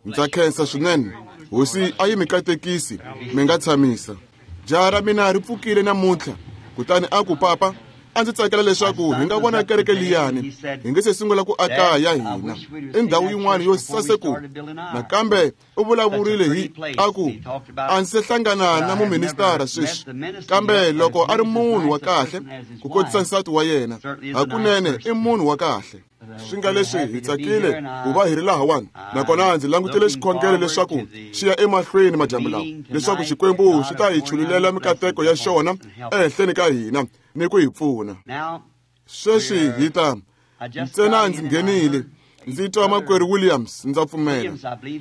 Ndza khensa swinene. Hosi a yi mi katekisi, mi nga tshamisa. Jaha ra mina ri pfukile namuntlha, kutani a ku, "Papa, a ndzi tsakela leswaku hi nga vona kereke liyani hi nge se sungula ku aka ya hina i ndhawu yin'wana yo saseko." Nakambe u vulavurile hi a ku, "A ndzi se hlangana na muministara sweswi, kambe loko a ri munhu wa kahle ku kotisa nsati wa yena, hakunene i munhu wa kahle." Swi nga leswi hi tsakile ku va hi ri lahawani, nakona ndzi langutele xikhongelo leswaku xi ya emahlweni madyambu lawa, leswaku Xikwembu xi ta hi chululela mikateko ya xona ehenhleni ka hina ni ku hi pfuna. Sweswi hi ta ntsena ndzi nghenile ndzi twa makwerhu Williams, ndza pfumela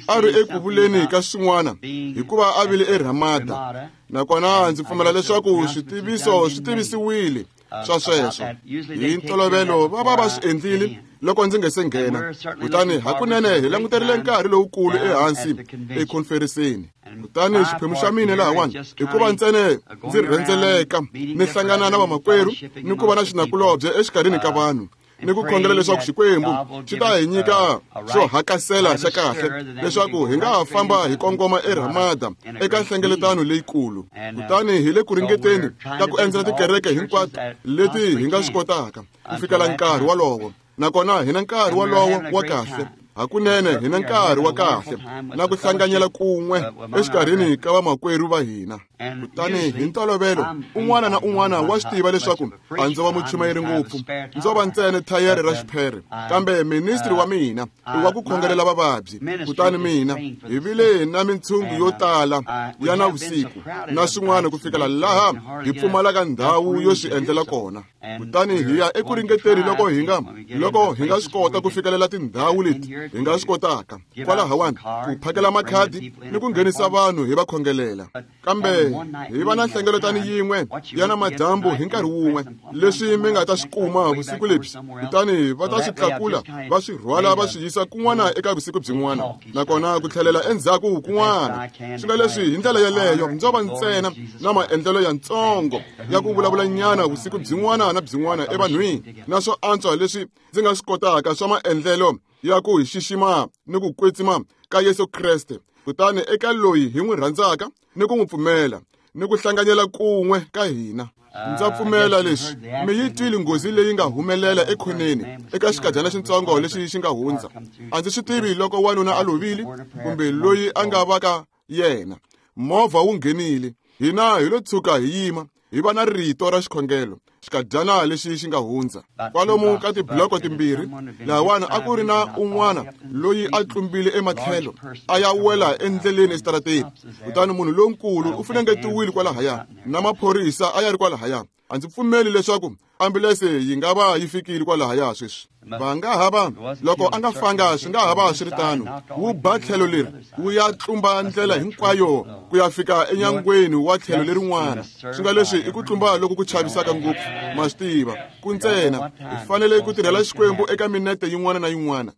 a ri eku vuleni ka swin'wana hikuva a vile eRamada, nakona ndzi pfumela leswaku switiviso swi tivisiwile swa sweswo. Hi ntolovelo va va va swi endlile loko ndzi nge se nghena. Kutani hakunene hi languterile nkarhi lowukulu ehansi ekhonferensini. Kutani xiphemu xa mina lahawani i ku va ntsena ndzi rhendzeleka ni hlangana na vamakwerhu ni ku va na xinakulobye exikarhini ka vanhu ni ku khongela leswaku Xikwembu xi ta hi nyika xo hakasela xa kahle leswaku hi nga ha famba hi kongoma eRamada eka nhlengeletano leyikulu. Kutani hi le ku ringeteni ka ku endzela tikereke hinkwato leti hi nga swi kotaka ku fikela nkarhi wolowo, nakona hi na nkarhi wolowo wa kahle. Hakunene hi na nkarhi wa kahle na ku hlanganyela kun'we exikarhini ka vamakwerhu va hina. Kutani hi ntolovelo un'wana na un'wana wa swi tiva leswaku a ndzo va muchumayeri ngopfu, ndzo va ntsena thayere ra xiphere, kambe ministri wa mina i wa ku khongelela vavabyi. Kutani mina hi vile na mintshungu yo tala ya navusiku na swin'wana ku fikela laha hi pfumalaka ndhawu yo swi endlela kona. Kutani hi ya eku ringeteni loko hi nga swi kota ku fikelela tindhawu leti hi nga swi kotaka kwalahawani ku phakela makhadi ni ku nghenisa vanhu hi va khongelela. Kambe hi va na nhlengeletano yin'we ya na madyambu hi nkarhi wun'we, leswi mi nga ta swi kuma vusiku lebyi, kutani va ta swi tlakula va swi rhwala va swi yisa kun'wana eka vusiku byin'wana, nakona ku tlhelela endzhaku kun'wana. Swi nga leswi hi ndlela yeleyo ndzo va ntsena na maendlelo yantsongo ya ku vulavula nyana vusiku byin'wana na byin'wana evanhwini, na swo antswa leswi ndzi nga swi kotaka swa maendlelo ya ku hi xixima ni ku kwetsima ka Yesu Kreste, kutani eka loyi hi n'wi rhandzaka ni ku n'wi pfumela ni ku hlanganyela kun'we ka hina. Ndza pfumela leswi mi yi twile nghozi leyi nga humelela ekhoneni eka xikadyana xitsongo lexi xi nga hundza. A ndzi swi tivi loko wanuna a lovile kumbe loyi a nga va ka yena. Movha wu nghenile, hina hi lo tshuka hi yima hi va na rito ra xikhongelo xikadyana lexi xi nga hundza kwalomu ka tibloko timbirhi. Lahawani a ku ri na un'wana loyi a tlumbile ematlhelo a ya wela endleleni exitarateni, kutani munhu lonkulu u funengetiwile kwalahaya na maphorisa a ya ri kwalahaya. A ndzi pfumeli leswaku ambulense yi nga va yi fikile kwalahaya sweswi. Va nga ha va loko a nga fanga, swi nga ha va swi ri tano, wu ba tlhelo leri wu ya tlumba ndlela hinkwayo ku ya fika enyangweni wa tlhelo lerin'wana. Swi nga leswi i ku tlumba loku ku chavisaka ngopfu, ma swi tiva. Ku ntsena hi fanele ku tirhela Xikwembu eka minete yin'wana na yin'wana.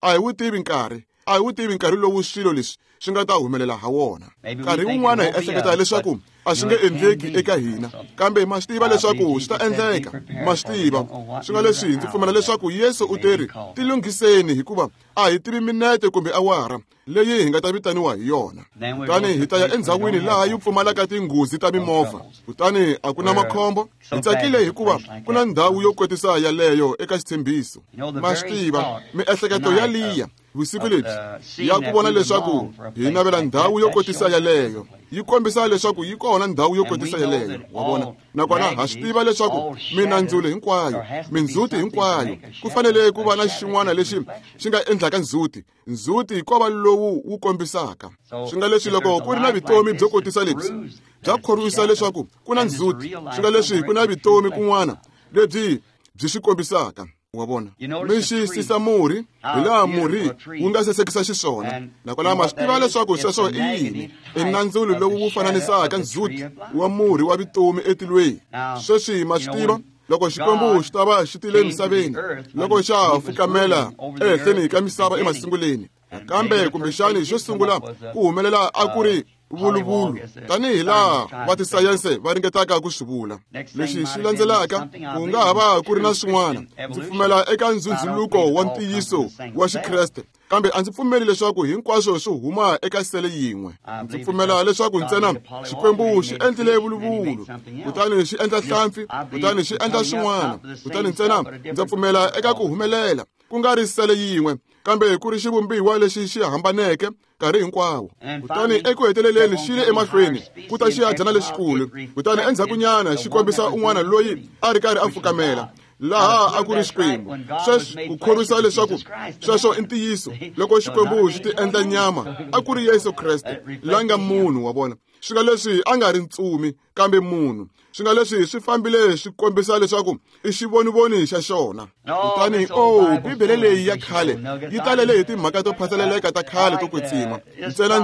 A hi wu tivi nkarhi, a hi wu tivi nkarhi lowu swilo leswi swi nga ta humelela ha wona. Nkarhi wun'wana hi ehleketa leswaku a swi nge endleki eka hina, kambe ma swi tiva leswaku swi ta endleka. Ma swi tiva. Swi nga leswi ndzi pfumela leswaku Yesu u teri, "Tilunghiseni, hikuva a hi tivi minete kumbe awara leyi hi nga ta vitaniwa hi yona." Kutani hi ta ya endzhawini laha yi pfumalaka tinghozi ta mimovha, kutani a ku na makhombo. Hi tsakile hikuva ku na ndhawu yo kwetisa yaleyo eka xitshembiso. Ma swi tiva, miehleketo yaliya vusiku lebyi ya ku vona leswaku hi navela ndhawu yo kotisa yaleyo yi kombisa leswaku yi kona ndhawu yo kotisa yaleyo, wa vona. Nakona ha swi tiva leswaku minandzulo hinkwayo, mindzhuti hinkwayo, ku fanele ku va na xin'wana lexi xi nga endlaka ndzhuti. Ndzhuti ko va lowu wu kombisaka. Swi nga leswi loko ku ri na vutomi byo kotisa lebyi bya khorwisa leswaku ku na ndzhuti, swi nga leswi ku na vutomi kun'wana lebyi byi swi kombisaka, wa vona. Mi xiyisisa murhi hi laha murhi wu nga sasekisa xiswona, nakona ma swi tiva leswaku sweswo i yini. I nandzulo lowu wu fananisaka ndzhuti wa murhi wa vutomi etilweni. Sweswi ma swi tiva loko Xikwembu xi ta va xi tile emisaveni, loko xa ha fukamela ehenhleni ka misava emasunguleni, kambe kumbexani xo sungula ku humelela a ku ri Vuluvulu tanihi laha va tisayense va ringetaka ku swi vula. Lexi xi landzelaka ku nga ha va ku ri na swin'wana. Ndzi pfumela eka ndzhundzhuluko wa ntiyiso wa Xikreste, kambe a ndzi pfumeli leswaku hinkwaswo swi huma eka sele yin'we. Ndzi pfumela leswaku ntsena Xikwembu xi endlile vuluvulu, kutani xi endla hlampfi, kutani xi endla swin'wana, kutani ntsena ndza pfumela eka ku humelela, ku nga ri sele yin'we, kambe ku ri xivumbiwa lexi xi hambaneke nkarhi hinkwawo. Kutani eku heteleleni xi le emahlweni ku ta xihadyana lexikulu, kutani endzhakunyana xi kombisa un'wana loyi a ri karhi a fukamela laha a ku ri Xikwembu. Sweswi ku khorwisa leswaku sweswo i ntiyiso, loko Xikwembu xi ti endla nyama a ku ri Yesu Kreste la nga munhu wa vona. Swi nga leswi a nga ri ntsumi kambe munhu. Swi nga leswi swi fambile swi kombisa leswaku i xivonivoni xa xona. Kutani oh, Bibele leyi ya khale yi talele hi timhaka to phaseleleka ta khale to kwetsima. Ntsena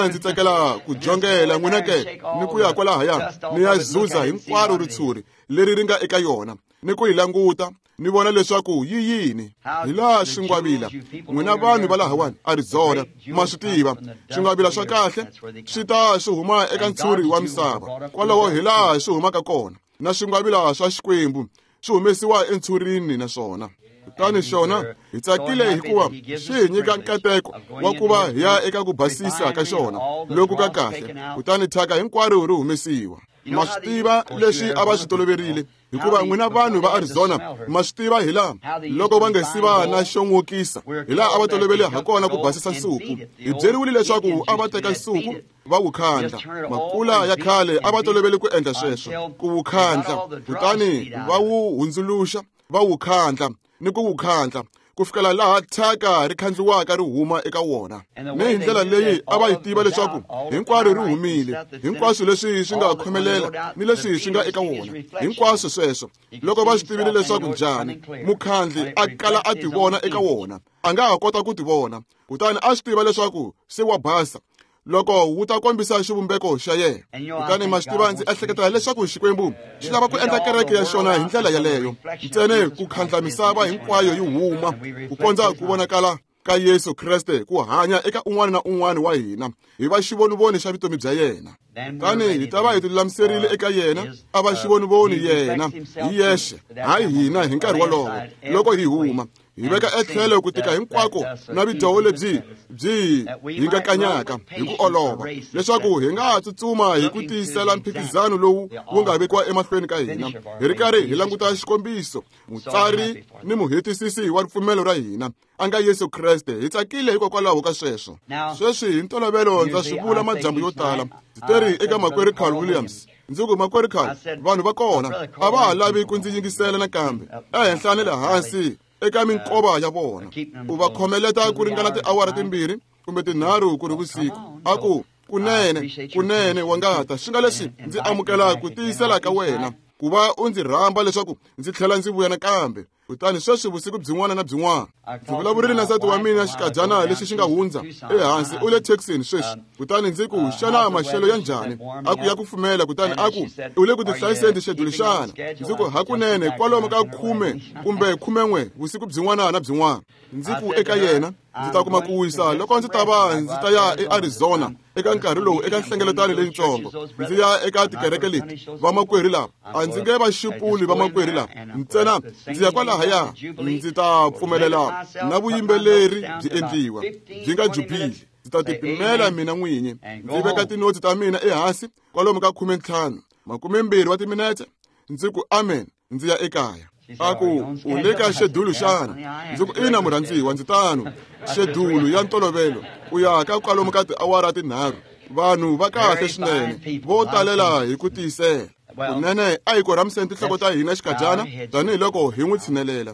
ndzi tsakela ku jongela n'wina ke ni ku ya kwalahaya ni ya zuza hinkwaro ritshuri leri ri nga eka yona, ni ku yi languta ni vona leswaku yi yini. Hi laha swingwavila, n'wina vanhu va lahawani Arizona ma swi tiva, swingwavila swa kahle swi ta swi huma eka ntshuri wa misava. Kwalaho hi laha swi humaka kona, na swingwavila swa Xikwembu swi humesiwa entshurini na swona. Kutani xona hi tsakile hikuva xi hi nyika nkateko wa ku va hi ya eka ku basisa ka xona loku ka kahle, kutani thyaka hinkwaro ri humesiwa. Ma swi tiva leswi a va swi toloverile, hikuva n'wina vanhu va Arizona ma swi tiva hi laha loko va nga si va na xo n'wokisa, hi laha a va tolovele ha kona ku basisa nsuku. Hi byeriwile leswaku a va teka nsuku va wu khandla. Makula ya khale a va tolovele ku endla sweswo, ku wu khandla, kutani va wu hundzuluxa, va wu khandla ni ku wu khandla ku fikela laha thyaka ri khandliwaka ri huma eka wona. Ni hi ndlela leyi a va yi tiva leswaku hinkwaro ri humile, hinkwaswo leswi swi nga khomelela ni leswi swi nga eka wona, hinkwaswo sweswo. Loko va swi tivile leswaku njhani mukhandli a kala a tivona eka wona, a nga ha kota ku tivona, kutani a swi tiva leswaku se wa basa loko wu ta kombisa xivumbeko xa yena. Kutani ma swi tiva, ndzi ehleketa leswaku Xikwembu xi lava ku endla kereke ya xona hi ndlela yaleyo, ntsena ku khandla misava hinkwayo yi huma ku kondza ku vonakala ka Yesu Kreste ku hanya eka un'wana na un'wana wa hina, hi va xivonivoni xa vutomi bya yena. Kutani hi ta va hi tilulamiserile eka yena, a va xivonivoni yena hi yexe, hayi hina hi nkarhi wolowo loko hi huma. Hi veka etlhelo ku tika hinkwako na vidyoho lebyi byi hi nga kanyaka hi ku olova, leswaku hi nga tsutsuma hi ku tiyisela mphikizano lowu wu nga vekiwa emahlweni ka hina, hi ri karhi hi languta xikombiso, mutsari ni muhetisisi wa ripfumelo ra hina, a nga Yesu Kreste. Hi tsakile hikokwalaho ka sweswo. Sweswi hi ntolovelo ndza swi vula madyambu yo tala, ndzi teri eka makwerhu Carl Williams, ndzi ku, makwerhu Carl, vanhu va kona a va ha lavi ku ndzi yingisela nakambe ehenhla ni le hansi eka minkova ya vona. U va khomeleta ku ringana tiawara 2 kumbe 3 ku ri vusiku. A ku, kunene, kunene wa ngata, swi nga leswi ndzi amukela ku tiyisela ka wena ku va u ndzi rhamba leswaku ndzi tlhela ndzi vuya nakambe. Kutani sweswi vusiku byin'wana na byin'wana ndzi vulavurile na nsati wa mina xikadyana lexi xi nga hundza ehansi, u le Texas sweswi. Kutani ndzi ku, xana maxelo ya njhani? A ku ya kufumela. Kutani a ku, u le ku tihlayiseni tixeduli xana? Ndzi ku, hakunene kwalomu ka 10 kumbe 11 vusiku byin'wana na byin'wana. Ndzi ku eka yena, ndzi ta kuma ku wisa loko ndzi ta va ndzi ta ya eArizona eka nkarhi lowu eka nhlengeletano leyitsongo. Ndzi ya eka tikereke leti vamakwerhu lava, a ndzi nge va xupuli vamakwerhu lava, ntsena ndzi ya kwalahaya, ndzi ta pfumelela na vuyimbeleri byi endliwa byi nga jubili. Ndzi ta tipimela mina n'winyi, ndzi veka tinotsi ta mina ehansi kwalomu ka 15 20 wa timinete, ndzi ku amen, ndzi ya ekaya. A ku, u le ka xedulu xana? Ndzi ku, ina murhandziwa, ndzi tano. Xedulu ya ntolovelo, u ya ka kwalomu ka tiawara 3. Vanhu va kahle swinene, vo talela hi ku tiyisela. Kunene a hi korhamiseni tinhloko ta hina xikadyana tanihiloko hi n'wi tshinelela.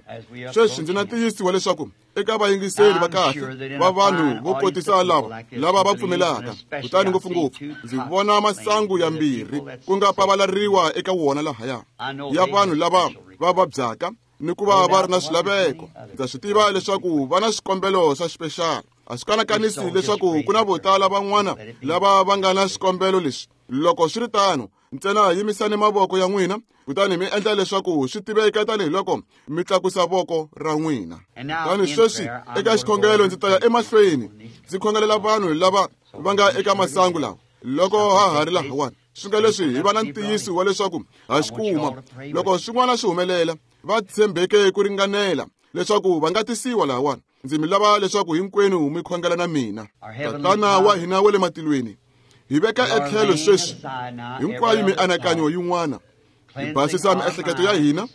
Sweswi ndzi na ntiyisiwa leswaku eka vayingiseri va kahle va vanhu vo kotisa lava lava va pfumelaka, kutani ngopfungopfu ndzi vona masangu ya mbirhi ku nga pavalariwa eka wona lahaya ya vanhu lava va vabyaka ni ku va va ri na swilaveko. Ndza swi tiva leswaku va na swikombelo swa xipexala. A swi kanakanisi leswaku ku na vo tala van'wana lava va nga na swikombelo leswi. Loko swi ri tano, ntsena yimisani mavoko ya n'wina, kutani mi endla leswaku swi tiveka tanihiloko mi tlakusa voko ra n'wina. Kutani sweswi eka xikhongelo ndzi ta ya emahlweni ndzi khongelela vanhu lava va nga eka masangu lawa loko ha ha ri lahawani. Swi nga leswi hi va na ntiyiso wa leswaku ha xi kuma. Loko swin'wana swi humelela, va tshembeke ku ringanela leswaku va nga tisiwa lahawani. Ndzi mi lava leswaku hinkwenu mi khongela na mina. Tatana wa hina wa le matilweni, hi veka etlhelo sweswi hinkwayo mianakanyo yin'wana, hi basisa miehleketo ya hina,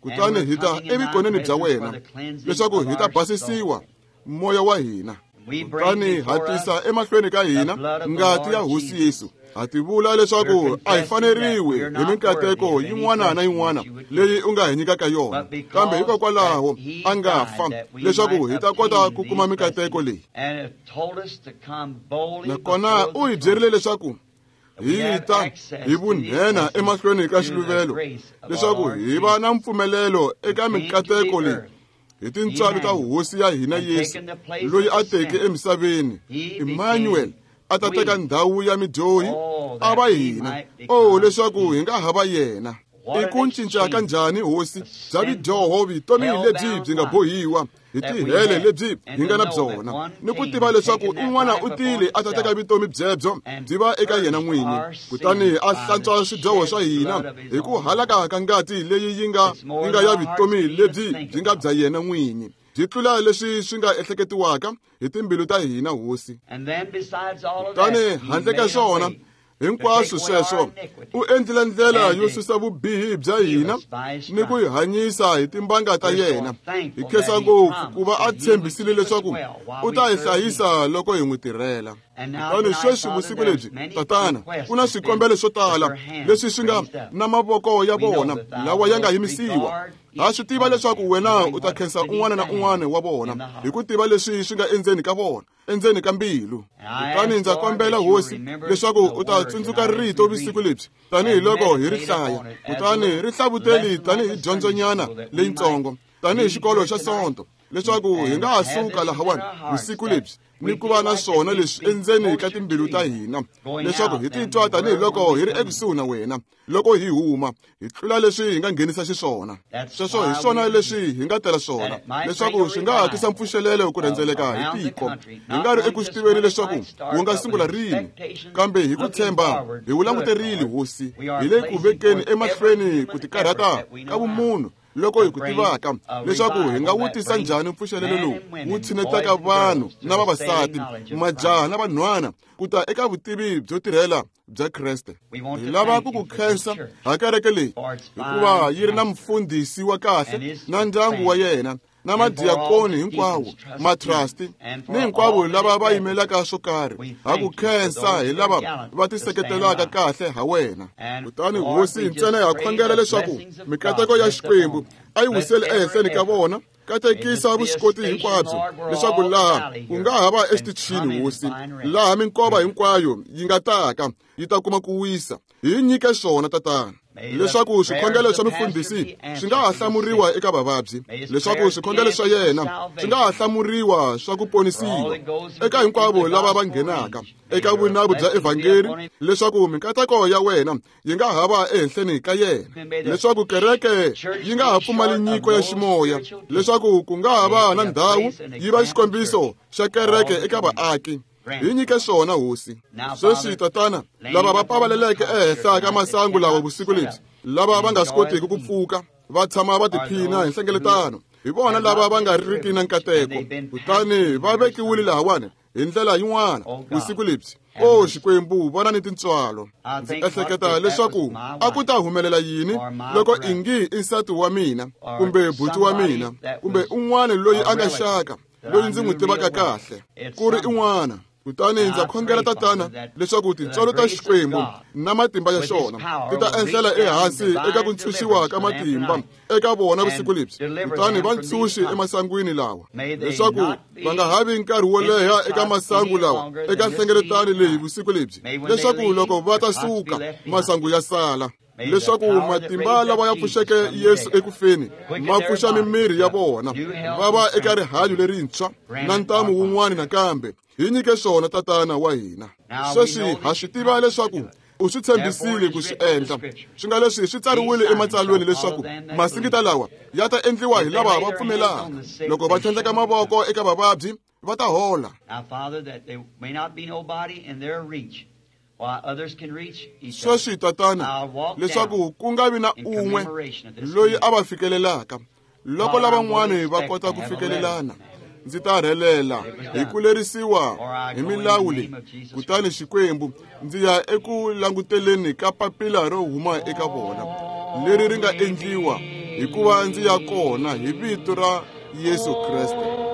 kutani hi ta evukoneni bya wena leswaku hi ta basisiwa moya wa hina. Kutani ha tisa emahlweni ka hina ngati ya Hosi Yesu. Ha tivula leswaku a hi faneriwi hi minkateko yin'wana na yin'wana leyi u nga hi nyikaka yona, kambe hikokwalaho a nga fa leswaku hi ta kota ku kuma minkateko leyi. Nakona u hi byerile leswaku hi ta hi vunhena emahlweni ka xiluvelo leswaku hi va na mpfumelelo eka minkateko leyi hi tintswalo ta Hosi ya hina Yesu, loyi a teke emisaveni, Emmanuel, a ta teka ndhawu ya midyohi a va hina. Oh, leswaku hi nga ha va yena. I ku cinca ka njhani, Hosi, bya vidyoho vutomi lebyi byi nga bohiwa hi tihele lebyi hi nga na byona, ni ku tiva leswaku un'wana u tile a ta teka vutomi byebyo byi va eka yena n'winyi, kutani a hlantswa swidyoho swa hina hi ku halaka ka ngati leyi yi nga ya vutomi lebyi byi nga bya yena n'winyi, byi tlula leswi swi nga ehleketiwaka hi timbilu ta hina, Hosi. Kutani handle ka swona hinkwaswo sweswo, u endlile ndlela yo susa vubihi bya hina ni ku hi hanyisa hi timbanga ta yena. Hi khensa ngopfu ku va a tshembisile leswaku u ta hi hlayisa loko hi n'wi tirhela. Kutani sweswi vusiku lebyi, Tatana, ku na swikombelo swo tala leswi swi nga na mavoko ya vona lawa ya nga yimisiwa. Ha swi tiva leswaku wena u ta khensa un'wana na un'wana wa vona hi ku tiva leswi swi nga endzeni ka vona, endzeni ka mbilu. Kutani ndza kombela, Hosi, leswaku u ta tsundzuka rito vusiku lebyi tanihiloko hi ri hlaya, kutani ri hlavuteli tanihi dyondzonyana leyitsongo, tanihi xikolo xa Sonto, leswaku hi nga ha suka lahawani vusiku lebyi ni ku va na swona leswi endzeni ka timbilu ta hina, leswaku hi titwa tanihiloko hi ri ekusuhi na wena loko hi huma, hi tlula leswi hi nga nghenisa xiswona. Sweswo hi swona leswi hi nga tela swona, leswaku swi nga ha tisa mpfuxelelo ku rhendzeleka hi tiko. Hi nga ri eku swi tiveni leswaku wu nga sungula rini, kambe hi ku tshemba hi wu languterile, Hosi. Hi le ku vekeni emahlweni ku tikarhata ka vumunhu loko hi ku tivaka leswaku hi nga wu tisa njhani mpfuxelelo lowu wu tshinetaka vanhu na vavasati, majaha na vanhwana ku ta eka vutivi byo tirhela bya Kreste. Hi lava ku ku khensa ha kereke leyi, hikuva yi ri na mufundhisi wa kahle na ndyangu wa yena, na madiakoni hinkwawo, matrasti ni hinkwavo lava va yimelaka swo karhi. Ha ku khensa hi lava va tiseketelaka kahle ha wena. Kutani Hosi, ntsena ha khongela leswaku mikateko ya Xikwembu a yi wiseli ehenhleni ka vona. Katekisa vuswikoti hinkwabyo, leswaku laha ku nga ha va exitichini, Hosi, laha minkova hinkwayo yi nga taka yi ta kuma ku wisa. Hi nyike swona, Tatana, leswaku swikhongelo swa mufundhisi swi nga ha hlamuriwa eka vavabyi, leswaku swikhongelo swa yena swi nga ha hlamuriwa swa ku ponisiwa eka hinkwavo lava va nghenaka eka vunavu bya evhangeli, leswaku minkateko ya wena yi nga ha va ehenhleni ka yena, leswaku kereke yi nga ha pfumali nyiko ya ximoya, leswaku ku nga ha va na ndhawu yi va xikombiso xa kereke eka vaaki. Hi nyike swona, Hosi. Sweswi, Tatana, lava va pavaleleke ehenhla ka masangu lawa vusiku lebyi, lava va nga swi kotiki ku pfuka va tshama va tiphina hi nhlengeletano, hi vona lava va nga riki na nkateko, kutani va vekiwile lahawani hi ndlela yin'wana vusiku lebyi. O Xikwembu, vona ni tintswalo. Ndzi ehleketa leswaku a ku ta humelela yini loko ingi i nsati wa mina, kumbe buti wa mina, kumbe un'wana loyi a nga xaka, loyi ndzi n'wi tivaka kahle, ku ri un'wana. Kutani ndza khongela, Tatana, leswaku tintswalo ta Xikwembu na matimba ya xona ti ta enhlela ehansi eka ku ntshunxiwa ka matimba eka vona vusiku lebyi, kutani va ntshunxi emasangwini lawa, leswaku va nga ha vi nkarhi wo leha eka masangu lawa eka nhlengeletano leyi vusiku lebyi, leswaku loko va ta suka masangu ya sala, leswaku matimba lawa ya pfuxeke Yesu ekufeni ma pfuxa mimiri ya vona, va va eka rihanyo lerintshwa na ntamu wun'wana nakambe. Hi nyike swona, Tatana wa hina. Sweswi ha swi tiva leswaku U swi tshembisile ku swi endla. Swi nga leswi swi tsariwile ematsalweni leswaku masingita lawa ya ta endliwa hi lava va pfumelaka. Loko va tlhandleka mavoko eka vavabyi, va ta hola. Sweswi, Tatana, leswaku ku nga vi na un'we loyi a va fikelelaka, loko lavan'wana va kota ku fikelelana, ndzi ta rhelela hi ku lerisiwa hi milawu leyi. Kutani Xikwembu, ndzi ya eku languteleni ka papila ro huma eka vona, leri ri nga endliwa hikuva ndzi ya kona hi vito ra Yesu Kreste.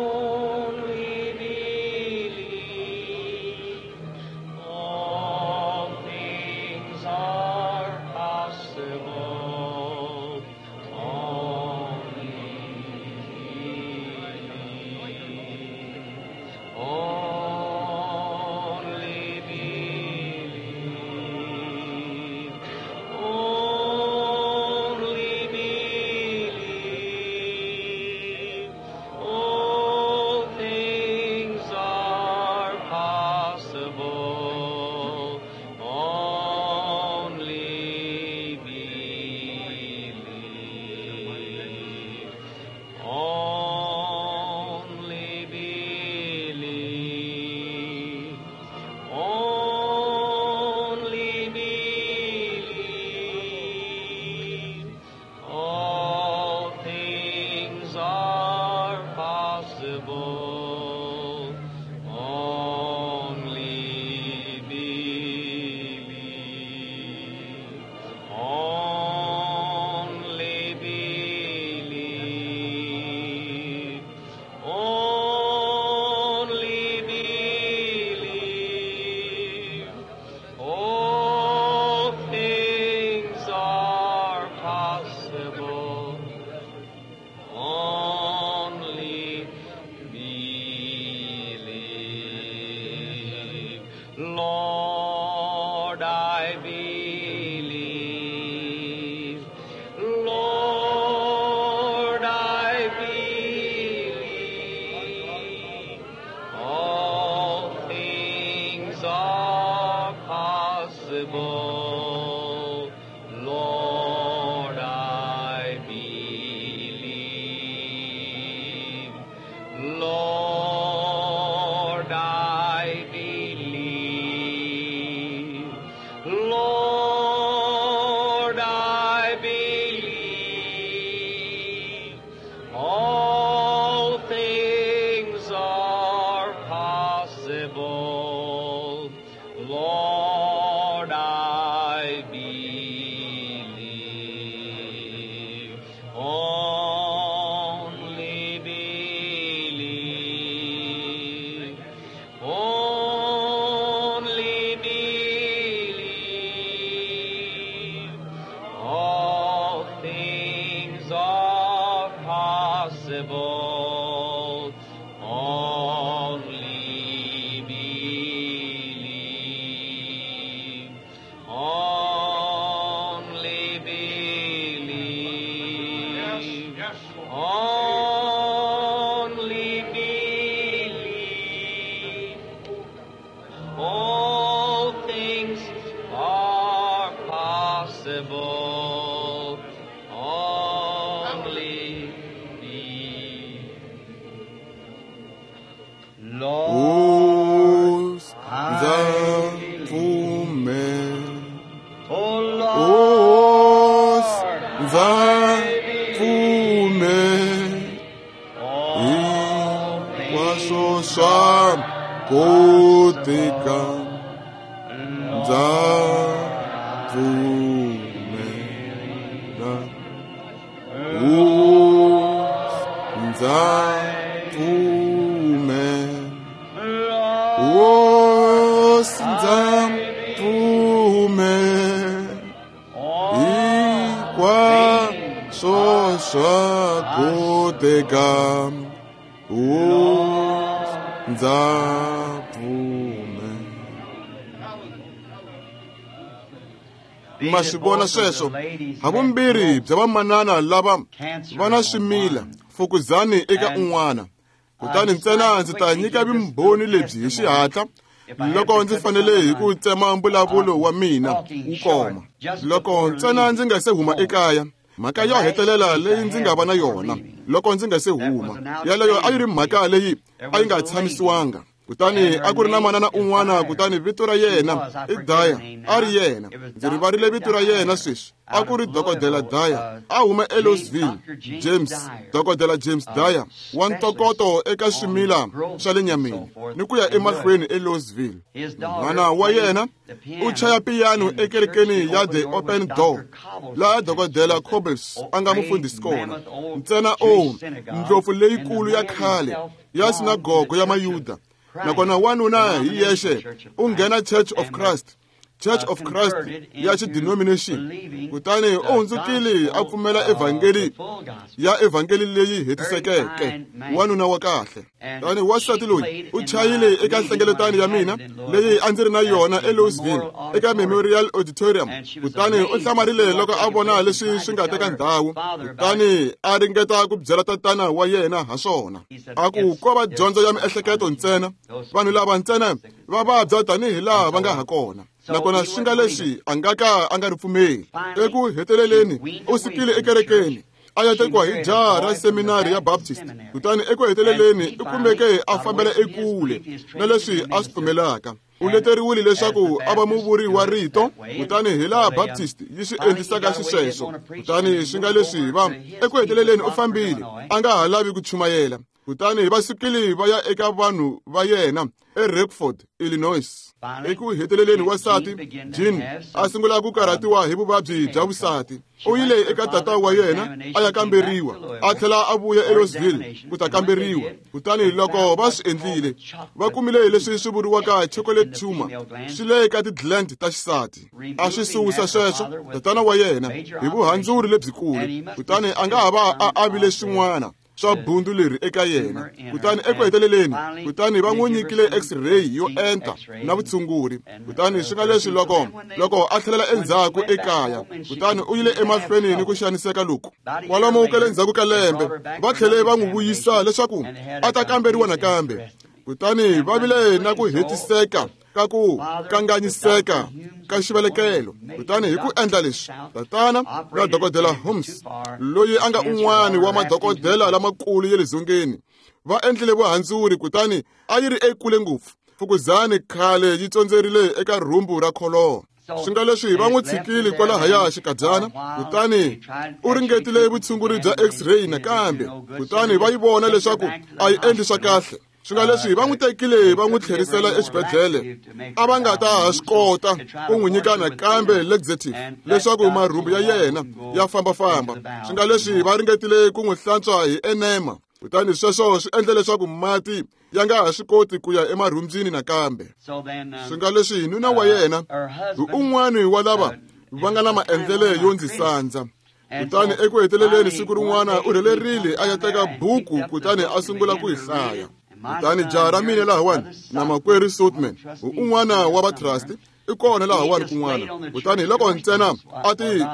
Ma swi vona sweswo havumbirhi bya vamanana lava va na swimila fukuzani eka un'wana. Kutani ntsena ndzi ta nyika vumbhoni lebyi hi xihatla Loko ndzi fanele hi ku tsema mbulavulo wa mina wu koma, loko ntsena ndzi nga se huma ekaya, mhaka yo hetelela leyi ndzi nga va na yona loko ndzi nga se huma, yaleyo a yi ri mhaka leyi a yi nga tshamisiwanga. Kutani a ku ri na manana un'wana, kutani vito ra yena i Dyer, a ri yena. Ndzi rivarile vito ra yena sweswi. A ku ri Dokodela Dyer, a huma eLouisville, James, Dokodela James Dyer, wa ntokoto eka swimila swa le nyameni ni ku ya emahlweni eLouisville. N'wana wa yena u chaya piyano ekerekeni ya The Open Door, laha Dokodela Cobbles a nga mufundhisi kona. Ntsena o ndlopfu leyikulu ya khale ya sinagogo ya Mayuda. Nakona wanuna hi yexe u nghena Church of Christ, Church of Christ ya xidenomination, kutani u hundzukile a pfumela evhangeli ya evhangeli leyi hetisekeke, wanuna wa kahle. Tani wansati loyi u chayile eka nhlengeletano ya mina leyi a ndzi ri na yona eLouisville eka Memorial Auditorium, kutani u hlamarile loko a vona leswi swi nga teka ndhawu, kutani a ringeta ku byela tatana wa yena ha swona. A ku ko va dyondzo ya miehleketo ntsena, vanhu lava ntsena va vabya tanihi laha va nga ha kona. Nakona swi nga leswi a nga ka a nga ri pfumeli. Eku heteleleni u sukile ekerekeni a ya tekiwa hi jaha ra seminari ya Baptist, kutani eku heteleleni u kumeke a fambela ekule na leswi a swi pfumelaka. U leteriwile leswaku a va muvuri wa rito, kutani hi laha Baptist yi swi endlisaka xisweswo. Kutani swi nga leswi va eku heteleleni u fambile a nga ha lavi ku chumayela, kutani va sukile va ya eka vanhu va yena eRockford, Illinois. Eku heteleleni wansati Jean a sungula ku karhatiwa hi vuvabyi bya vusati. U yile eka tata wa yena a ya kamberiwa, a tlhela a vuya eLouisville ku ta kamberiwa. Kutani loko va swi endlile, va kumile leswi swi vuriwaka chocolate tumor, swi le ka ti-gland ta xisati. A swi susa sweswo tatana wa yena hi vuhandzuri lebyikulu, kutani a nga ha va a avile swin'wana swa bundu leri eka yena. Kutani eku heteleleni, kutani va n'wi nyikile x-ray yo enta na vutshunguri. Kutani swi nga leswi loko a tlhelela endzhaku ekaya, kutani u yile emahlweni ni ku xaniseka loku. Kwalomu ka le ndzhaku ka lembe, va tlhele va n'wi vuyisa leswaku a ta kamberiwa nakambe. Kutani va vile na ku hetiseka ka ku kanganyiseka ka xivelekelo. Kutani hi ku endla leswi, tatana na Dokodela Holmes, loyi a nga un'wana wa madokodela lamakulu ya le dzongeni, va endlile vuhandzuri, kutani a yi ri ekule ngopfu. Fukuzani khale yi tsondzerile eka rhumbu ra kholoho. Swi nga leswi va n'wi tshikile kwalahaya xikadyana, kutani u ringetile vutshunguri bya x-ray nakambe, kutani va yi vona leswaku a yi endli swa kahle. Swi nga leswi va n'wi tekile va n'wi tlherisela exibedhlele, a va nga ta ha swi kota ku n'wi nyika nakambe laxative leswaku marhumbu ya yena ya fambafamba. Swi nga leswi va ringetile ku n'wi hlantswa hi enema, kutani sweswo swi endle leswaku mati ya nga ha swi koti ku ya emarhumbyini nakambe. Swi nga leswi nuna wa yena hi un'wana wa lava va nga na maendlele yo ndzi sandza. Kutani eku heteleleni siku rin'wana u rhelerile a ya teka buku, kutani a sungula ku yi hlaya. Kutani jaha ra mina lahawani na makwerhu Soutman, hi un'wana wa vatrust, i kona lahawani kun'wana. Kutani hi loko ntsena a ti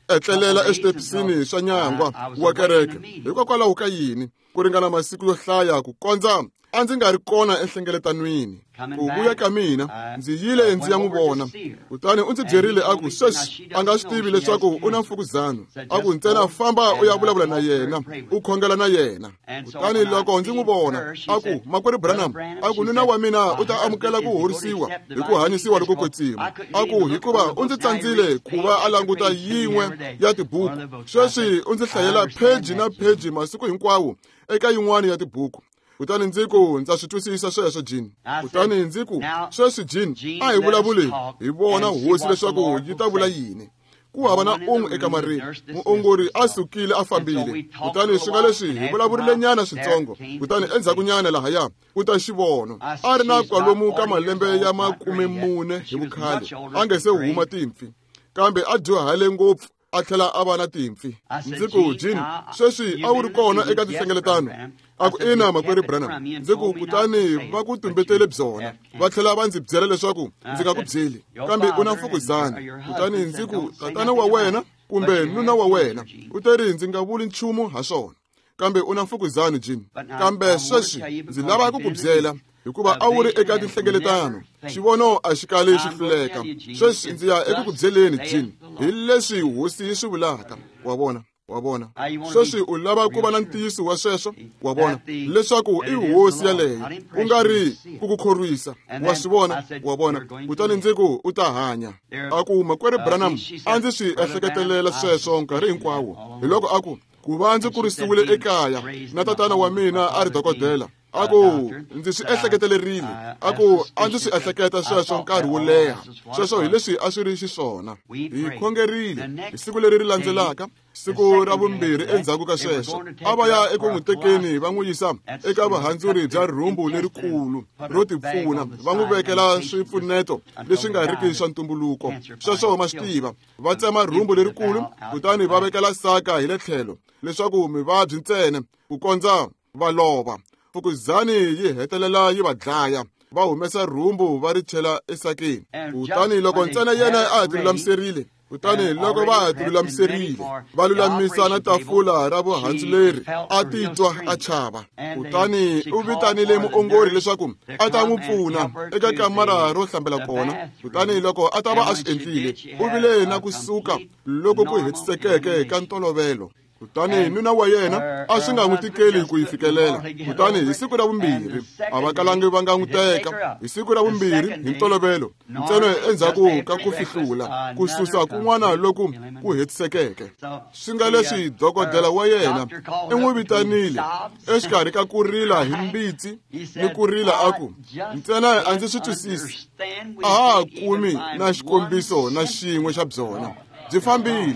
etlelela eswitepisini swa nyangwa wa kereke, hikokwalaho ka yini ku ringana masiku yo hlaya ku kondza a ndzi nga ri kona enhlengeletanweni. Ku vuya ka mina ndzi yile ndzi ya n'wi vona, kutani u ndzi byerile a ku sweswi a nga swi tivi leswaku u na mfukuzano, a ku ntsena famba u ya vulavula na yena, u khongela na yena. Kutani loko ndzi n'wi vona, a ku makwerhu Branham, a ku nuna wa mina u ta amukela ku horisiwa hi ku hanyisiwa loko kwetsima, a ku hikuva u ndzi tsandzile ku va a languta yin'we ya tibuku, sweswi u ndzi hlayela pheji na pheji masiku hinkwawo eka yin'wana ya tibuku. Kutani ndzi ku ndza swi twisisa sweswo Jean. Kutani ndzi ku sweswi Jean, a hi vulavuli hi vona hosi leswaku yi ta vula yini. Ku hava na un'we ekamareni, muongori a sukile a fambile. Kutani swi nga leswi hi vulavurile nyana switsongo, kutani endzhakunyana lahaya ku ta xivono. A ri na kwalomu ka malembe ya 40 hi vukhale, a nge se huma timpfi, kambe a dyuhale ngopfu a tlhela a va na timpfi. Ndzi ku Jean, sweswi a wu ri kona eka tinhlengeletano? A ku ina makwerhu Branham. Ndzi ku kutani va ku tumbetele byona, va tlhela va ndzi byela leswaku ndzi nga ku byeli, kambe u na mfukuzani. Kutani ndzi ku tatana wa wena kumbe nuna wa wena u teri ndzi nga vuli nchumu ha swona, kambe u na mfukuzani Jean. Kambe sweswi ndzi lava ku ku byela Hikuva a wu ri eka tinhlengeletano, xivono a xi kali xi hluleka. Sweswi ndzi ya eku ku byeleni, Jean, hi leswi hosi yi swi vulaka. Wa vona? Wa vona? Sweswi u lava ku va na ntiyiso wa sweswo, wa vona, leswaku i hosi yaleyo, ku nga ri ku ku khorwisa. Wa swi vona? Wa vona? Kutani ndzi ku, u ta hanya. A ku, Makwerhu Branham, a ndzi swi ehleketelela sweswo nkarhi hinkwawo. Hi loko a ku, ku va ndzi kurisiwile ekaya na tatana wa mina a ri dokodela, a ku ndzi swi ehleketelerile, a ku a ndzi swi ehleketa sweswo nkarhi wo leha. Sweswo hi leswi a swi ri xiswona. Hi khongerile hi siku leri ri landzelaka, siku ra vumbirhi endzhaku ka sweswo, a va ya eku n'wi tekeni va n'wi yisa eka vuhandzuri bya rhumbu lerikulu ro tipfuna, va n'wi vekela swipfuneto leswi nga riki swa ntumbuluko. Sweswo ma swi tiva, va tsema rhumbu lerikulu kutani va vekela saka hi le tlhelo leswaku mivabyi ntsena ku kondza va lova. Fukuzani yi hetelela yi va dlaya, va humesa rhumbu va ri chela esakeni. Kutani loko ntsena yena a ha tilulamiserile, kutani loko va ha tilulamiserile, va lulamisa na tafula ra vuhandzuleri, a titwa a chava. Kutani u vitanile muongori leswaku a ta n'wi pfuna eka kamara ro hlambela kona. Kutani loko a ta va a swi endlile, u vile na ku suka loko ku hetisekeke ka ntolovelo. Kutani nuna wa yena a swi nga n'wi tikeli ku yi fikelela. Kutani hi siku ra vumbirhi a va kalangi va nga n'wi teka. Hi siku ra vumbirhi hi ntolovelo ntsena endzhaku ka ku fihlula, ku susa kun'wana loku ku hetisekeke. Swi nga leswi dokodela wa yena i n'wi vitanile exikarhi ka ku rila hi mbitsi ni ku rila a ku, ntsena a ndzi swi twisisi, a ha ha kumi na xikombiso na xin'we xa byona. Byi fambile.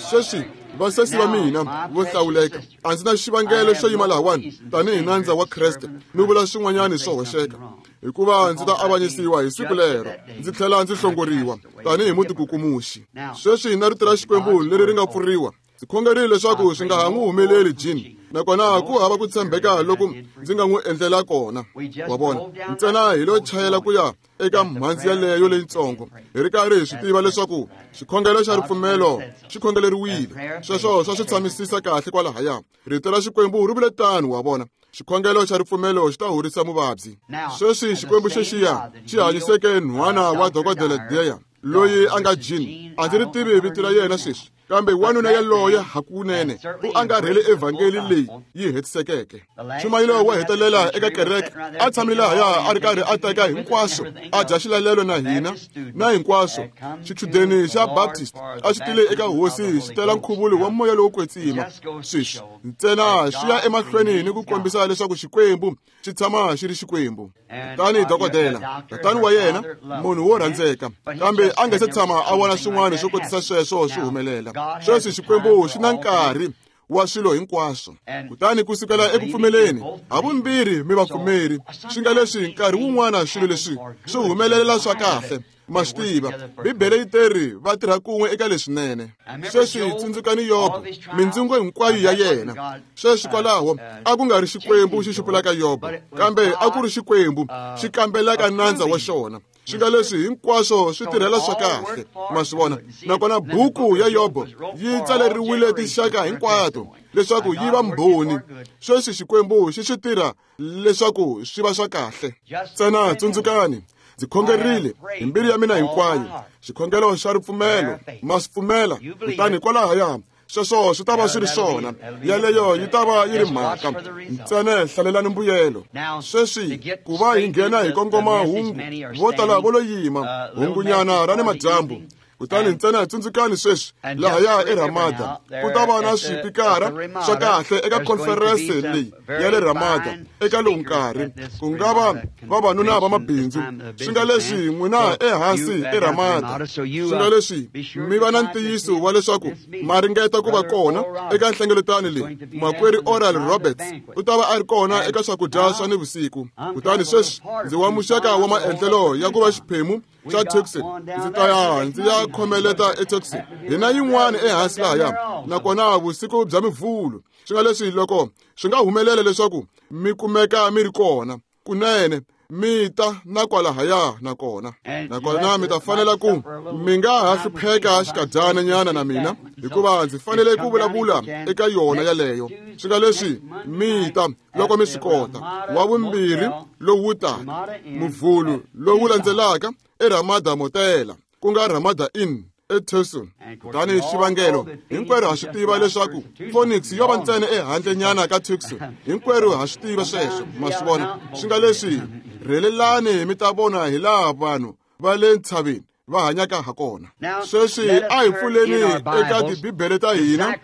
Sweswi vasesi va mina vo hlawuleka, a ndzi na xivangelo xo yima lahawani tanihi nandza wa Kreste ni vula swin'wanyani swo hoxeka, hikuva ndzi ta avanyisiwa hi siku lero, ndzi tlhela ndzi hlongoriwa tanihi mutikukumuxi. Sweswi na rito ra Xikwembu leri ri nga pfuriwa, ndzi khongerile leswaku swi nga ha n'wi humeleli Jean, nakona ku hava ku tshembeka loku ndzi nga n'wi endlela kona. Wa vona? Ntsena hi lo chayela ku ya eka mhandzi yaleyo leyitsongo, hi ri karhi hi swi tiva leswaku xikhongelo xa ripfumelo xi khongeleriwile. Sweswo swa swi tshamisisa kahle kwalahaya. Rito ra Xikwembu ri vule tano, wa vona. Xikhongelo xa ripfumelo xi ta horisa muvabyi. Sweswi Xikwembu xexiya xi hanyiseke nhwana wa dokodela Deya, loyi a nga Jean, a ndzi ri tivi vito ra yena sweswi, kambe wanuna yaloye hakunene u angarhele evhangeli leyi yi hetisekeke. Nchumayelo wo hetelela eka kereke, a tshamile lahaya a ri karhi a teka hinkwaswo, a dya xilalelo na hina na hinkwaswo. Xichudeni xa Baptist a xi tile eka hosi xi tela nkhuvulo wa moya lowo kwetsima. Sweswi ntsena xi ya emahlweni ni ku kombisa leswaku Xikwembu xi tshama xi ri Xikwembu. Kutani dokodela, tatani wa yena, munhu wo rhandzeka, kambe a nga se tshama a vona swin'wana swo kotisa sweswo swi humelela. Sweswi Xikwembu xi na nkarhi wa swilo hinkwaswo. Kutani ku sukela eku pfumeleni, havumbirhi mi vapfumeri, swi nga leswi nkarhi wun'wana swilo leswi swi humelelela swa kahle. Ma swi tiva, Bibele yi teri va tirha kun'we eka leswinene. Sweswi tsundzukani Yobo, mindzingo hinkwayo ya yena. Sweswi kwalaho a ku nga ri Xikwembu xi xupulaka Yobo, kambe a ku ri Xikwembu xi kambelaka nandza wa xona. Swi nga leswi hinkwaswo swi tirhela swa kahle. Ma swi vona? Nakona buku ya Yobo yi tsaleriwile tinxaka hinkwato leswaku yi va mbhoni. Sweswi Xikwembu xi swi tirha leswaku swi va swa kahle. Ntsena tsundzukani, ndzi khongerile hi mbilu ya mina hinkwayo, xikhongelo xa ripfumelo. Ma swi pfumela? Kutani kwalahaya sweswo swi ta va swi ri swona. Yaleyo yi ta va yi ri mhaka. Ntsena hlalelani mbuyelo. Sweswi ku va hi nghena hi kongoma hungu, vo tala vo lo yima hungunyana ra ni madyambu. Kutani ntsena tsundzukani sweswi, lahaya eRamada ku ta va na swipikara swa kahle eka khonferense leyi ya le Ramada eka lowu nkarhi, ku nga va vavanuna va mabindzu. Swi nga leswi n'wina ehansi eRamada, swi nga leswi mi va na ntiyiso wa leswaku ma ringeta ku va kona eka nhlengeletano leyi. Makwerhu Oral Roberts u ta va a ri kona eka swakudya swa nivusiku. Kutani sweswi ndzi wa muxaka wa maendlelo ya ku va xiphemu xa Tucson. Ndzi ta ya ndzi ya khomeleta eTucson. Hi na yin'wana ehansi lahaya, nakona vusiku bya mivhulu. Swi nga leswi loko swi nga humelela leswaku mi kumeka mi ri kona, kunene Mi ta na kwalahaya nakona. Nakona mi ta fanela ku mi nga ha hlupheka xikadyana nyana na mina, hikuva ndzi fanele ku vulavula eka yona yaleyo. Swi nga leswi mi ta loko mi swi kota. Wa vumbirhi lowu taka, Muvhulu lowu landzelaka eRamada Motela, ku nga Ramada Inn eTucson. Kutani xivangelo hinkwerhu ha swi tiva leswaku Phoenix yo va ntsena ehandlenyana ka Tucson. Hinkwerhu ha swi tiva sweswo, ma swi vona. Swi nga leswi rhelelani mi ta vona hi laha vanhu va le ntshaveni va hanyaka ha kona. Sweswi a hi pfuleni eka tibibele ta hina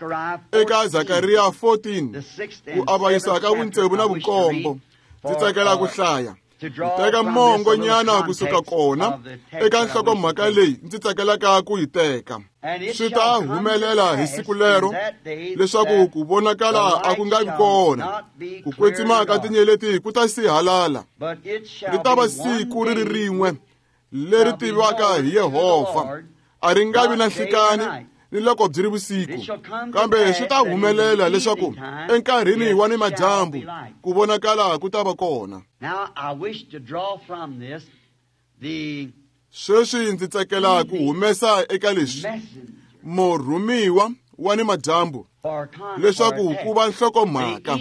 eka Zakariya 14, ku avanyisa ka vutsevu na vunkombo. Ndzi tsakela ku hlaya. Teka mongo nyana kusuka kona eka nhlokomhaka leyi ndzi tsakelaka ku yi teka. Swi ta humelela hi siku lero leswaku ku vonakala a ku nga vi kona, ku kwetsima ka tinyeleti ku ta sihalala. Ri ta va siku ri ri rin'we leri tiviwaka hi Yehovha, a ri nga vi na nhlikani ni loko byi ri vusiku. Kambe swi ta humelela leswaku enkarhini wa nimadyambu ku vonakala ku ta va kona. Sweswi ndzi tsakela ku humesa eka leswi murhumiwa wa nimadyambu leswaku ku va nhlokomhaka.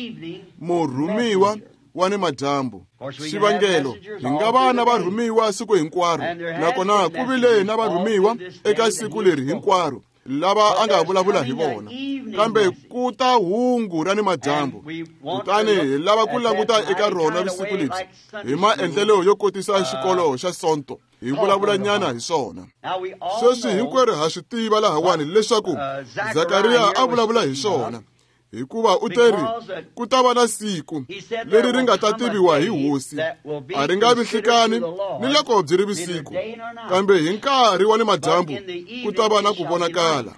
Murhumiwa wa nimadyambu. Xivangelo, hi nga va na varhumiwa siku hinkwaro, nakona ku vile na varhumiwa eka siku leri hinkwaro lava a nga vulavula hi vona. Kambe ku ta hungu ra nimadyambu, kutani hi lava ku languta eka rona vusiku lebyi hi maendlelo yo kotisa xikolo xa Sonto, hi vulavula nyana hi swona. Sweswi hinkwerhu ha swi tiva lahawani leswaku Zakariya a vulavula hi swona, hikuva u teri ku ta va na siku leri ri nga ta tiviwa hi hosi, a ri nga vi nhlikani ni loko byi ri vusiku, kambe hi nkarhi wa nimadyambu ku ta va na ku vonakala.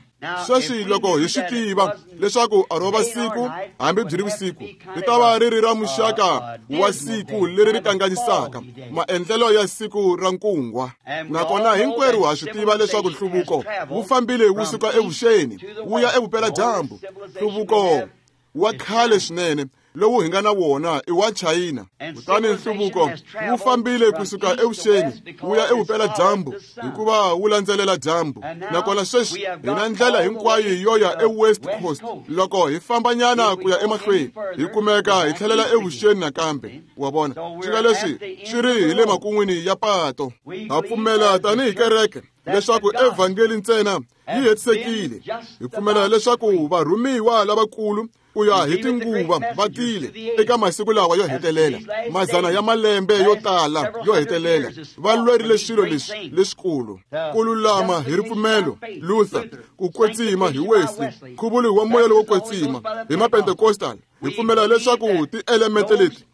Sweswi loko hi swi tiva leswaku a ro va siku hambi byi ri vusiku, ri ta va ri ri ra muxaka wa siku leri ri kanganyisaka maendlelo ya siku ra nkungwa. Nakona hinkwerhu ha swi tiva leswaku nhluvuko wu fambile wu suka evuxeni wu ya evupeladyambu. Nhluvuko wa khale swinene lowu hi nga na wona i wa China. Kutani nhluvuko wu fambile kusuka evuxeni wu ya evupeladyambu hikuva wu landzelela dyambu. Nakona sweswi hi na ndlela hinkwayo yo ya eWest Coast. Loko hi fambanyana ku ya emahlweni hi kumeka hi tlhelela evuxeni nakambe. Wa vona, swi nga leswi swi ri hi le makun'wini ya pato. Ha pfumela tanihi kereke leswaku evhangeli ntsena yi hetisekile. Hi pfumela leswaku varhumiwa lavakulu ku ya hi tinguva va tile eka masiku lawa yo hetelela, mazana ya malembe yo tala yo hetelela, va lwerile swilo leswi leswikulu, ku lulama hi ripfumelo, Luther, ku kwetsima hi Wesley, nkhuvulo wa moya lowo kwetsima hi Mapentecostal. Hi pfumela leswaku tielemente leti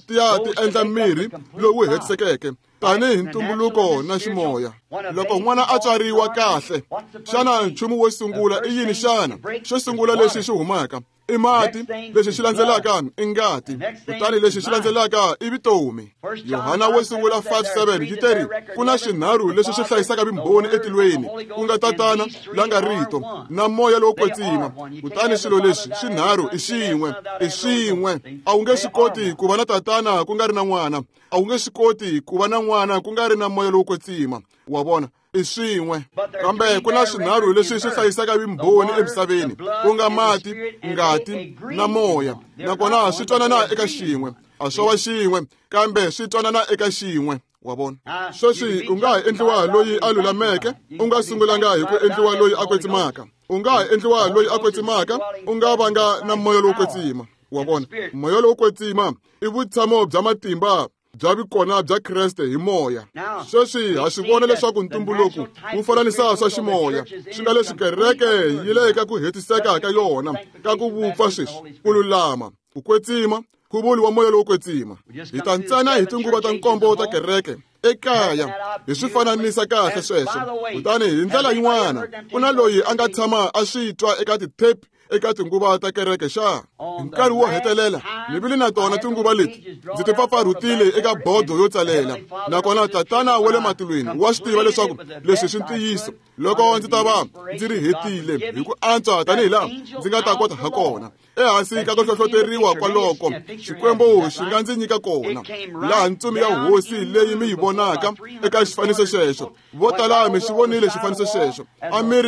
ti ya ti endla mirhi lowu hetisekeke tanihi ntumbuluko na ximoya. Loko n'wana a tswariwa kahle, xana nchumu wo sungula i yini xana? Xo sungula lexi xi humaka i mati, lexi xi landzelaka i ngati, kutani lexi xi landzelaka i vutomi. Yohana wo sungula 5:7 yi teri ku na xinharhu lexi xi hlayisaka vumbhoni etilweni, ku nga Tatana la nga Rito na Moya lowo kwetsima. Kutani swilo leswi swinharhu i xin'we, i swin'we. A wu nge swi koti ku va na Tatana ku nga ri na N'wana, a wu nge swi koti ku va na N'wana ku nga ri na Moya lowo kwetsima. Wa vona, i swin'we. Kambe ku na swinharhu leswi swi hlayisaka vumbhoni emisaveni, ku nga mati, ngati na moya, nakona swi twanana eka xin'we. A swo va xin'we, kambe swi twanana eka xin'we. Wa vona, sweswi u nga ha endliwa loyi a lulameke, u nga sungulanga hi ku endliwa loyi a kwetsimaka. U nga ha endliwa loyi a kwetsimaka, u nga vanga na moya lowo kwetsima. Wa vona, moya lowo kwetsima i vutshamo bya matimba bya vikona bya Kreste hi moya. Sweswi ha swi vona leswaku ntumbuluko wu fananisa swa ximoya, swi nga leswi kereke yi le ka ku hetiseka ka yona ka ku vupfa sweswi, ku lulama, ku kwetsima, nkhuvulo wa moya lowo kwetsima. Hi ta ntsena hi tinguva ta nkombo ta kereke ekaya hi swi fananisa kahle sweswo. Kutani hi ndlela yin'wana ku na loyi a nga tshama a swi twa eka ti-tape eka tinguva ta kereke xa? Hi nkarhi wo hetelela ni vile na tona tinguva leti ndzi ti pfapfarhutile eka bodo yo tsalela, nakona Tatana wa le matilweni wa swi tiva leswaku leswi swi ntiyiso loko ndzi ta va ndzi ri hetile hi ku antswa tanihi laha ndzi nga ta kota ha kona. Ehansi ka ku hlohloteriwa kwaloko Xikwembu xi nga ndzi nyika kona, laha ntsumi ya hosi leyi mi yi vonaka eka xifaniso xexo. Vo tala mi xi vonile xifaniso xexo, a mi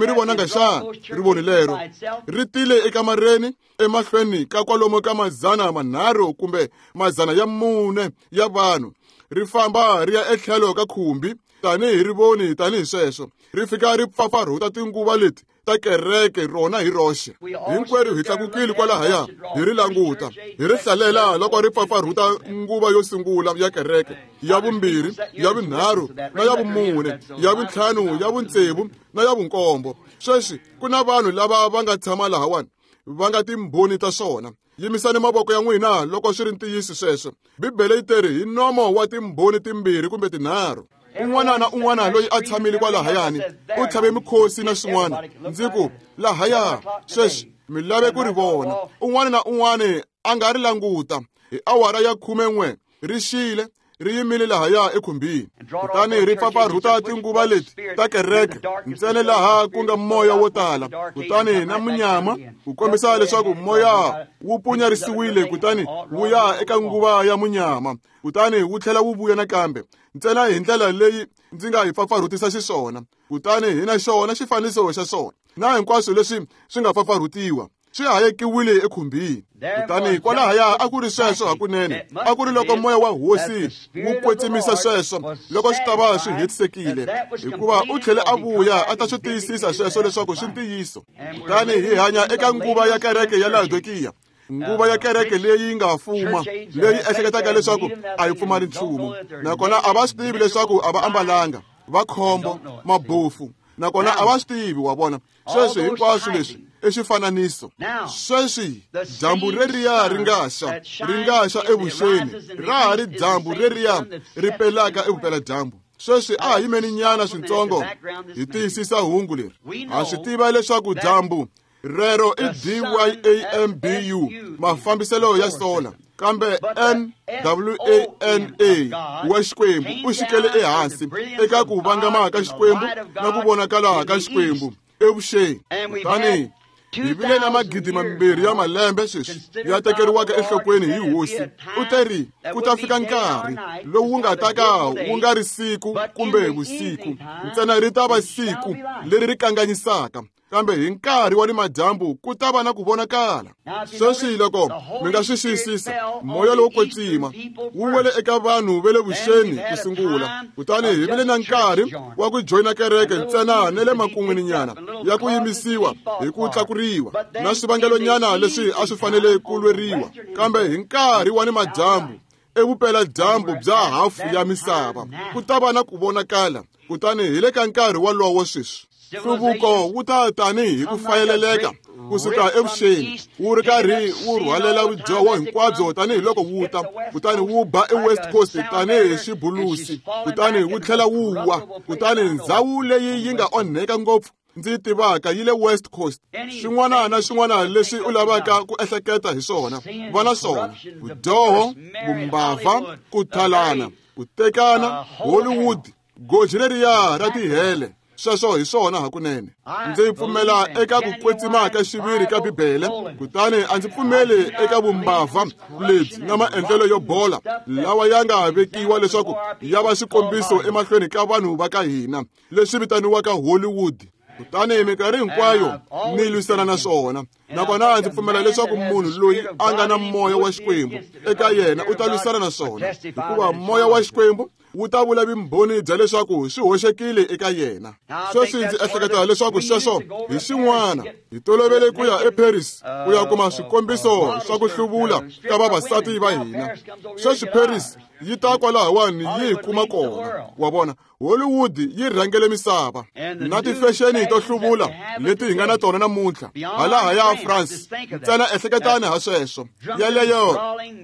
ri vonanga xana rivoni lero? Ri tile ekamareni emahlweni ka kwalomu ka 300 kumbe 400 ya vanhu, ri famba ri ya etlhelo ka khumbi tanihi rivoni tanihi sweswo, ri fika ri pfapfarhuta tinguva leti ta kereke rona hi roxe. Hinkwerhu hi tlakukile kwalahaya hi ri languta, hi ri hlalela loko ri pfapfarhuta nguva yo sungula ya kereke, ya vumbirhi, ya vunharhu na ya vumune, ya vuntlhanu, ya vuntsevu na ya vunkombo. Sweswi ku na vanhu lava va nga tshama lahawani va nga timbhoni ta swona. Yimisani mavoko ya n'wina loko swi ri ntiyiso sweswo. Bibele yi teri hi nomo wa timbhoni timbirhi kumbe tinharhu. Un'wana na un'wana loyi a tshamile kwalahayani u tlhave mikhosi na swin'wana. Ndzi ku lahaya sweswi mi lave ku ri vona. Un'wana na un'wana a nga ri languta hi awara ya 11 ri xile ri yimile lahaya ekhumbini, kutani ri pfapfarhuta tinguva leti ta kereke ntsena laha ku nga moya wo tala, kutani na munyama ku kombisa leswaku moya wu punyarisiwile, kutani wu ya eka nguva ya munyama, kutani wu tlhela wu vuya nakambe ntsena hi ndlela leyi ndzi nga hi pfapfarhutisa xiswona. Kutani hi na xona xifaniso xa swona na hinkwaswo leswi swi nga pfapfarhutiwa swi hayekiwile ekhumbini. Kutani kwalahaya a ku ri sweswo hakunene, a ku ri loko moya wa hosi wu kwetsimisa sweswo loko swi ta va swi hetisekile, hikuva u tlhele a vuya a ta swi tiyisisa sweswo leswaku swi ntiyiso. Kutani hi hanya eka nguva ya kereke ya Laodikiya, nguva ya kereke leyi nga fuma, leyi ehleketaka leswaku a yi pfumali nchumu, nakona a va swi tivi leswaku a va ambalanga, va khombo, mabofu, nakona a va swi tivi. Wa vona sweswi hinkwaswo leswi i xifananiso. Sweswi dyambu reriya ri nga xa, ri nga xa evuxeni, ra ha ri dyambu reriya ri pelaka evupeladyambu. Sweswi a ha yimeni nyana swintsongo hi tiyisisa hungu leri. Ha swi tiva leswaku dyambu rero i DYAMBU, mafambiselo ya sola, kambe NWANA wa Xikwembu u xikele ehansi eka ku vangama ka Xikwembu na ku vonakala ka Xikwembu evuxeni. Kutani hi vile na 2,000 ya malembe sweswi ya tekeriwaka enhlokweni hi hosi. U teri ku ta fika nkarhi lowu wu nga ta ka wu nga ri siku kumbe vusiku, ntsena ri ta va siku leri ri kanganyisaka, kambe hi nkarhi wa ni madyambu ku ta va na ku vonakala. Sweswi loko mi nga swi xiyisisa, moya lowo kwetsima wu wele eka vanhu va le vuxeni ku sungula, kutani hi vile na nkarhi wa ku joyina kereke ntsena na le makun'wini nyana ya ku yimisiwa hi ku tlakuriwa na swivangelonyana leswi a swi fanele ku lweriwa, kambe hi nkarhi wa ni madyambu evupeladyambu bya hafu ya misava ku ta va na ku vonakala. Kutani hi le ka nkarhi wolowo sweswi nhluvuko wu ta tanihi hi ku fayeleleka kusuka evuxeni, wu ri karhi wu rhwalela vudyoho hinkwabyo tanihiloko wu ta, kutani wu ba eWest Coast tanihi xibulusi, kutani wu tlhela wu wa. Kutani ndzhawu leyi yi nga onheka ngopfu ndzi yi tivaka yi le West Coast. Xin'wana na xin'wana leswi u lavaka ku ehleketa hi swona, va na swona: vudyoho, vumbavha, ku thalana, ku tekana, Hollywood, goji leriya ra tihele. Sweswo hi swona hakunene. Ndzi pfumela eka ku kwetsima ka xiviri ka Bibele, kutani a ndzi pfumeli eka vumbavha lebyi na maendlelo yo bola lawa ya nga vekiwa leswaku ya va xikombiso emahlweni ka vanhu va ka hina, leswi vitaniwaka Hollywood. Kutani minkarhi hinkwayo ni lwisana na swona, nakona ndzi pfumela leswaku munhu loyi a nga na moya wa Xikwembu eka yena u ta lwisana na swona, hikuva moya wa Xikwembu wu ta vula vumbhoni bya leswaku swi hoxekile eka yena. Sweswi ndzi ehleketa leswaku sweswo hi xin'wana. Hi tolovele ku ya eParis ku ya kuma swikombiso swa ku hluvula ka vavasati va hina. Sweswi Paris yi ta kwalahawani yi hi kuma kona. Wa vona, Hollywood yi rhangele misava na tifexeni to hluvula leti hi nga na tona namuntlha halaha ya France. Ntsena ehleketani ha sweswo, yeleyo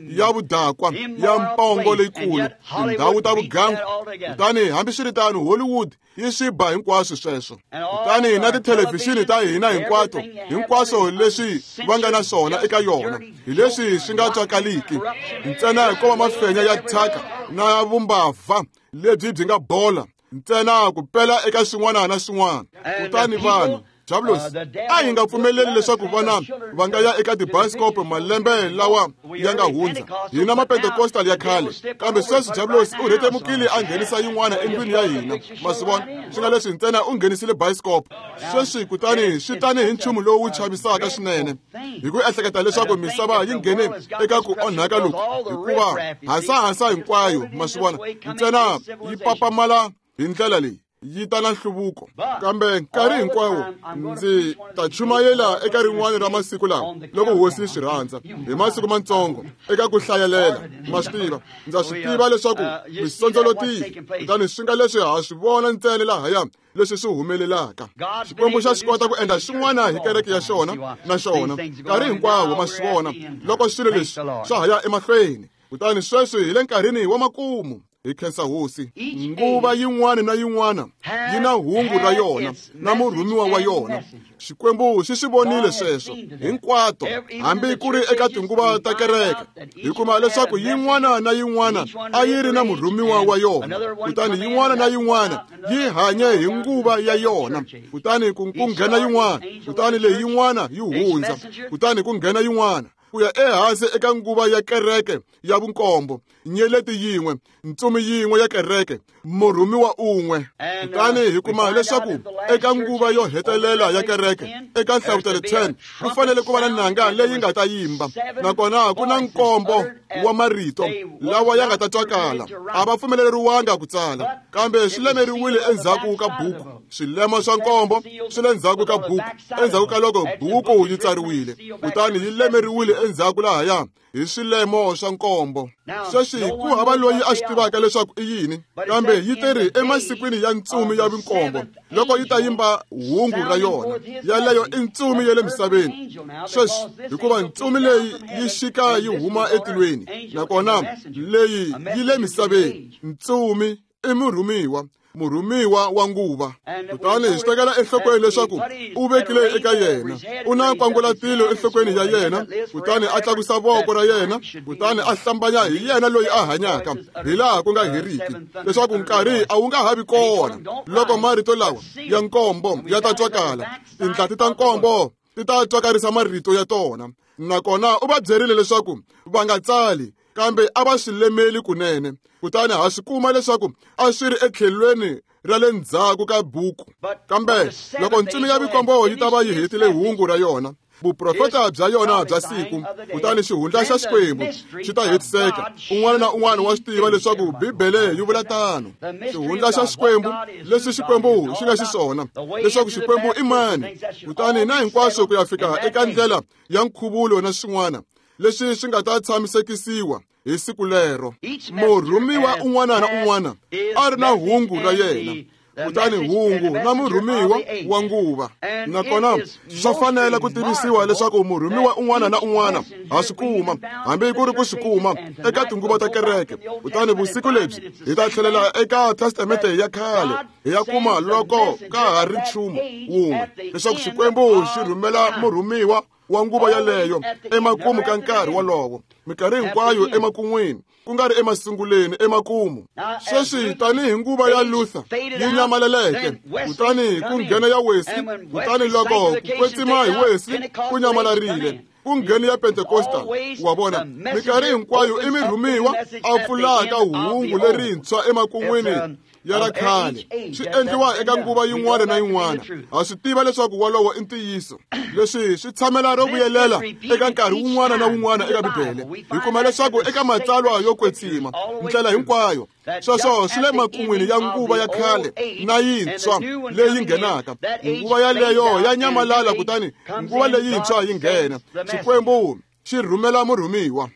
ya vudakwa ya mpongo leyikulu, tindhawu ta vugandzeri. muganga. Kutani hambiswiritano Hollywood yi swi ba hinkwaswo sweswo. Kutani na tithelevhixini ta hina hinkwato, hinkwaswo leswi va nga na swona eka yona, hi leswi swi nga twakaliki ntsena ko va mafenya ya thyaka na vumbabva lebyi byi nga bola ntsena ku pela eka swin'wana na swin'wana. Kutani vanhu Diablos a hi nga pfumeleli leswaku vana va nga ya eka tibayiskopo malembe lawa ya nga hundza. Hina mapentekostal ya khale, kambe sweswi Diablos u rhetemukile a nghenisa yin'wana endlwini ya hina. Ma swi vona, swi nga leswi ntsena u nghenisile bayiskopo sweswi. Kutani swi tani hi nchumu lowu chavisaka swinene hi ku ehleketa leswaku misava yi nghene eka ku onhaka loku, hikuva hasahasa hinkwayo, ma swi vona, ntsena yi papamala hi ndlela leyi yi ta na nhluvuko. Kambe nkarhi hinkwawo ndzi ta chumayela eka rin'wana ra masiku lawa loko hosi yi swi rhandza, hi masiku matsongo eka ku hlayelela. Ma swi tiva, ndza swi tiva leswaku mi sondzolotile, kutani swi nga leswi ha swi vona ntsena lahaya leswi swi humelelaka. Xikwembu xa swi kota ku endla xin'wana hi kereke ya xona na xona nkarhi hinkwawo, ma swi vona, loko swilo leswi swa ha ya emahlweni. Kutani sweswi hi le nkarhini wa makumu. Hi khensa hosi. Nguva yin'wana na yin'wana yi na hungu ra yona na murhumiwa wa yona. Xikwembu xi swi vonile sweswo hinkwato, hambi ku ri eka tinguva ta kereke. Hi kuma leswaku yin'wana na yin'wana a yi ri na murhumiwa wa yona, kutani yin'wana na yin'wana yi hanye hi nguva ya yona. Kutani ku nghena yin'wana, kutani leyi yin'wana yi hundza, kutani ku nghena yin'wana, ku ya ehansi eka nguva ya kereke ya vunkombo, nyeleti yin'we, ntsumi yin'we ya kereke, murhumiwa un'we. Kutani hi kuma leswaku eka nguva yo hetelela ya kereke, eka Nhlavutelo 10, ku fanele ku va na nanga leyi nga ta yimba, nakona ku na nkombo wa marito lawa ya nga ta twakala. A va pfumeleriwanga ku tsala, kambe swi lemeriwile endzhaku ka buku. Swilemo swa nkombo swi le ndzhaku ka buku, endzhaku ka loko buku yi tsariwile, kutani yi lemeriwile endzhaku lahaya hi swilemo swa nkombo. Sweswi ku hava loyi a swi tivaka leswaku i yini, kambe yi teri emasikwini ya ntsumi ya vunkombo loko yi ta yimba hungu ra yona. Yaleyo i ntsumi ya le misaveni sweswi, hikuva ntsumi leyi yi xika yi huma etilweni, nakona leyi yi le misaveni. Ntsumi i murhumiwa, murhumiwa wa nguva. Kutani hi swi tekela enhlokweni leswaku u vekile eka yena, u na nkwangulatilo enhlokweni ya yena, kutani a tlakusa voko ra yena, kutani a hlambanya hi yena loyi a hanyaka hi laha ku nga heriki, leswaku nkarhi a wu nga ha vi kona loko marito lawa ya nkombo ya ta twakala. Tindlati ta nkombo ti ta twakarisa marito ya tona. Nakona u va byerile leswaku va nga tsali, kambe a va swi lemeli kunene. Kutani ha swi kuma leswaku a swi ri etlhelweni ra le ndzhaku ka buku. Kambe loko ntsumi ya vikombo yi ta va yi hetile hungu ra yona, vuprofeta bya yona bya siku, kutani xihundla xa Xikwembu xi ta hetiseka. Un'wana na un'wana wa swi tiva leswaku Bibele yi vula tano. Xihundla xa Xikwembu, leswi Xikwembu xi nga xiswona, leswaku Xikwembu i mani, kutani na hinkwaswo ku ya fika eka ndlela ya nkhuvulo na swin'wana leswi swi nga ta tshamisekisiwa hi siku lero. Murhumiwa un'wana na un'wana a ri na hungu ra yena, kutani hungu na murhumiwa wa nguva. Nakona swa fanela ku tivisiwa leswaku murhumiwa un'wana na un'wana ha swi kuma, hambi ku ri ku swi kuma eka tinguva ta kereke. Kutani vusiku lebyi hi ta tlhelela eka Testamente ya khale, hi ya kuma loko ka ha ri nchumu wun'we, leswaku Xikwembu xi rhumela murhumiwa wa nguva yaleyo emakumu ka nkarhi wolowo, minkarhi hinkwayo emakun'wini, ku nga ri emasunguleni, emakumu. Sweswi tanihi nguva ya Luther yi nyamaleleke, kutani ku nghena ya Wesley, kutani loko ku kwetsima hi Wesley ku nyamalarile, ku nghena ya Pentecostal. Wa vona, minkarhi hinkwayo i mirhumiwa a pfulaka hungu lerintshwa emakun'wini ya ra khale. Swi endliwa eka nguva yin'wana na yin'wana. Ha swi tiva leswaku wolowo i ntiyiso. Leswi swi tshamela ro vuyelela eka nkarhi wun'wana na wun'wana eka Bibele. Hi kuma leswaku eka matsalwa yo kwetsima ndlela hinkwayo, sweswo swi le makun'wini ya nguva ya khale na yintshwa leyi nghenaka. Nguva yaleyo ya nyamalala, kutani nguva leyintshwa yi nghena. Xikwembu xi rhumela murhumiwa.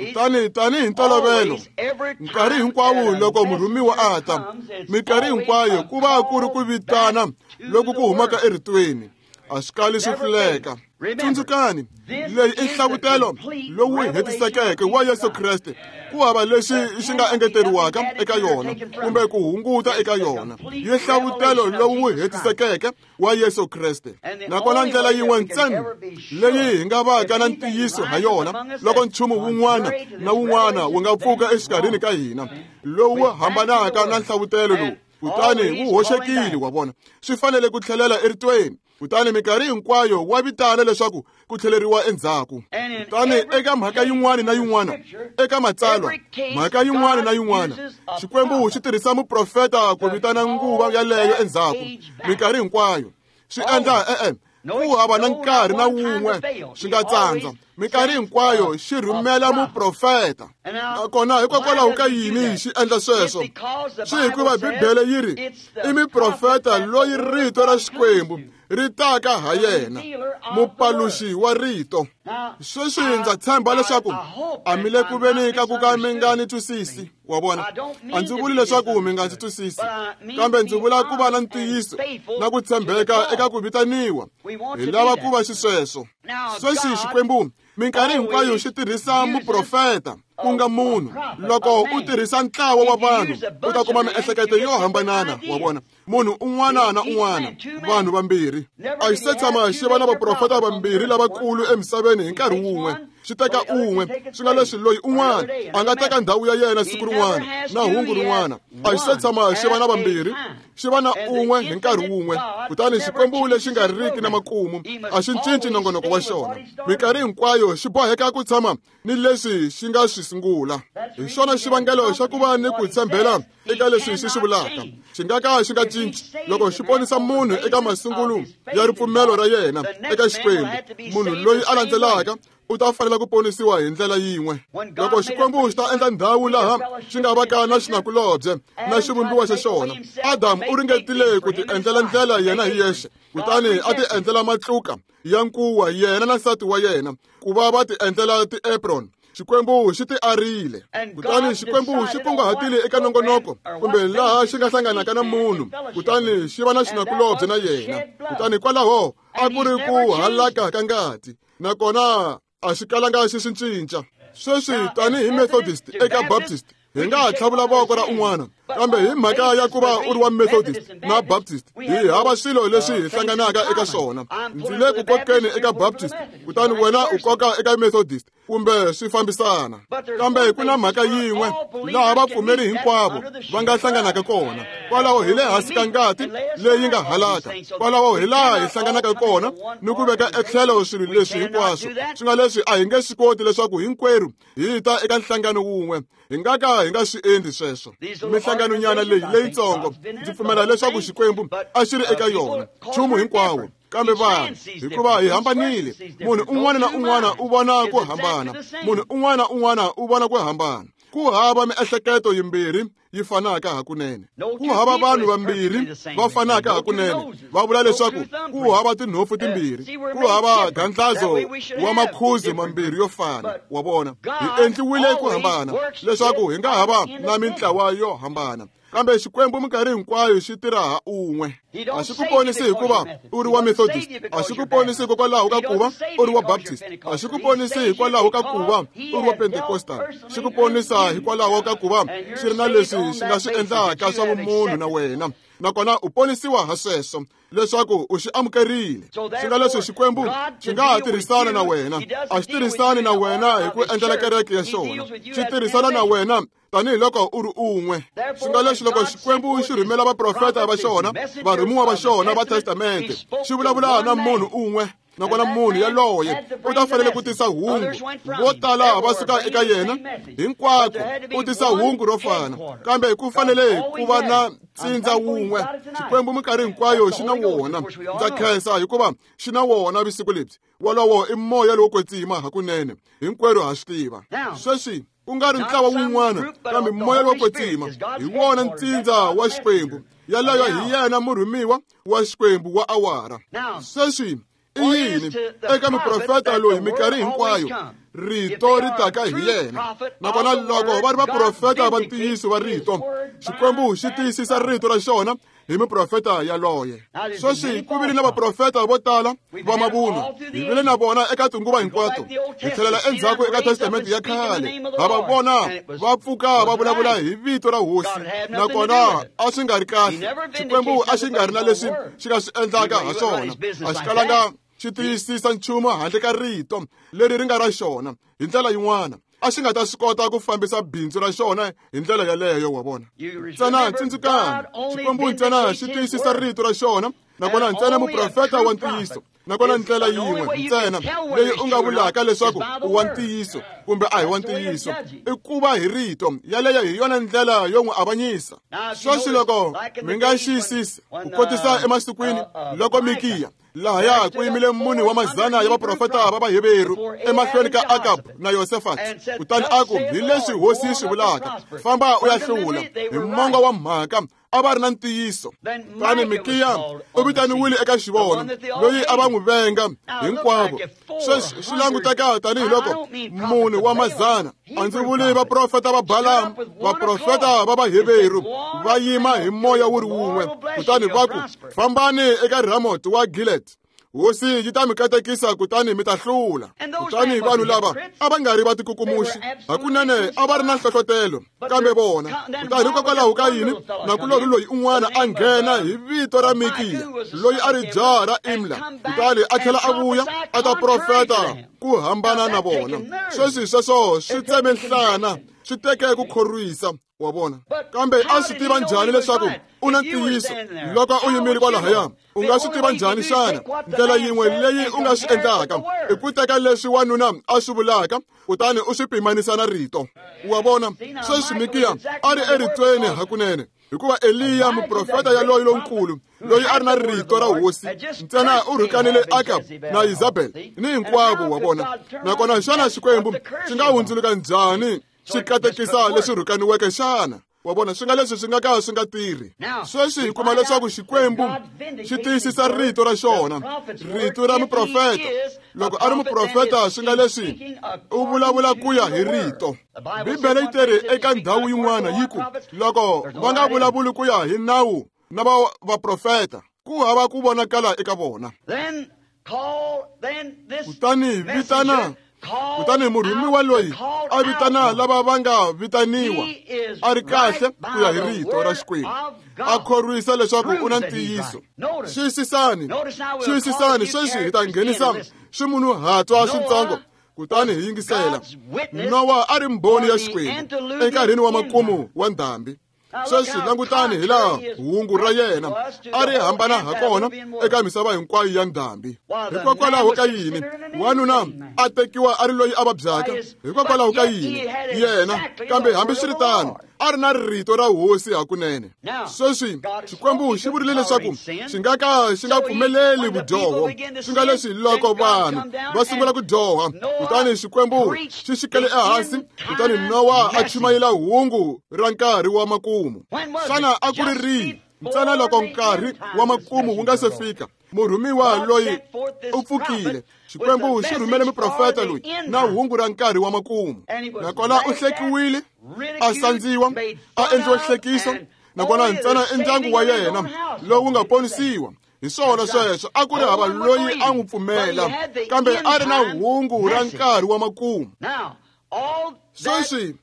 Kutani tanihi ntolovelo, nkarhi hinkwawo loko murhumiwa a ta, minkarhi hinkwayo ku va ku ri ku vitana loku ku humaka eritweni. A swi kali swi hluleka. Tsundzukani, leyi i nhlavutelo lowu hetisekeke wa Yesu Kreste. Ku hava lexi xi nga engeteriwaka eka yona kumbe ku hunguta eka yona. Yi nhlavutelo lowu hetisekeke wa Yesu Kreste. Nakona ndlela yin'we ntsena leyi hi nga vaka na ntiyiso ha yona loko nchumu wun'wana na wun'wana wu nga pfuka exikarhini ka hina lowu hambanaka na nhlavutelo lowu, kutani wu hoxekile, wa vona. Swi fanele ku tlhelela eritweni. Kutani minkarhi hinkwayo wa vitana leswaku ku tlheleriwa endzhaku. Kutani eka mhaka yin'wana na yin'wana, eka matsalwa, mhaka yin'wana na yin'wana, Xikwembu xi tirhisa muprofeta ku vitana nguva yaleyo endzhaku. Minkarhi hinkwayo swi endla ku hava na nkarhi na wun'we swi nga tsandza. Minkarhi hinkwayo xi rhumela muprofeta. Nakona hikokwalaho ka yini xi endla sweswo? Swi hikuva Bibele yi ri i muprofeta loyi rito ra Xikwembu ri taka ha yena, mupaluxi wa rito. Sweswi ndza tshemba leswaku a mi le ku veni ka ku ka mi nga ni twisisi, wa vona. A ndzi vuli leswaku mi nga ndzi twisisi, kambe ndzi vula ku va na ntiyiso na ku tshembeka eka ku vitaniwa. Hi lava ku va xisweswo. Sweswi Xikwembu minkarhi hinkwayo xi tirhisa muprofeta, ku nga munhu. Loko u tirhisa ntlawa wa vanhu, u ta kuma miehleketo yo hambanana, wa vona. Munhu un'wana na un'wana, vanhu vambirhi. A xi se tshama xi va na vaprofeta vambirhi lavakulu emisaveni hi nkarhi wun'we. Xi teka un'we, swi nga leswi loyi un'wana a nga teka ndhawu ya yena siku rin'wana na hungu rin'wana. A xi se tshama xi va na vambirhi, xi va na un'we hi nkarhi wun'we. Kutani Xikwembu lexi nga riki na makumu a xi cinci nongonoko wa xona. Minkarhi hinkwayo xi boheka ku tshama ni leswi xi nga swi sungula. Hi xona xivangelo xa ku va ni ku tshembela eka leswi xi swi vulaka. Xi nga ka xi nga cinci loko xi ponisa munhu eka masungulo ya ripfumelo ra yena eka Xikwembu. Munhu loyi a landzelaka u ta fanela ku ponisiwa hi ndlela yin'we. Loko Xikwembu xi ta endla ndhawu laha xi nga vaka na xinakulobye na xivumbiwa xa xona, Adamu u ringetile ku ti endlela ndlela yena hi yexe, kutani a ti endlela matluka ya nkuwa yena na nsati wa yena ku va va ti endlela ti-apron. Xikwembu xi ti arile. Kutani Xikwembu xi kunguhatile eka nongonoko kumbe laha xi nga hlanganaka na munhu, kutani xi va na xinakulobye na yena. Kutani kwalaho a ku ri ku halaka ka ngati, nakona a xi kalanga xi swi cinca. Sweswi tanihi Methodist eka Baptist, hi nga ha tlhavula voko ra un'wana, kambe hi mhaka ya ku va u ri wa Methodist na Baptist, hi hava swilo leswi hi hlanganaka eka swona. Ndzi le ku kokeni eka Baptist, kutani wena u koka eka Methodist, kumbe swi fambisana. Kambe ku na mhaka yin'we laha vapfumeri hinkwavo va nga hlanganaka kona. Kwalaho hi le hansi ka ngati leyi nga halaka. Kwalaho hi laha hi hlanganaka kona ni ku veka etlhelo swilo leswi hinkwaswo. Swi nga leswi a hi nge swi koti leswaku hinkwerhu hi ta eka nhlangano wun'we. Hi nga ka hi nga swi endli sweswo. Mihlanganonyana leyi leyitsongo, ndzi pfumela leswaku Xikwembu a xi ri eka yona nchumu hinkwawo. Kambe vanhu, hikuva hi hambanile, munhu un'wana na un'wana u vona ku hambana. Munhu un'wana na un'wana u vona ku hambana. Ku hava miehleketo yimbirhi yi fanaka hakunene. Ku hava vanhu vambirhi va fanaka hakunene. Va vula leswaku ku hava tinhofu timbirhi, ku hava gandlazo wa makhuzi mambirhi yo fana. Wa vona, hi endliwile ku hambana leswaku hi nga hava na mintlawa yo hambana. Kambe Xikwembu minkarhi hinkwayo xi tirha ha un'we. A xi ku ponisi hikuva u ri wa Methodist, a xi ku ponisi hikokwalaho ka ku va u ri wa Baptist, a xi ku ponisi hikwalaho ka ku va u ri wa Pentecostal. Xi ku ponisa hikwalaho ka ku va xi ri na leswi xi nga swi endlaka swa vumunhu na wena, nakona u ponisiwa ha sweswo leswaku u xi amukerile. Swi nga leswi Xikwembu xi nga ha tirhisana na wena, a xi tirhisani na wena hi ku endlela kereke ya xona, xi tirhisana na wena tanihiloko u ri un'we. Swi nga leswi loko Xikwembu xi rhumela vaprofeta va xona, varhumiwa va xona va testamente, xi vulavula na munhu un'we, nakona munhu yaloye u ta fanele ku tisa hungu. Vo tala va suka eka yena hinkwako, u tisa hungu ro fana, kambe ku fanele ku va na ntsindza wun'we. Xikwembu minkarhi hinkwayo xi na wona. Ndza khensa hikuva xi na wona vusiku lebyi. Wolowo i moya lowo kwetsima hakunene, hinkwerhu ha swi tiva. Sweswi ku nga ri ntlawa wun'wana, kambe moya lowo kwetsima hi wona ntsindza wa Xikwembu. Yaloyo hi yena murhumiwa wa Xikwembu wa awara. Sweswi i yini eka muprofeta loyi minkarhi hinkwayo rito ri taka hi yena. Nakona loko va ri vaprofeta va ntiyiso va rito, Xikwembu xi tiyisisa rito ra xona hi muprofeta yaloye. Sweswi ku vile na vaprofeta vo tala va mavunwa, hi vile na vona eka tinguva hinkwato. Hi tlhelela endzhaku eka Testamente ya khale, ha va vona va pfuka va vulavula hi vito ra Hosi, nakona a swi nga ri kahle. Xikwembu a xi nga ri na leswi xi nga swi endlaka ha swona, a xi kalanga xi tiyisisa nchumu handle ka rito leri ri nga ra xona. Hi ndlela yin'wana a xi nga ta swi kota ku fambisa bindzu ra xona hi ndlela yaleyo, wa vona. Ntsena tsundzukani, Xikwembu ntsena xi tiyisisa rito ra xona, nakona ntsena muprofeta wa ntiyiso, nakona ndlela yin'we ntsena leyi u nga vulaka leswaku u wa ntiyiso kumbe a hi wa ntiyiso i ku va hi rito. Yaleyo hi yona ndlela yo n'wi avanyisa. Sweswi loko mi nga xiyisisi ku kotisa emasikwini loko Mikiya lahaya ku yimile mune wa mazana ya vaprofeta va Vaheveru emahlweni ka Akab na Yosefati, kutani a ku, hi leswi Hosi yi swi vulaka, famba u ya hlula. Hi mongo wa mhaka a va ri na ntiyiso. Kutani Mikiya u vitaniwile eka xivono, loyi a va n'wi venga hinkwavo. Sweswi swi languteka tanihiloko mune wa mazana, a ndzi vuli vaprofeta va Balamu, vaprofeta va Vaheveru va yima hi moya wu ri wun'we, kutani va ku, fambani eka Ramot wa Gilead, Hosi yi ta mi katekisa kutani mi ta hlula. Kutani vanhu lava a va nga ri vatikukumuxi, hakunene a va ri na nhlohlotelo, kambe vona. Kutani hikokwalaho ka yini nakulorhi loyi un'wana a nghena hi vito ra Mikiya, loyi a ri jaha ra Imla, kutani a tlhela a vuya a ta profeta ku hambana na vona. Sweswi sweswo swi tseme nhlana, swi teke ku khorwisa, wa vona. Kambe a swi tiva njhani leswaku u na ntiyiso loko u yimile kwalahaya? U nga swi tiva njhani xana? Ndlela yin'we leyi u nga swi endlaka i ku teka leswi wanuna a swi vulaka kutani u swi pimanisa na rito, wa vona. Sweswi Mikiya a ri eritweni hakunene, hikuva Eliya muprofeta yaloyi lonkulu loyi a ri na rito ra Hosi ntsena u rhukanile Akab na Isabel ni hinkwavo, wa vona. Nakona xana Xikwembu xi nga hundzuluka njhani xi katekisa leswi rhukaniweke xana? Wa vona, swi nga leswi swi nga ka swi nga tirhi. Sweswi hi kuma leswaku Xikwembu xi tiyisisa rito ra xona, rito ra muprofeta. Loko a ri muprofeta, swi nga leswi u vulavula ku ya hi rito. Bibele yi teri eka ndhawu yin'wana yi ku, loko va nga vulavuli ku ya hi nawu na vaprofeta, ku hava ku vonakala eka vona. Kutani vitana, kutani murhumiwa loyi a vitana lava va nga vitaniwa a ri kahle ku ya hi rito ra Xikwembu, a khorwisa leswaku u na ntiyiso. Xiyisisani, xiyisisani, sweswi hi ta nghenisa swimunhuhatwa switsongo kutani hi yingisela. Nowa a ri mbhoni ya Xikwembu enkarhini wa makumu wa ndhambi. Sweswi langutani hi laha hungu ra yena a ri hambana ha kona eka misava hinkwayo ya ndhambi. Hikokwalaho ka yini wanuna a tekiwa a ri loyi a vabyaka? Hikokwalaho ka yini yena? Kambe hambiswiritano a ri na rito ra Hosi hakunene. Sweswi Xikwembu xi vurile leswaku xi nga ka xi nga pfumeleli vudyoho. Swi nga leswi loko vanhu va sungula ku dyoha, kutani Xikwembu xi xikele ehansi, kutani Nowa a chumayela hungu ra nkarhi wa makumu. Xana a ku ri rihi? Ntsena loko nkarhi wa makumu wu nga se fika, murhumiwa loyi u pfukile. Xikwembu xi rhumele muprofeta loyi na hungu ra nkarhi wa makumu, nakona u hlekiwile, a sandziwa, a endliwa xihlekiso, nakona ntsena i ndyangu wa yena lowu nga ponisiwa. Hi swona sweswo, a ku ri hava loyi a n'wi pfumela, kambe a ri na hungu ra nkarhi wa makumu. Sweswi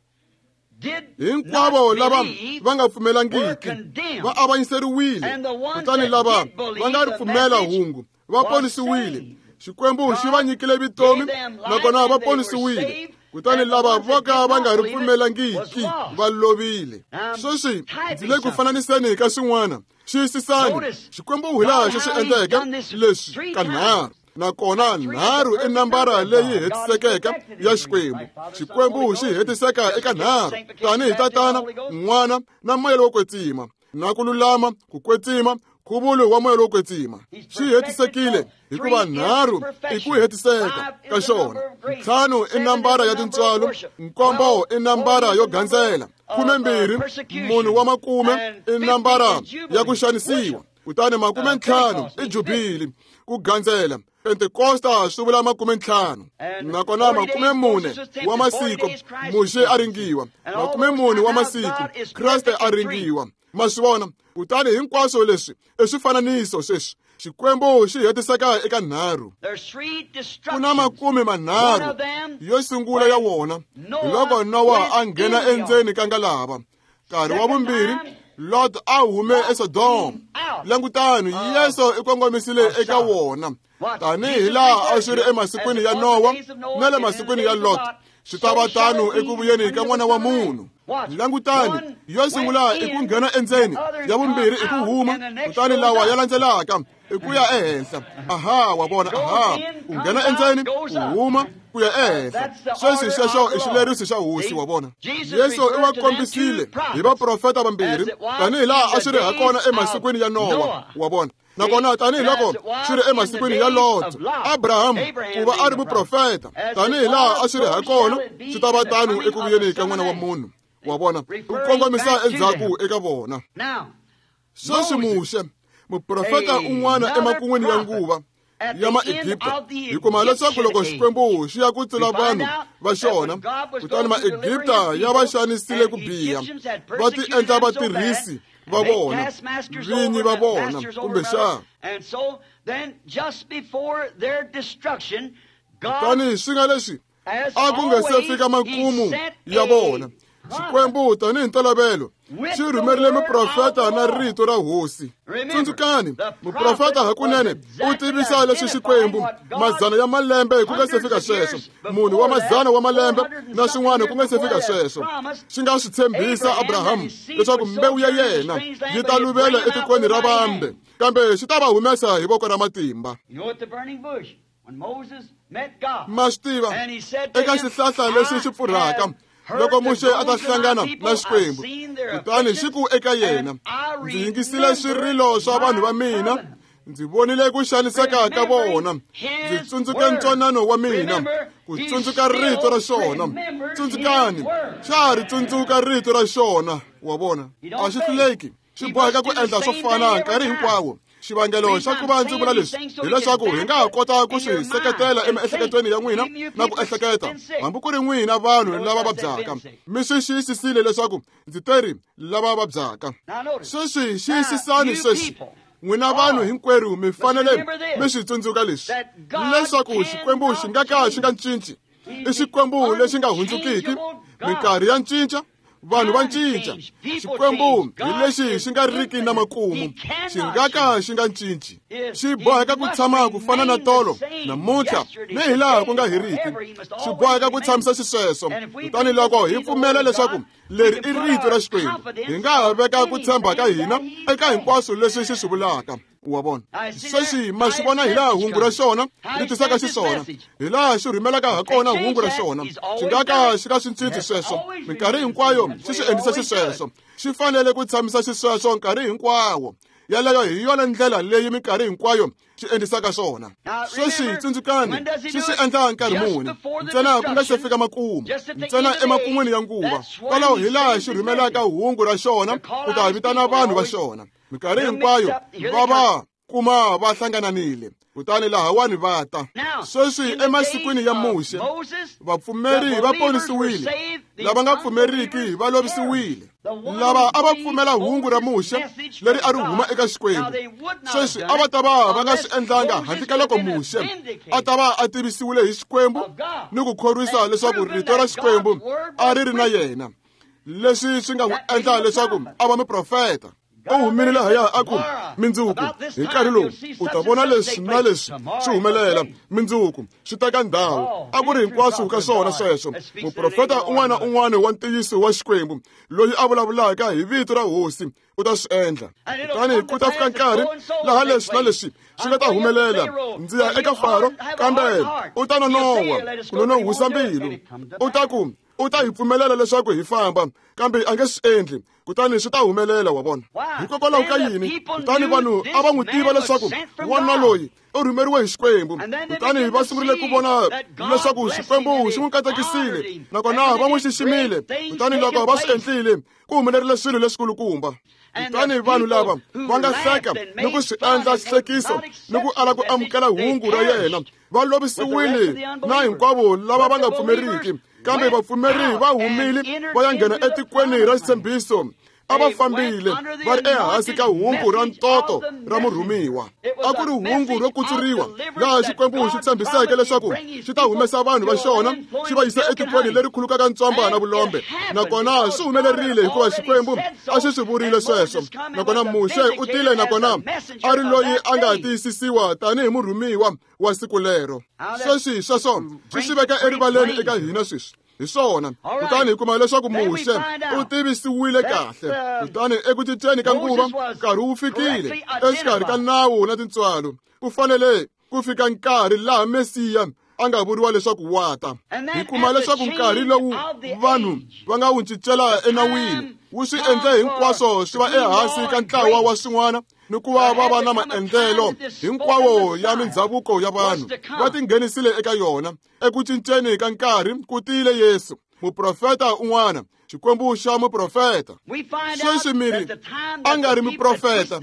hinkwavo lava va nga pfumelangiki va avanyiseriwile, kutani lava va nga ri pfumela hungu va ponisiwile. Xikwembu xi va nyikile vutomi, nakona va ponisiwile, kutani lava vo ka va nga ri pfumelangiki va lovile. Sweswi ndzi le ku fananiseni ka swin'wana. Xiyisisani, Xikwembu hi laha xi swi endleke leswi kanharhu, nakona nharhu i nambara leyi hetisekeke ya Xikwembu. Xikwembu xi hetiseka eka nharhu, tanihi Tatana, N'wana na Moya lowo Kwetsima, na ku lulama, ku kwetsima, nkhuvulo wa Moya lowo Kwetsima. Xi hetisekile hikuva nharhu i ku hetiseka ka xona, ntlhanu i nambara ya tintswalo, nkombo i nambara yo gandzela, 12 munhu wa makume i nambara ya ku xanisiwa. Kutani 50 i jubili ku gandzela. Pentekosta swi vula 50. Nakona 40 wa masiku Muxe a ringiwa. 40 wa masiku Kreste a ringiwa. Ma swi vona? Kutani hinkwaswo leswi i swifananiso sweswi. Xikwembu xi hetiseka eka 3. Ku na 30 yo sungula ya wona hi loko Nowa a nghena endzeni ka ngalava. Nkarhi wa vumbirhi Lot a hume eSodoma. Langutani, Yesu i kongomisile eka wona. Tanihi laha a swi ri emasikwini ya Nowa na le masikwini ya Lot, swi ta va tano eku vuyeni ka N'wana wa Munhu. Langutani, yo sungula i ku nghena endzeni, ya vumbirhi i ku huma, kutani lawa ya landzelaka i ku ya ehenhla. Aha, wa vona, aha, u nghena endzeni, u huma, ku ya ehenhla. Sweswi sweswo i xileriso xa Hosi, wa vona. Yesu i va kombisile hi vaprofeta vambirhi, tanihi laha a swi ri hakona emasikwini ya Nowa, wa vona. Nakona tanihi loko swi ri emasikwini ya Lot, Abraham ku va a ri muprofeta, tanihi laha a swi ri hakona, swi ta va tano eku vuyeni ka N'wana wa Munhu, wa vona. U kongomisa endzhaku eka vona. Sweswi Muxe, muprofeta un'wana emakun'wini ya nguva ya Maegipta, hi kuma leswaku loko Xikwembu xi ya ku tsula vanhu va xona, kutani Maegipta ya va xanisile ku biha, va ti endla vatirhisi va vona, vinyi va vona, kumbexana. Kutani swi nga leswi a ku nga se fika makumu ya vona, Xikwembu tanihi ntolovelo xi rhumerile muprofeta na rito ra Hosi. Tsundzukani, muprofeta hakunene u tivisa leswi Xikwembu mazana ya malembe ku nga se fika sweswo, munhu wa mazana wa malembe na swin'wana ku nga se fika sweswo, xi nga swi tshembisa Abrahamu leswaku mbewu ya yena yi ta luvela etikweni ra vambe, kambe xi ta va humesa hi voko ra matimba. Ma swi tiva, eka xihlahla lexi xi pfurhaka, loko Muxe a ta hlangana na Xikwembu, kutani xi ku eka yena, ndzi yingisile swirilo swa vanhu va mina, ndzi vonile ku xaniseka ka vona, ndzi tsundzuke ntwanano wa mina, ku tsundzuka rito ra xona. Tsundzukani, xa ha ri tsundzuka rito ra xona, wa vona. A xi hluleki, xi boheka ku endla swo fana nkarhi hinkwawo. Xivangelo xa ku va ndzi vula leswi hileswaku hi nga ha kota ku swi seketela emiehleketweni ya n'wina na ku ehleketa, hambi ku ri n'wina vanhu lava vabyaka. Mi swi xiyisisile leswaku ndzi teri lava vabyaka. Sweswi xiyisisani sweswi, n'wina vanhu hinkwerhu mi fanele mi swi tsundzuka leswi, leswaku Xikwembu xi nga ka xi nga cinci. I Xikwembu lexi nga hundzukiki. Minkarhi ya cinca, vanhu va cinca. Xikwembu hi lexi xi nga riki na makumu, xi nga ka xi nga cinci. Xi boheka ku tshama ku fana na tolo, namuntlha, ni hi laha ku nga heriki. Xi boheka ku tshamisa xisweswo. Kutani loko hi pfumela leswaku leri i rito ra Xikwembu, hi nga ha veka ku tshemba ka hina eka hinkwaswo leswi xi swi vulaka. Wa vona? Sweswi ma swi vona hi laha hungu ra xona ri tisaka xiswona, hi laha xi rhumelaka ha kona hungu ra xona. Xi nga ka xi nga swi cinci sweswo. Minkarhi hinkwayo xi swi endlisa xisweswo. Xi fanele ku tshamisa xisweswo nkarhi hinkwawo. Yaleyo hi yona ndlela leyi minkarhi hinkwayo xi endlisaka swona. Sweswi tsundzukani, xi swi endla nkarhi muni? Ntsena ku nga se fika makumu, ntsena emakun'wini ya nguva. Kwalaho hi laha xi rhumelaka hungu ra xona ku ta vitana vanhu va xona. Minkarhi hinkwayo va va kuma va hlangananile, kutani lahawani va ta. Sweswi emasikwini ya Muxe, vapfumeri va ponisiwile, lava nga pfumeriki va lovisiwile. Lava a va pfumela hungu ra Muxe leri a ri huma eka Xikwembu, sweswi a va ta va va nga swi endlanga handle ka loko Muxe a ta va a tivisiwile hi Xikwembu ni ku khorwisa leswaku rito ra Xikwembu a ri ri na yena. Leswi swi nga n'wi endla leswaku a va muprofeta. U humile lahaya a ku, mindzuku hi nkarhi lowu u ta vona leswi na leswi swi humelela, mindzuku swi teka ndhawu. A ku ri hinkwaswo ka swona sweswo. Muprofeta un'wana na un'wana wa ntiyiso wa Xikwembu loyi a vulavulaka hi vito ra Hosi u ta swi endla. Kutani ku ta fika nkarhi laha leswi na leswi swi nga ta humelela. Ndzi ya eka Faro, kambe u ta nonoha ku nonohwisa mbilu. U ta ku, U ta hi pfumelela leswaku hi famba, kambe a nge swi endli, kutani swi ta humelela, wa vona. Hikokwalaho ka yini? Kutani vanhu a va n'wi tiva leswaku wanuna loyi u rhumeriwe hi Xikwembu. Kutani va sungurile ku vona leswaku Xikwembu xi n'wi katekisile, nakona va n'wi xiximile. Kutani loko va swi endlile, ku humelerile swilo leswikulukumba. Kutani vanhu lava va nga hleka ni ku swi endla xihlekiso ni ku ala ku amukela hungu ra yena, va lovisiwile na hinkwavo lava va nga pfumeriki. Kambe vapfumeri va humile va ya nghena etikweni ra xitshembiso. A va fambile va ri ehansi ka hungu ra ntoto ra murhumiwa. A ku ri hungu ro kutsuriwa laha Xikwembu xi tshembiseke leswaku xi ta humesa vanhu va xona xi va yisa etikweni leri khulukaka ntswamba na vulombe. Nakona swi humelerile hikuva Xikwembu a xi swi vurile sweswo. Nakona Muxe u tile nakona a ri loyi a nga tiyisisiwa tanihi murhumiwa wa siku lero. Sweswi sweswo swi swi veka erivaleni eka hina sweswi. Hi swona. Kutani hi kuma leswaku Muxe u tivisiwile kahle. Kutani eku cinceni ka nguva, nkarhi wu fikile exikarhi ka nawu na tintswalo. Ku fanele ku fika nkarhi laha Mesiya a nga vuriwa leswaku wa ta. Hi kuma leswaku nkarhi lowu vanhu va nga wu cincela enawini wu swi endle hinkwaswo swi va ehansi ka ntlawa wa swin'wana ni ku va va va na maendlelo hinkwawo ya mindhavuko ya vanhu va tinghenisile eka yona. Eku cinceni ka nkarhi ku tile Yesu, muprofeta un'wana, Xikwembu xa muprofeta. Sweswi mi ri a nga ri muprofeta.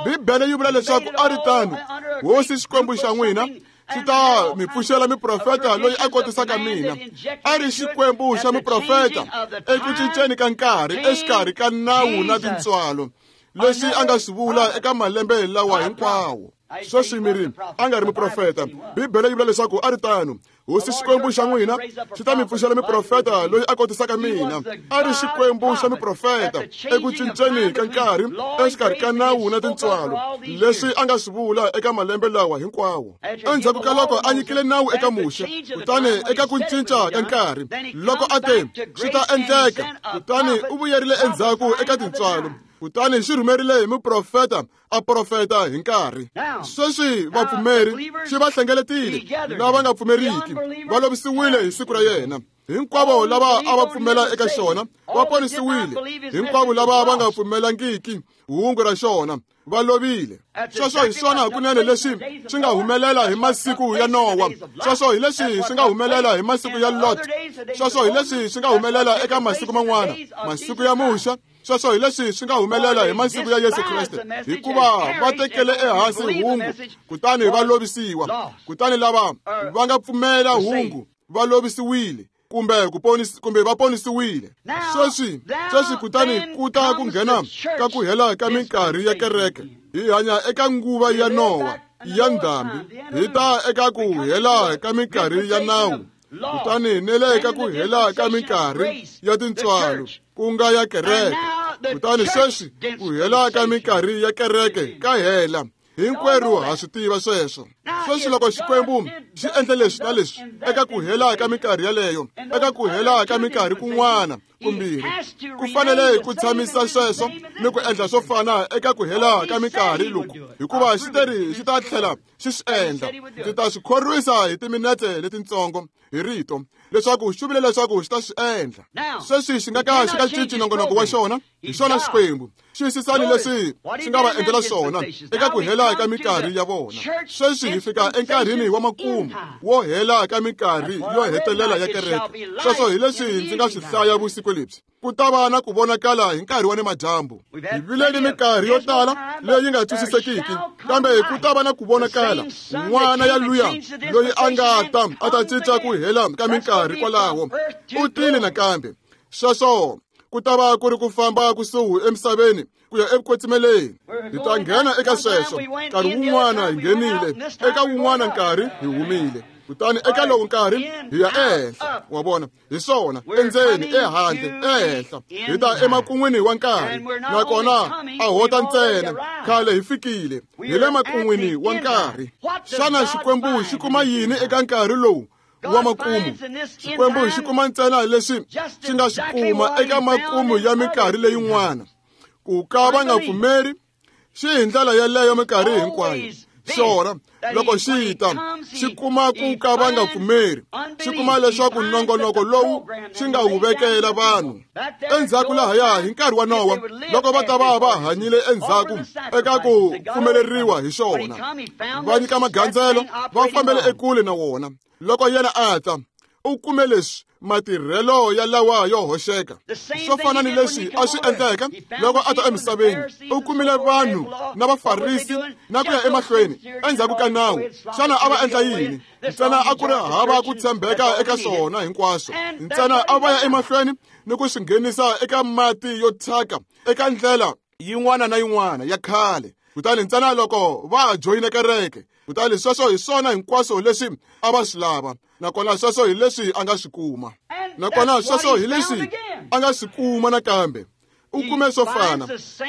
Bibele yi vula leswaku a ri tano. Hosi Xikwembu xa n'wina xi ta mi pfuxela muprofeta loyi a kotisaka mina. A ri Xikwembu xa muprofeta eku cinceni ka nkarhi exikarhi ka nawu na tintswalo, leswi a nga swi vula eka malembe lawa hinkwawo. Sweswi mi ri a nga ri muprofeta. Bibele yi vula leswaku a ri tano. Hosi Xikwembu xa n'wina xi ta mi pfuxela muprofeta loyi a kotisaka mina. A ri Xikwembu xa muprofeta eku cinceni ka nkarhi exikarhi ka nawu na tintswalo, leswi a nga swi vula eka malembe lawa hinkwawo. Endzhaku ka loko a nyikile nawu eka Muxe, kutani eka ku cinca ka nkarhi loko a te swi ta endleka, kutani u vuyerile endzhaku eka tintswalo, kutani xi rhumerile hi muprofeta a profeta hi nkarhi. Sweswi vapfumeri xi va hlengeletile, lava nga pfumeriki va lovisiwile hi siku ra yena. Hinkwavo lava a va pfumela eka xona va ponisiwile, hinkwavo lava va nga pfumelangiki hungu ra xona va lovile. Sweswo hi swona hakunene leswi swi nga humelela hi masiku ya Nowa. Sweswo hi leswi swi nga humelela hi masiku ya Lot. Sweswo hi leswi swi nga humelela eka masiku man'wana, masiku ya Muxe. Sweswo hi leswi swi nga humelela hi masiku ya Yesu Kreste, hikuva va tekele ehansi hungu kutani va lovisiwa. Kutani lava va nga pfumela hungu va lovisiwile kumbe ku kumbe va ponisiwile. Sweswi kutani ku ta ku nghena ka ku hela ka minkarhi ya kereke. Hi hanya eka nguva ya Nowa ya ndhambi, hi ta eka ku hela ka minkarhi ya nawu, kutani ni le ka ku hela ka minkarhi ya tintswalo, ku nga ya kereke. Kutani sweswi ku hela ka minkarhi ya kereke ka hela. Hinkwerhu ha swi tiva sweswo. Sweswi loko Xikwembu xi endle leswi na leswi eka ku hela ka minkarhi yaleyo, eka ku hela ka minkarhi kun'wana kumbirhi, ku fanele ku tshamisa sweswo ni ku endla swo fana eka ku hela ka minkarhi loku, hikuva xi teri xi ta tlhela xi swi endla. Ndzi ta swi khorwisa hi timinete letintsongo hi rito leswaku xi vule leswaku xi ta swi endla. Sweswi xi nga ka xi nga cinci nongonoko wa xona. Hi xona Xikwembu. Xiyisisani leswi xi nga va endlela swona eka ku hela ka minkarhi ya vona. Sweswi hi fika enkarhini wa makumu wo hela ka minkarhi yo hetelela ya kereke. Sweswo hi leswi ndzi nga swi hlaya vusiku lebyi. Ku ta va na ku vonakala hi nkarhi wa nimadyambu. Hi vile ni minkarhi yo tala leyi nga twisisekiki, kambe ku ta va na ku vonakala. N'wana ya luya loyi a nga ta a ta cinca ku hela ka minkarhi kwalaho u tile nakambe. Sweswo ku ta va ku ri ku famba kusuhi emisaveni ku ya evukwetsimeleeni. Hi ta nghena eka sweswo. Nkarhi wun'wana hi nghenile, eka wun'wana nkarhi hi humile, kutani eka lowu nkarhi hi ya ehenhla. Wa vona? Hi swona, endzeni, ehandle, ehenhla. Hi ta emakun'wini wa nkarhi, nakona a ho ta ntsena. Khale hi fikile, hi le makun'wini wa nkarhi. Xana Xikwembu xi kuma yini eka nkarhi lowu wa makumu? Xikwembu xi kuma ntsena leswi xi nga swi kuma eka makumu ya minkarhi leyin'wana. Ku ka va nga pfumeri, xi hi ndlela yeleyo minkarhi hinkwayo. Xona loko xi ta xi kuma ku ka va nga pfumeri, xi kuma leswaku nongonoko lowu xi nga wu vekela vanhu endzhaku lahaya hi nkarhi wa Nowa, loko va ta va va hanyile endzhaku eka ku pfumeleriwa hi xona, va nyika magandzelo, va fambele ekule na wona. Loko yena a ta, u kume leswi matirhelo ya lawa yo hoxeka, swo fana ni leswi a swi endleke loko a ta emisaveni. U kumile vanhu na Vafarisi na ku ya emahlweni endzhaku ka nawu. Xana a va endla yini? Ntsena a ku ri hava ku tshembeka eka swona hinkwaswo. Ntsena a va ya emahlweni ni ku swi nghenisa eka mati yo thyaka, eka ndlela yin'wana na yin'wana ya khale. Kutani ntsena loko va joyina kereke, kutani sweswo hi swona hinkwaswo leswi a va swi lava, nakona sweswo hi leswi a nga swi kuma, nakona sweswo hi leswi a nga swi kuma nakambe. U kume swo fana.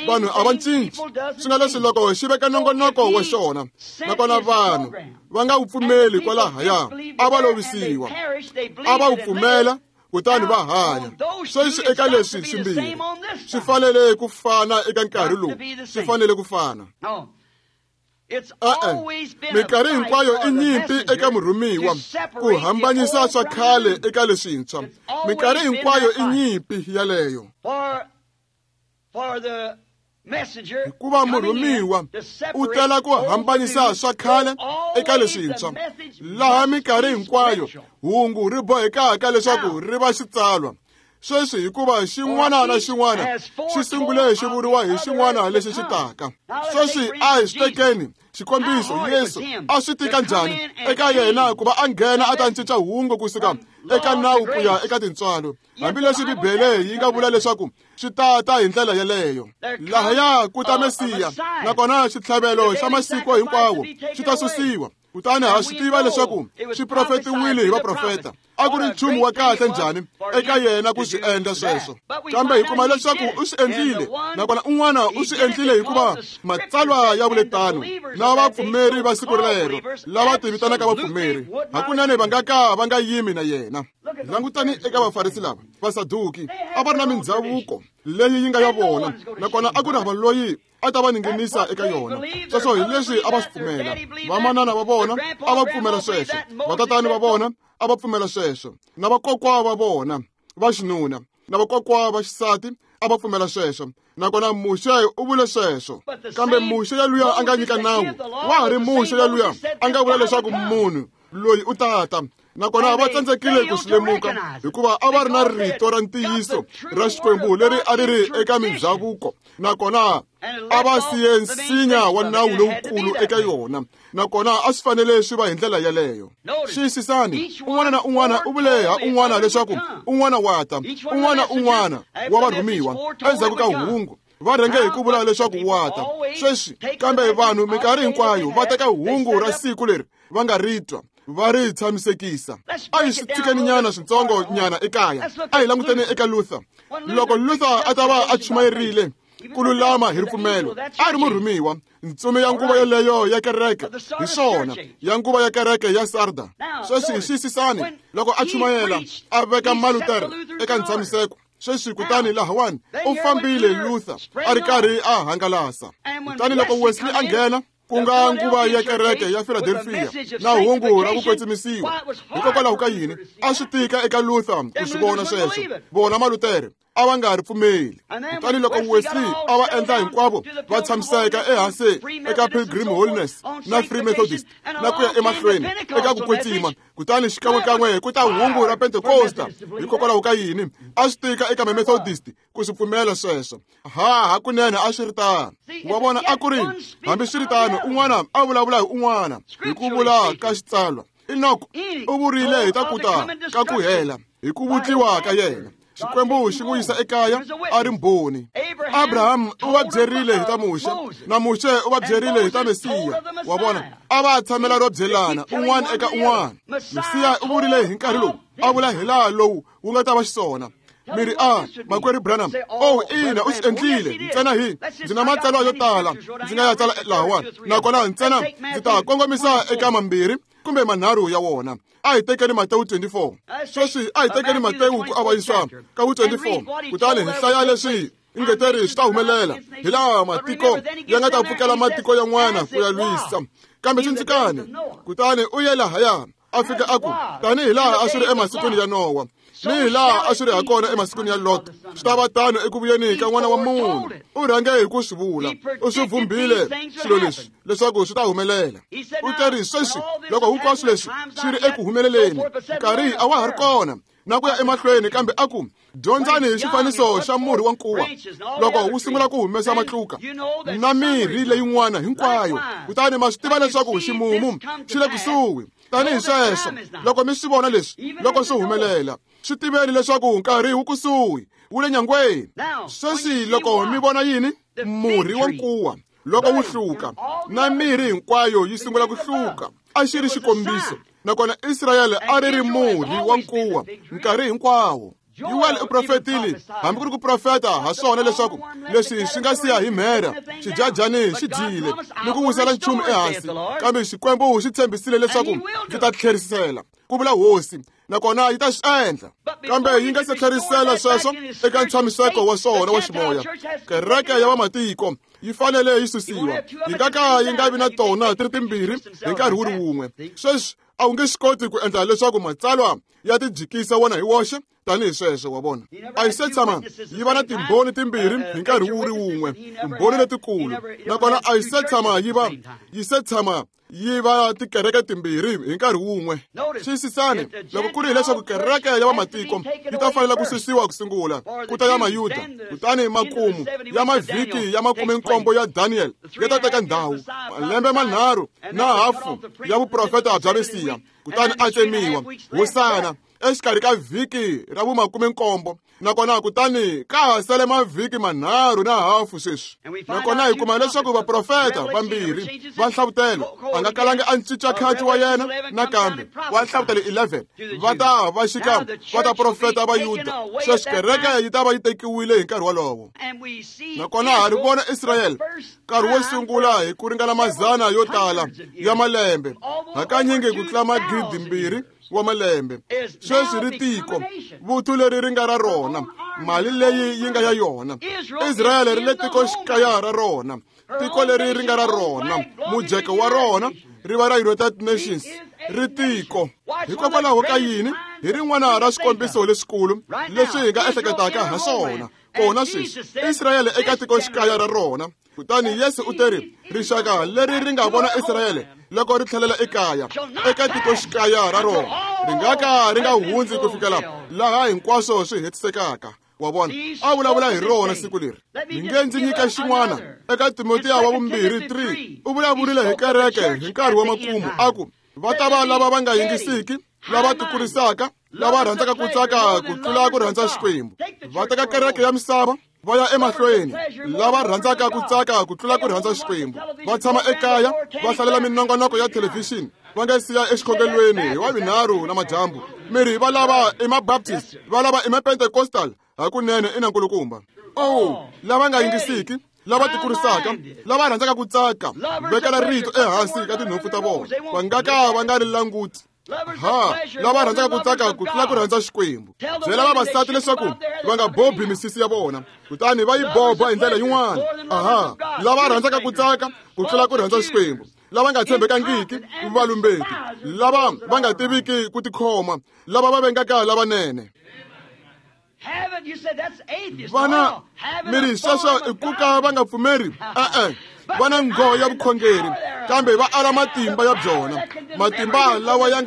Vanhu a va cinci. Swi nga leswi loko xi veka nongonoko wa xona, nakona vanhu va nga wu pfumeli kwalahaya, a va lovisiwa. A va wu pfumela kutani va hanya. Sweswi eka leswi swimbirhi swi fanele ku fana eka nkarhi lowu, swi fanele ku fana. Minkarhi hinkwayo i nyimpi eka murhumiwa ku hambanyisa swa khale eka leswintshwa. Minkarhi hinkwayo i nyimpi yaleyo, hikuva murhumiwa u tela ku hambanyisa swa khale eka leswintshwa, laha minkarhi hinkwayo hungu ri bohekaka leswaku ri va xitsalwa. Sweswi hikuva xin'wana na xin'wana xi sungule xi vuriwa hi xin'wana lexi xi taka. Sweswi a hi swi tekeni xikombiso, Yesu a swi tika njhani eka yena ku va a nghena a ta cinca hungu kusuka eka nawu ku ya eka tintswalo, hambileswi Bibele yi nga vula leswaku swi ta hi ndlela yeleyo. Lahaya ku ta Mesiya, nakona xitlhavelo xa masiku hinkwawo xi ta susiwa. Kutani ha swi tiva leswaku swi profetiwile hi vaprofeta. A ku ri nchumu wa kahle njhani eka yena ku swi endla sweswo, kambe hi kuma leswaku u swi endlile, nakona un'wana u swi endlile hikuva matsalwa ya vule tano. Na vapfumeri va siku rero lava tivitanaka vapfumeri hakunene va nga ka va nga yimi na yena. Langutani eka Vafarisi lava, Vasaduki, a va ri na mindzhavuko leyi yi nga ya vona, nakona a ku ri hava loyi a ta va ninginisa eka yona. Sweswo hi leswi a va swi pfumela. Vamanana va vona a va pfumela sweswo, vatatani va vona a va pfumela sweswo, na vakokwa va vona va xinuna na vakokwa va xisati a va pfumela sweswo, nakona Muxe u vule sweswo. Kambe Muxe yaluya a nga nyika nawu wa ha ri Muxe yaluya a nga vula leswaku munhu loyi u tata, nakona va tsandzekile ku swi lemuka hikuva a va ri na rito ra ntiyiso ra Xikwembu leri a ri ri eka mindzhavuko, nakona a va siye nsinya wa nawu lowukulu eka yona, nakona a swi fanele swi va hi ndlela yeleyo. Xiyisisani, un'wana na un'wana u vule ha un'wana leswaku un'wana wa ta, un'wana un'wana wa varhumiwa endzhaku ka hungu va rhenge hi ku vula leswaku wa ta. Sweswi kambe vanhu minkarhi hinkwayo va teka hungu ra siku leri va nga ri twa, va ri tshamisekisa. A hi swi tshikeni nyana switsongo nyana ekaya. A hi languteni eka Luther. Loko Luther a ta va a chumayerile ku lulama hi ripfumelo, a ri murhumiwa, ntsumi ya nguva yeleyo ya kereke, hi swona, ya nguva ya kereke ya Sarda. Sweswi xiyisisani, loko a chumayela a veka Malutere eka ntshamiseko. Sweswi kutani lahawani u fambile Luther a ri karhi a hangalasa. Kutani loko Wesley a nghena, ku nga nguva ya kereke ya Philadelphia na hungu ra ku kwetsimisiwa, hikokwalaho ka yini a swi tika eka Luther ku swi vona sweswo? Vona Malutere a va nga ri pfumeli. Kutani loko Wesley a va endla hinkwavo va tshamiseka ehansi eka Pilgrim Holiness na Free Methodist na ku ya emahlweni eka ku kwetsima, kutani xikan'wekan'we ku ta hungu ra Pentekosta. Hikokwalaho ka yini a swi tika eka Mamethodist ku swi pfumela sweswo? Ha hakunene a swi ri tano. Wa vona, a ku ri hambi swi ri tano, un'wana a vulavula hi un'wana hi ku vula ka xitsalwa. Enoko u vurile hi ta ku ta ka ku hela hi ku vutliwa ka yena. Xikwembu xi n'wi yisa ekaya a ri mbhoni. Abraham u va byerile hi ta Muxe, na Muxe u va byerile hi ta Mesiya. Wa vona, a va tshamela ro byelana un'wana eka un'wana. Mesiya u vurile hi nkarhi lowu, a vula hi laha lowu wu nga ta va xiswona. Mi ri, a makwerhu Branham, oh ina, u swi endlile. Ntsena hi ndzi na matsalwa yo tala ndzi nga ya tsala lahawani, nakona ntsena ndzi ta kongomisa eka mambirhi kumbe manharhu ya wona. A hi tekeni Matewu 24. Sweswi a hi tekeni Matewu ku avanyisa ka wu 24, kutani hi hlaya leswi Ingeteri swi ta humelela hi laha matiko ya nga ta pfukela matiko yan'wana ku ya lwisa. Kambe tsundzukani, kutani u ye lahaya a fika a ku, tanihi laha a swi ri emasikwini ya Nowa ni hi laha a swi ri hakona emasikwini ya Lot, swi ta va tano eku vuyeni ka N'wana wa Munhu. U rhange hi ku swi vula, u swi vumbile swilo leswi leswaku swi ta humelela. U teri sweswi loko hinkwaswo leswi swi ri eku humeleleni, nkarhi a wa ha ri kona na ku ya emahlweni. Kambe a ku, dyondzani hi xifaniso xa murhi wa nkuwa, loko wu sungula ku humesa matluka na mirhi leyin'wana hinkwayo, kutani ma swi tiva leswaku ximumu xi le kusuhi. Tanihi sweswo, loko mi swi vona leswi loko swi humelela, swi tiveni leswaku nkarhi wu kusuhi, wu le nyangweni. Sweswi loko mi vona yini? Murhi wa nkuwa loko wu hluka na mirhi hinkwayo yi sungula ku hluka, a xi ri xikombiso. Nakona Israyele a ri ri murhi wa nkuwa nkarhi hinkwawo. Yuwele u profetile, hambi ku ri ku profeta ha swona, leswaku leswi swi nga siya hi mhera, xidyajani xi dyile ni ku wisela nchumu ehansi, kambe Xikwembu xi tshembisile leswaku ndzi ta tlherisela, ku vula Hosi, nakona yi ta swi endla. Kambe yi nga se tlherisela sweswo eka ntshamiseko wa swona wa ximoya, kereke ya vamatiko yi fanele yi susiwa. Yi nga ka yi nga vi na tona ti ri timbirhi hi nkarhi wu ri wun'we. Sweswi a wu nge swi koti ku endla leswaku matsalwa ya tijikisa wona hi woxe tanihi sweswo, wa vona. A yi se tshama yi va na timbhoni timbirhi hi nkarhi wu ri wun'we, timbhoni letikulu. Nakona a yi se tshama yi va yi se tshama yi va tikereke timbirhi hi nkarhi wun'we. Xiyisisani, loko ku ri hileswaku kereke ya vamatiko yi ta fanela ku susiwa ku sungula, ku ta ya Mayuda, kutani makumu ya mavhiki ya 17 ya Daniel ya ta teka ndhawu, malembe manharhu na hafu ya vuprofeta bya Mesiya, kutani a tsemiwa hosana exikarhi ka vhiki ra vu-17. Nakona kutani ka ha sele mavhiki manharhu na hafu sweswi. Nakona hi kuma leswaku vaprofeta vambirhi va Nhlavutelo a nga kalangi a cinca khaci wa yena nakambe wa Nhlavutelo 11 va ta va xika va ta profeta va Yuda. Sweswi kereke yi ta va yi tekiwile hi nkarhi wolowo. Nakona ha ri vona Israyele nkarhi wo sungula hi ku ringana mazana yo tala ya malembe, hakanyingi ku tlula 2000 wa malembe. Sweswi ri tiko, vuthu leri ri nga ra rona, mali leyi yi nga ya yona. Israyele ri le tikoxikaya ra rona, tiko leri ri nga ra rona, mujeko wa rona ri va ra United Nations, ri tiko. Hikokwalaho ka yini? Hi rin'wana ra swikombiso leswikulu leswi hi nga ehleketaka ha swona kona sweswi, Israyele eka tikoxikaya ra rona. Kutani Yesu u teri, rixaka leri ri nga vona Israyele loko ri tlhelela ekaya eka tikoxikaya ra rona, ri nga ka ri nga hundzi ku fikela laha hinkwaswo swi hetisekaka. Wa vona, a vulavula hi rona siku leri. Mi nge ndzi nyika xin'wana eka Timotiya wa vumbirhi 3, u vulavurile hi kereke hi nkarhi wa makumu, a ku va ta va lava va nga yingisiki, lava tikurisaka, lava rhandzaka ku tsaka ku tlula ku rhandza Xikwembu. Va teka kereke ya misava va ya emahlweni, lava rhandzaka ku tsaka ku tlula ku rhandza Xikwembu. Va tshama ekaya va hlalela minongonoko ya thelevhixini va nga siya exikhongelweni hi Wavunharhu na madyambu. Miri va lava i mabaptist, va lava i mapentecostal, hakunene i na nkulukumba. Oh, lava nga yingisiki, lava tikurisaka, lava rhandzaka ku tsaka, vekela rito ehansi ka tinhompfu ta vona, va nga ka va nga ri languti. Ha, lava rhandzaka ku tsaka ku tlula ku rhandza Xikwembu. Byela vavasati leswaku va nga bobi misisi ya vona, kutani va yi boba hi ndlela yin'wana. Aha, lava rhandzaka ku tsaka ku tlula ku rhandza Xikwembu, lava nga tshembekangiki, valumbeti, lava va nga tiviki ku tikhoma, lava va vengaka lavanene. Vana miri sweswo i ku ka va nga pfumeri, e-e, va na nghoho ya vukhongeri, kambe va ala matimba ya byona, matimba lawa ya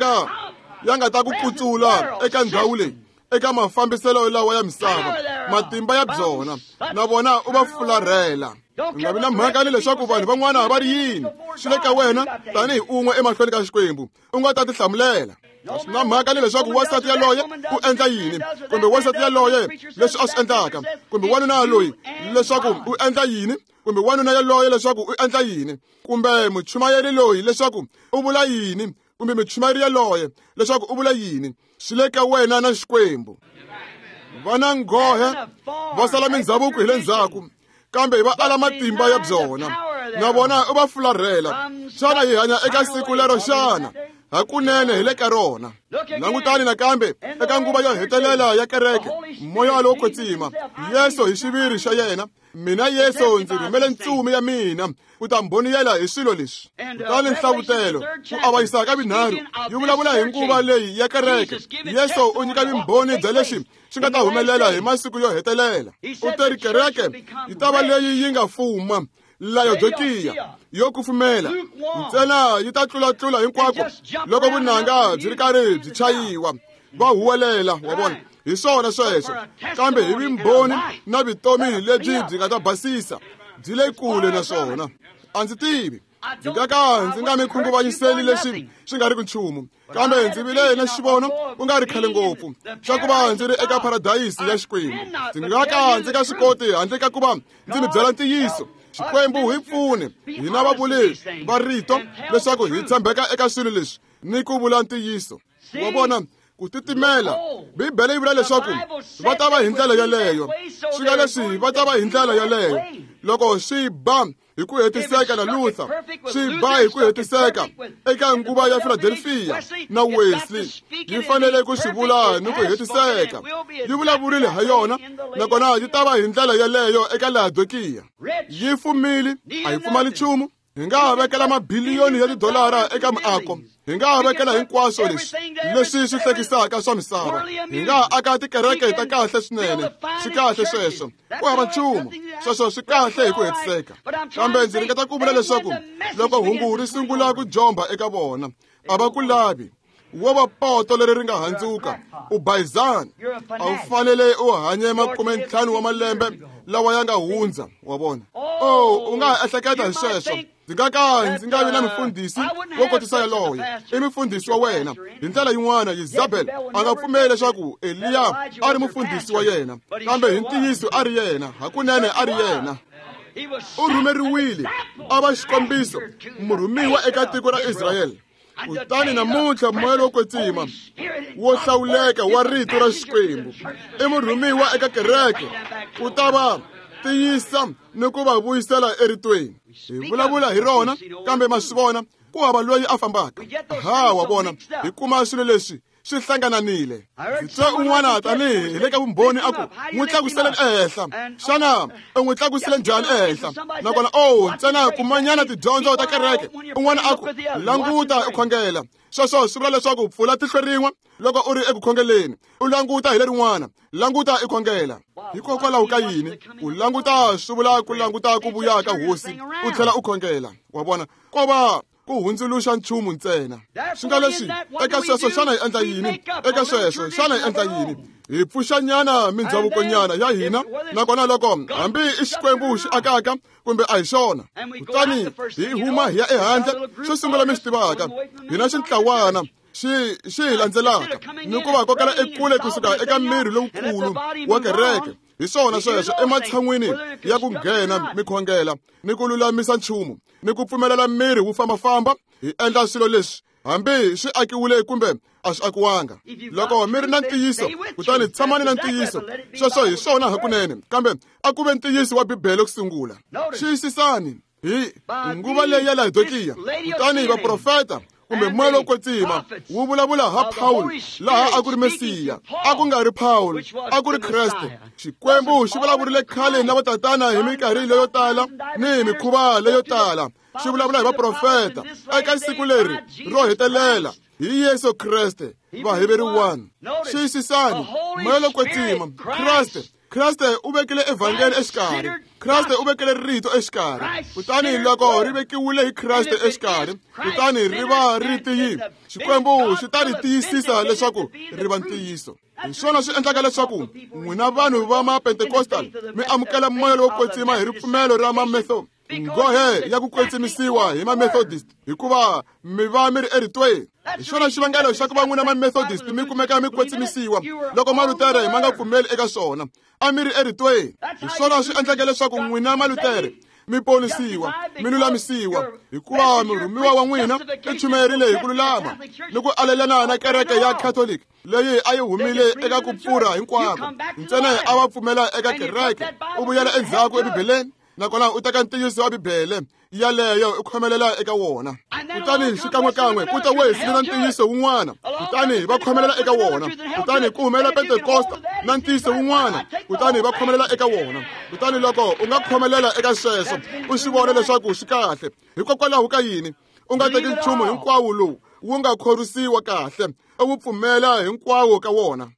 nga ta ku kutsula eka ndhawu leyi, eka mafambiselo lawa ya misava, matimba ya byona, na vona u va fularhela. U nga vi na mhaka ni leswaku vanhu van'wana va ri yini, swi le ka wena tanihi un'we emahlweni ka Xikwembu, u nga ta tihlamulela. A swi na mhaka ni leswaku wansati yaloye u endla yini, kumbe wansati yaloye leswi a swi endlaka, kumbe wanuna loyi leswaku u endla yini, kumbe wanuna yaloye leswaku u endla yini, kumbe muchumayeri loyi leswaku u vula yini, kumbe muchumayeri yaloye leswaku u vula yini. Swi le ka wena na Xikwembu. Va na nghohe, va sala mindzhavuko hi le ndzhaku, kambe va ala matimba ya byona, na vona u va fularhela. Xana hi hanya eka siku lero xana? Hakunene hi le ka rona. Langutani nakambe eka nguva yo hetelela ya kereke, moya lowo kwetsima, Yesu hi xiviri xa yena. Mina Yesu ndzi rhumele ntsumi ya mina ku ta mbhoniyela hi swilo leswi. Kutani Nhlavutelo ku avanyisa ka vinharhu yi vulavula hi nguva leyi ya kereke. Yesu u nyika vumbhoni bya leswi swi nga ta humelela hi masiku yo hetelela. U teri kereke yi ta va leyi yi nga fuma Laodikiya yo kufumela ntsena yi ta tlulatlula hinkwako loko vunanga byi ri karhi byi chayiwa va huwelela, wa vona. Hi swona sweswo, kambe hi vumbhoni na vutomi lebyi byi nga ta basisa byi le kule na swona. A ndzi tivi, ndzi nga ka ndzi nga mi khunguvanyiseli leswi swi nga ri ku nchumu, kambe ndzi vile na xivono ku nga ri khale ngopfu xa ku va ndzi ri eka paradayisi ya Xikwembu. Ndzi nga ka ndzi nga swi koti handle ka ku va ndzi mi byela ntiyiso. Xikwembu hi pfune hina vavuli va rito leswaku hi tshembeka eka swilo leswi ni ku vula ntiyiso. Wa vona, ku titimela. Bibele yi vula leswaku va ta va hi ndlela yeleyo. Swi nga leswi va ta va hi ndlela yeleyo loko swi ba hi ku hetiseka na Luther, swi ba hi ku hetiseka eka nguva ya Philadelphia na Wesley. Yi fanele ku swi vula ni ku hetiseka. Yi vulavurile ha yona, nakona yi ta va hi ndlela yeleyo eka Laodikiya. Yi fumile, a yi pfumali nchumu. Hi nga vekela mabiliyoni ya tidolara eka miako, hi nga vekela hinkwaswo leswi leswi swi hlekisaka swa misava, hi nga aka tikereke ta kahle swinene. Swi kahle sweswo, ku hava nchumu sweswo, swi kahle hi ku hetiseka. Kambe ndzi ringeta ku vula leswaku loko hungu ri sungula ku jomba eka vona, a va ku lavi. Wo va poto leri ri nga handzuka, u bayizani. A wu fanele u hanye 50 wa malembe lawa ya nga hundza, wa vona. Oh, u nga ha ehleketa hi sweswo. Ndzi nga ka ndzi nga vi na mufundhisi wo kotisa yaloye. I mufundhisi wa wena. Hi ndlela yin'wana, Isabel a nga pfumeli leswaku Eliya a ri mufundhisi wa yena, kambe hi ntiyiso a ri yena, hakunene a ri yena. U rhumeriwile a va xikombiso, murhumiwa eka tiko ra Israyele. Kutani namuntlha moya lowo kwetsima wo hlawuleka wa rito ra Xikwembu i murhumiwa eka kereke ku ta va tiyisa ni ku va vuyisela eritweni. Hi vulavula hi rona, kambe ma swi vona ku hava loyi a fambaka. Ha, wa vona, hi kuma swilo leswi swi hlangananile. Ndzi twe un'wana tanihi hi le ka vumbhoni a ku n'wi tlakuseleni ehenhla. Xana u n'wi tlakusile njhani ehenhla? Nakona o ntsena kumanyana tidyondzo ta kereke. Un'wana a ku languta u khongela. Sweswo swi vula leswaku pfula tihlo rin'we loko u ri eku khongeleni, u languta hi lerin'wana, languta i khongela. Hikokwalaho ka yini ku languta swi vula ku languta ku vuya ka hosi u tlhela u khongela? Wa vona, ko va ku hundzuluxa nchumu ntsena. Swi nga leswi eka sweswo, xana hi endla yini? Eka sweswo, xana hi endla yini? Hi pfuxanyana mindzhavukonyana ya hina, nakona loko hambi i Xikwembu xi akaka kumbe a hi xona, kutani hi huma hi ya ehandle. Xo sungula mi swi tivaka, hina xintlawana xi hi landzelaka ni ku va kokela ekule kusuka eka miri lowukulu wa kereke. Hi swona sweswo, ematshan'wini ya ku nghena mi khongela ni ku lulamisa nchumu ni ku pfumelela miri wu fambafamba, hi endla swilo leswi hambi swi akiwile kumbe a swi akiwanga. Loko mi ri na ntiyiso, kutani tshamani na ntiyiso. Sweswo hi swona hakunene, kambe a ku ve ntiyiso wa Bibele ku sungula. Xiyisisani hi nguva leyi ya Laodikiya, kutani vaprofeta kumbe moya lowo kwetsima wu vulavula ha Paul laha a ku ri Mesiya, a ku nga ri Paul, a ku ri Kreste. Xikwembu xi vulavurile khale na vatatana hi minkarhi leyo tala ni hi mikhuva leyo tala, xi vulavula hi vaprofeta eka siku leri ro hetelela hi Yesu Kreste. Vaheberi 1. Xiyisisani, moya lowo kwetsima, Kreste. Kreste u vekile evhangeli exikarhi. Kreste u vekile rito exikarhi. Kutani loko ri vekiwile hi Kreste exikarhi, kutani ri va ri tiyile, Xikwembu xi ta ri tiyisisa leswaku ri va ntiyiso. Hi swona swi endlaka leswaku n'wina vanhu va ma-Pentecostal mi amukela moya lowo kwetsima hi ripfumelo ra ma-Methodist, nghohe ya ku kwetsimisiwa hi ma-Methodist, hikuva mi va mi ri eritweni. Hi xona xivangelo xa ku va n'wina ma-Methodist mi kumeka mi kwetsimisiwa loko Malutere ma nga pfumeli eka swona. A mi ri eritweni. Hi swona swi endleke leswaku n'wina Malutere mi ponisiwa, mi lulamisiwa, hikuva murhumiwa wa n'wina i chumayerile hi ku lulama ni ku alelana na kereke ya Catholic leyi a yi humile eka ku pfurha hinkwako. Ntsena a va pfumela eka kereke, u vuyela endzhaku eBibeleni. Nakona u teka ntiyiso wa Bibele yaleyo u khomelela eka wona. Kutani xikan'wekan'we ku ta Wesley na ntiyiso wun'wana, kutani va khomelela eka wona. Kutani ku humelela Pentekosta na ntiyiso wun'wana, kutani va khomelela eka wona. Kutani loko u nga khomelela eka sweswo, u swi vona leswaku swi kahle. Hikokwalaho ka yini u nga teki nchumu hinkwawo lowu wu nga khorwisiwa kahle, u wu pfumela hinkwawo ka wona?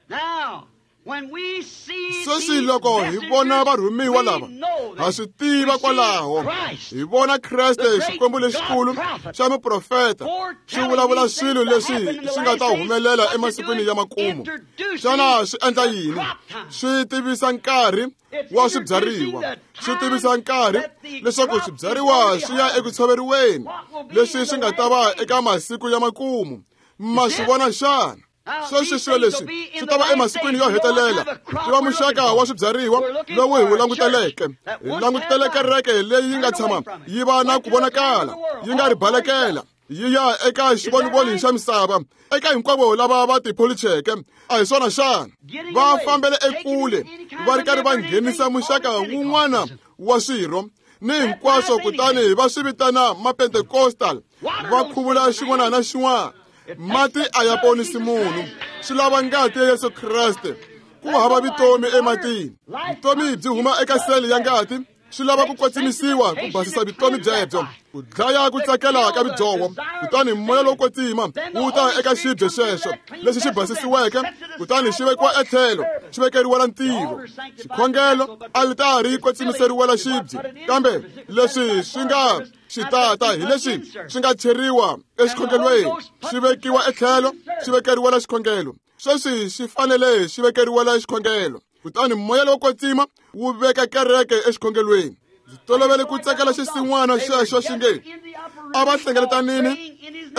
Sweswi loko hi vona varhumiwa lava, ha swi tiva kwalaho hi vona Kreste, Xikwembu lexikulu xa muprofeta, xi vulavula swilo leswi swi nga ta humelela emasikwini ya makumu. Xana swi endla yini? Swi tivisa nkarhi wa swibyariwa, swi tivisa nkarhi leswaku swibyariwa swi ya eku tshoveriweni, leswi swi nga ta va eka masiku ya makumu. Ma swi vona xana? Sweswi swilo leswi swi ta va emasikwini yo hetelela. Swi va muxaka wa swibyariwa lowu hi wu languteleke. Hi langutele kereke leyi yi nga tshama yi va na ku vonakala, yi nga ri balekela, yi ya eka xivonivoni xa misava, eka hinkwavo lava va tipholicheke. A hi swona xana? Va fambele ekule, va ri karhi va nghenisa muxaka wun'wana wa swirho ni hinkwaswo, kutani va swi vitana Mapentecostal, va khuvula xin'wana na xin'wana. Mati a ya ponisi munhu, swi lava ngati ya Yesu Kreste. Ku hava vutomi ematini. Vutomi byi huma eka sele ya ngati. Swi lava ku kwetsimisiwa ku basisa vutomi byebyo, ku dlaya ku tsakela ka vudyoho. Kutani moya lowo kwetsima wu ta eka xibye xexo lexi xi basisiweke, kutani xi vekiwa etlhelo, xi vekeriwela ntirho. Xikhongelo, alitari yi kwetsimiseriwela xibye, kambe leswi swi nga xitata hi leswi swi nga cheriwa exikhongelweni, xi vekiwa etlhelo, xi vekeriwela xikhongelo. Sweswi xi fanele xi vekeriwela xikhongelo. Kutani moya lowo kwetsima wu veka kereke exikhongelweni. Ndzi tolovele ku tsakela xisin'wana xexo xi nge, a va hlengeletanini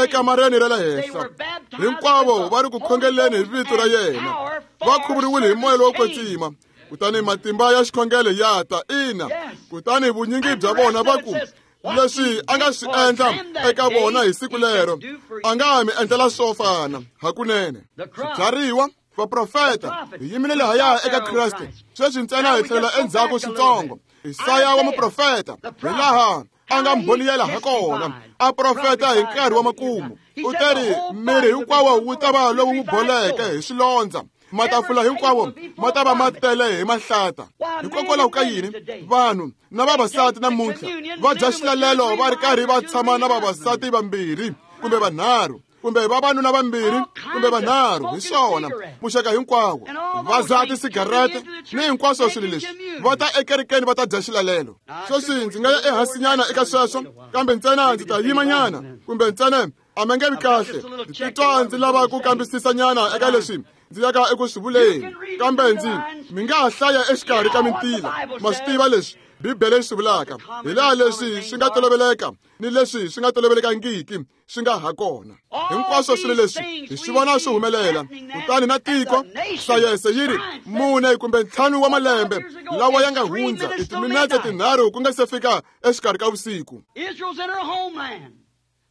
ekamareni ra le henhla, hinkwavo va ri ku khongeleni hi vito ra yena, va khuvuriwile hi moya lowo kwetsima. Kutani matimba ya xikhongelo ya ta. Ina. Kutani vunyingi bya vona va ku, leswi a nga swi endla eka vona hi siku lero, a nga mi endlela swo fana hakunene. Swibyariwa, vaprofeta, hi yimile lahaya eka Kreste. Sweswi ntsena hi tlhelela endzhaku switsongo. Isaya wa muprofeta, hi laha a nga mbhoniyela ha kona, a profeta hi nkarhi wa makumu. U teri miri hinkwawo wu ta va lowu wu boleke hi swilondza, matafula hinkwawo ma ta va ma tele hi mahlata. Hikokwalaho ka yini vanhu na vavasati namuntlha va dya xilalelo va ri karhi va tshama na vavasati vambirhi kumbe vanharhu, kumbe vavanuna vambirhi kumbe vanharhu? Hi swona muxaka hinkwawo, va dzaha tisigarete ni hinkwaswo swilo leswi, va ta ekerekeni va ta dya xilalelo. Sweswi ndzi nga ya ehansinyana eka sweswo, kambe ntsena ndzi ta yimanyana, kumbe ntsena a mi nge vi kahle. Ndzi titwa ndzi lava ku kambisisanyana eka leswi ndzi yaka eku swi vuleni, kambe ndzi mi nga ha hlaya exikarhi ka mintila. Ma swi tiva leswi Bibele yi swi vulaka, hi laha leswi swi nga toloveleka ni leswi swi nga tolovelekangiki swi nga ha kona. Hinkwaswo swilo leswi hi swi vona swi humelela. Kutani na tiko, sayense yi ri 4 kumbe 5 wa malembe lawa ya nga hundza, i timinetse 3 ku nga se fika exikarhi ka vusiku.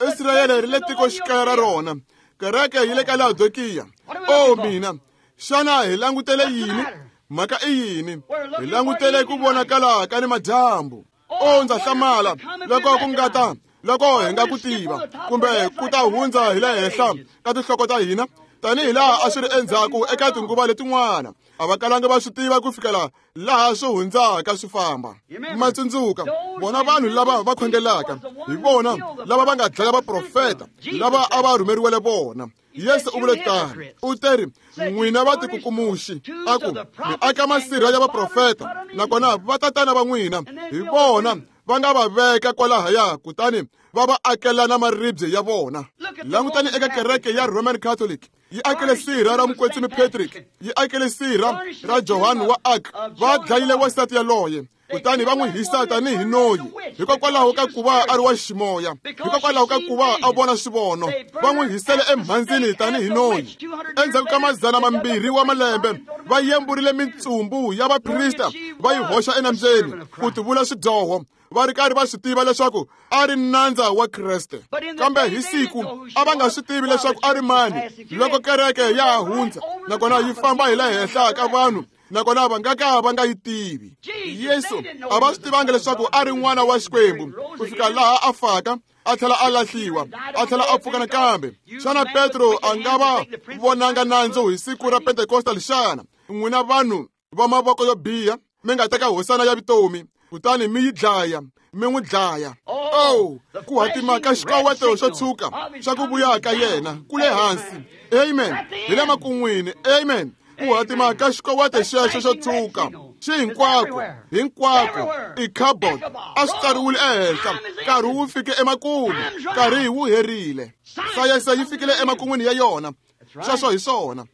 Israyele ri le tikoxikaya ra rona, kereke yi le ka Laodikiya. O mina, xana hi langutele yini? Mhaka i yini? Hi langutele ku vonakala ka ni madyambu. O ndza hlamala loko ku nga ta, loko hi nga ku tiva, kumbe ku ta hundza hi le henhla ka tinhloko ta hina, tanihi laha a swi ri endzhaku eka tinguva letin'wana. A va kalanga va swi tiva ku fikela laha swi hundzaka swi famba. Ma tsundzuka, vona vanhu lava va khongelaka, hi vona lava va nga dlaya vaprofeta lava a va rhumeriwele vona. Yesu u vule tano. U teri, n'wina va tikukumuxi, a ku mi aka masirha ya vaprofeta, nakona vatatana va n'wina hi vona va nga va veka kwalahaya, kutani va va akela na maribye ya vona. Langutani eka kereke ya Roman Catholic, yi akele sirha ra mukwetsimi Patrick, yi akele sirha ra Johann wa Arc. Va dlayile wansati yaloye, kutani va n'wi hisa tanihi noyi, hikokwalaho ka ku va a ri wa ximoya, hikokwalaho ka ku va a vona swivono. Va n'wi hisele emhandzini tanihi noyi. Endzhaku ka 200 wa malembe, va yemburile mitsumbu ya vaprista va yi hoxa enambyeni ku tivula swidyoho, va ri karhi va swi tiva leswaku a ri nandza wa Kreste. Kambe hi siku a va nga swi tivi leswaku a ri mani loko kereke ya ha hundza, nakona yi famba hi le henhla ka vanhu Nakona va nga ka va nga yi tivi. Yesu a va swi tivanga leswaku a ri n'wana wa Xikwembu ku fika laha a faka, a tlhela a lahliwa, a tlhela a pfuka nakambe. Xana Petro a nga va vonanga nandzu hi siku ra Pentekostal xana? N'wina vanhu va mavoko yo biha, mi nga teka hosana ya vutomi kutani mi yi dlaya, mi n'wi dlaya. Oh, ku hatima ka xikoweto xo tshuka xa ku vuya ka yena ku le hansi. Amen. Hi le makun'wini. Amen. Ku hatima ka xikoweto xexo xo tshuka xi hinkwako, hinkwako. I cupboard a swi tsariwile ehenhla. Nkarhi wu fike emakumu, nkarhi wu herile. Sayense yi fikile emakun'wini ya yona. Sweswo hi swona.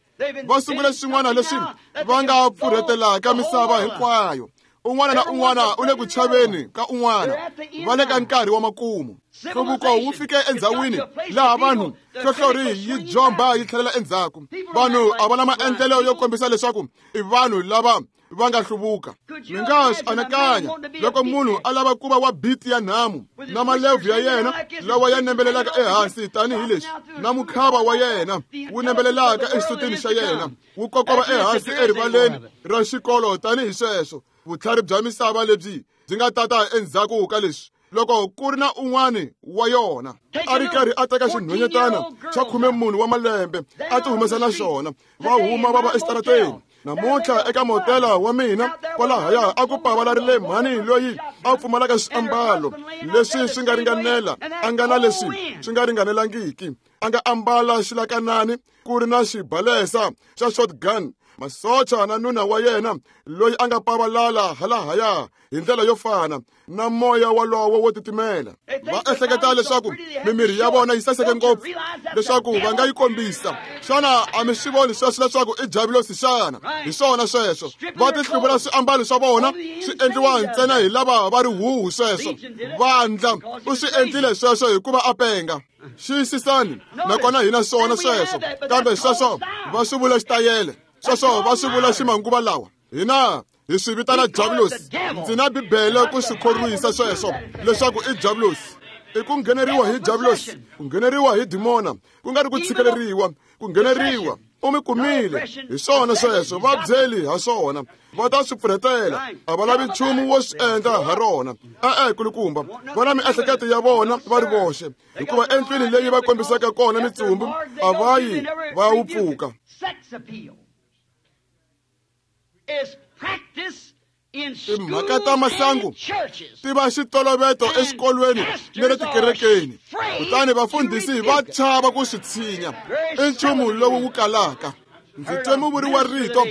Va sungule swin'wana leswi va nga pfurhetelaka misava hinkwayo. Un'wana na un'wana u le ku chaveni ka un'wana. Va le ka nkarhi wa makumu. Nhluvuko wu fike endzhawini laha vanhu hlohlori yi jomba yi tlhelela endzhaku. Vanhu a va na maendlelo yo kombisa leswaku i vanhu lava va nga hluvuka. Mi nga swi anakanya loko munhu a lava ku va wa biti ya nhamu na malevhu ya yena lawa ya nembelelaka ehansi tanihileswi na mukhava wa yena wu nembelelaka exisutini xa yena wu kokova ehansi erivaleni ra xikolo tanihi sweswo. Vutlhari bya misava lebyi byi nga tata endzhaku ka leswi loko ku ri na un'wani wa yona a ri karhi a teka xinhwanyetana xa 14 wa malembe a ti humesa na xona, va huma va va exitarateni. Namuntlha eka motela wa mina kwalahaya a ku pavalarile mhani loyi a pfumalaka swiambalo leswi swi nga ringanela, a nga na leswi swi nga ringanelangiki, a nga ambala xilakanani ku ri na xibalesa xa shotgun. Masocha na nuna wa yena loyi a nga pavalala halahaya hi ndlela yo fana na moya walowo wo titimela. Va ehleketa leswaku mimiri ya vona yi saseke ngopfu leswaku va nga yi kombisa. Xana a mi swi voni sweswo leswaku i javulosi xana? Hi swona sweswo. Va tihluvula swiambalo swa vona swi endliwa ntsena hi lava va ri huhu sweswo. Vandla u swi endlile sweswo hikuva a penga. Xiyisisani, nakona hina swona sweswo. Kambe sweswo va swi vula xitayele, sweswo va swi vula ximanguva lawa. Hina hi swi vitana javulosi. Ndzi na Bibele ku swi khorwisa sweswo leswaku i javulosi. I ku ngheneriwa hi javulosi, ku ngheneriwa hi dimona, ku nga ri ku tshikeleriwa, ku ngheneriwa. U mi kumile hi swona sweswo, va byeli ha swona, va ta swi pfurhetela. A va lavi nchumu wo swi endla ha rona. E-e, kulukumba, va na miehleketo ya vona va ri voxe, hikuva endlwini leyi va kombisaka kona mitsumbu a va yi va wu pfuka. Timhaka ta masangu ti va xitoloveto exikolweni ni le tikerekeni, kutani vafundhisi va chava ku swi tshinya. I nchumu lowu wu kalaka. Ndzi twe muvuri wa rito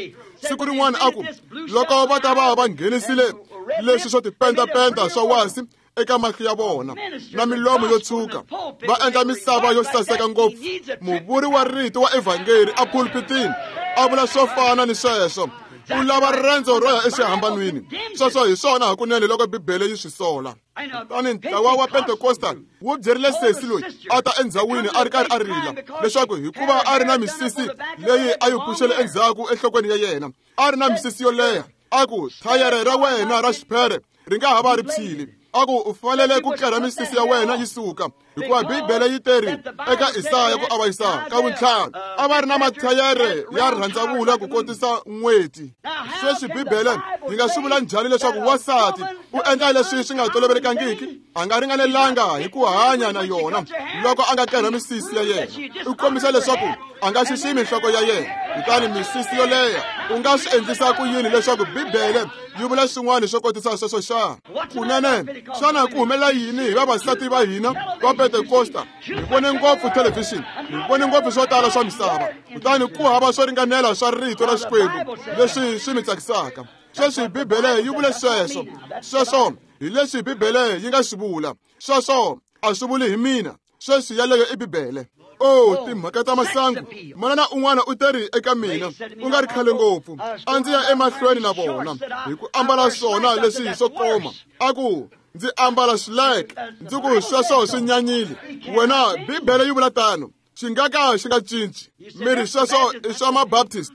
siku rin'wana a ku loko va ta va va nghenisile leswi swo tipendapenda swa wasi eka mahlo ya vona na milomo yo tshuka, va endla misava yo saseka ngopfu. Muvuri wa rito wa evhangeri a pulpitini a vula swo fana ni sweswo. U lava riendzo ro ya exihambanweni. Sweswo hi swona hakunene loko Bibele yi swi sola. Kutani ntlawa wa Pentecostal wu byerile sesi loyi a ta endzhawini a ri karhi a rila leswaku hikuva a ri na misisi leyi a yi pfuxele endzhaku enhlokweni ya yena, a ri na misisi yo leha, a ku thayere ra wena ra xiphere ri nga ha va ri phyile. A ku u fanele ku kerha misisi ya wena yi suka, hikuva Bibele yi teri eka Isaya ku avanyisa ka vuntlhanu a va ri na mathayere ya rhandzavula ku kotisa n'weti. Sweswi Bibele yi nga swi vula njhani leswaku wansati u endla leswi swi nga tolovelekangiki? A nga ringanelanga hi ku hanya na yona loko a nga kerha misisi ya yena. U kombisa leswaku a nga xiximi nhloko ya yena. Kutani misisi yo leha u nga swi endlisa ku yini leswaku Bibele yi vula swin'wana swo kotisa sweswo xana? Kunene, xana ku humelela yini hi vavasati va hina va Pentekosta? Hi vone ngopfu thelevhixini, hi vone ngopfu swo tala swa misava, kutani ku hava swo ringanela swa rito ra Xikwembu leswi swi mi tsakisaka. Sweswi Bibele yi vule sweswo. Sweswo hi leswi Bibele yi nga swi vula. Sweswo a swi vuli hi mina. Sweswi yaleyo i Bibele. Oh, timhaka ta masangu. Manana un'wana u teri eka mina ku nga ri khale ngopfu, a ndzi ya emahlweni na vona hi ku ambala swona leswi swo koma. A ku ndzi ambala swileke. Ndzi ku sweswo swi nyanyile. Wena, Bibele yi vula tano. Xi nga ka xi nga cinci. Mi ri sweswo i swa Mabaptist,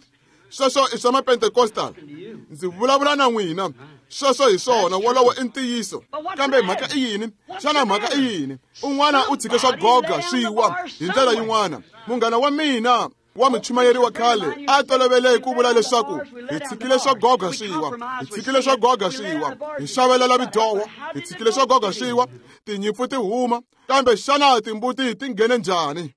sweswo i swa Mapentecostal. Ndzi vulavula na n'wina. Sweswo hi swona, wolowo i ntiyiso. Kambe mhaka i yini? Xana mhaka i yini? Un'wana u tshike swa goga swi wa hi ndlela yin'wana. Munghana wa mina Wa muchumayeri wa khale a tolovele ku vula leswaku hi tshikile swo goga swiwa, hi tshikile swo goga swiwa, hi xavelela midyoho, hi tshikile swo goga swiwa, tinyimpfu ti huma, kambe xana timbuti ti nghene njhani?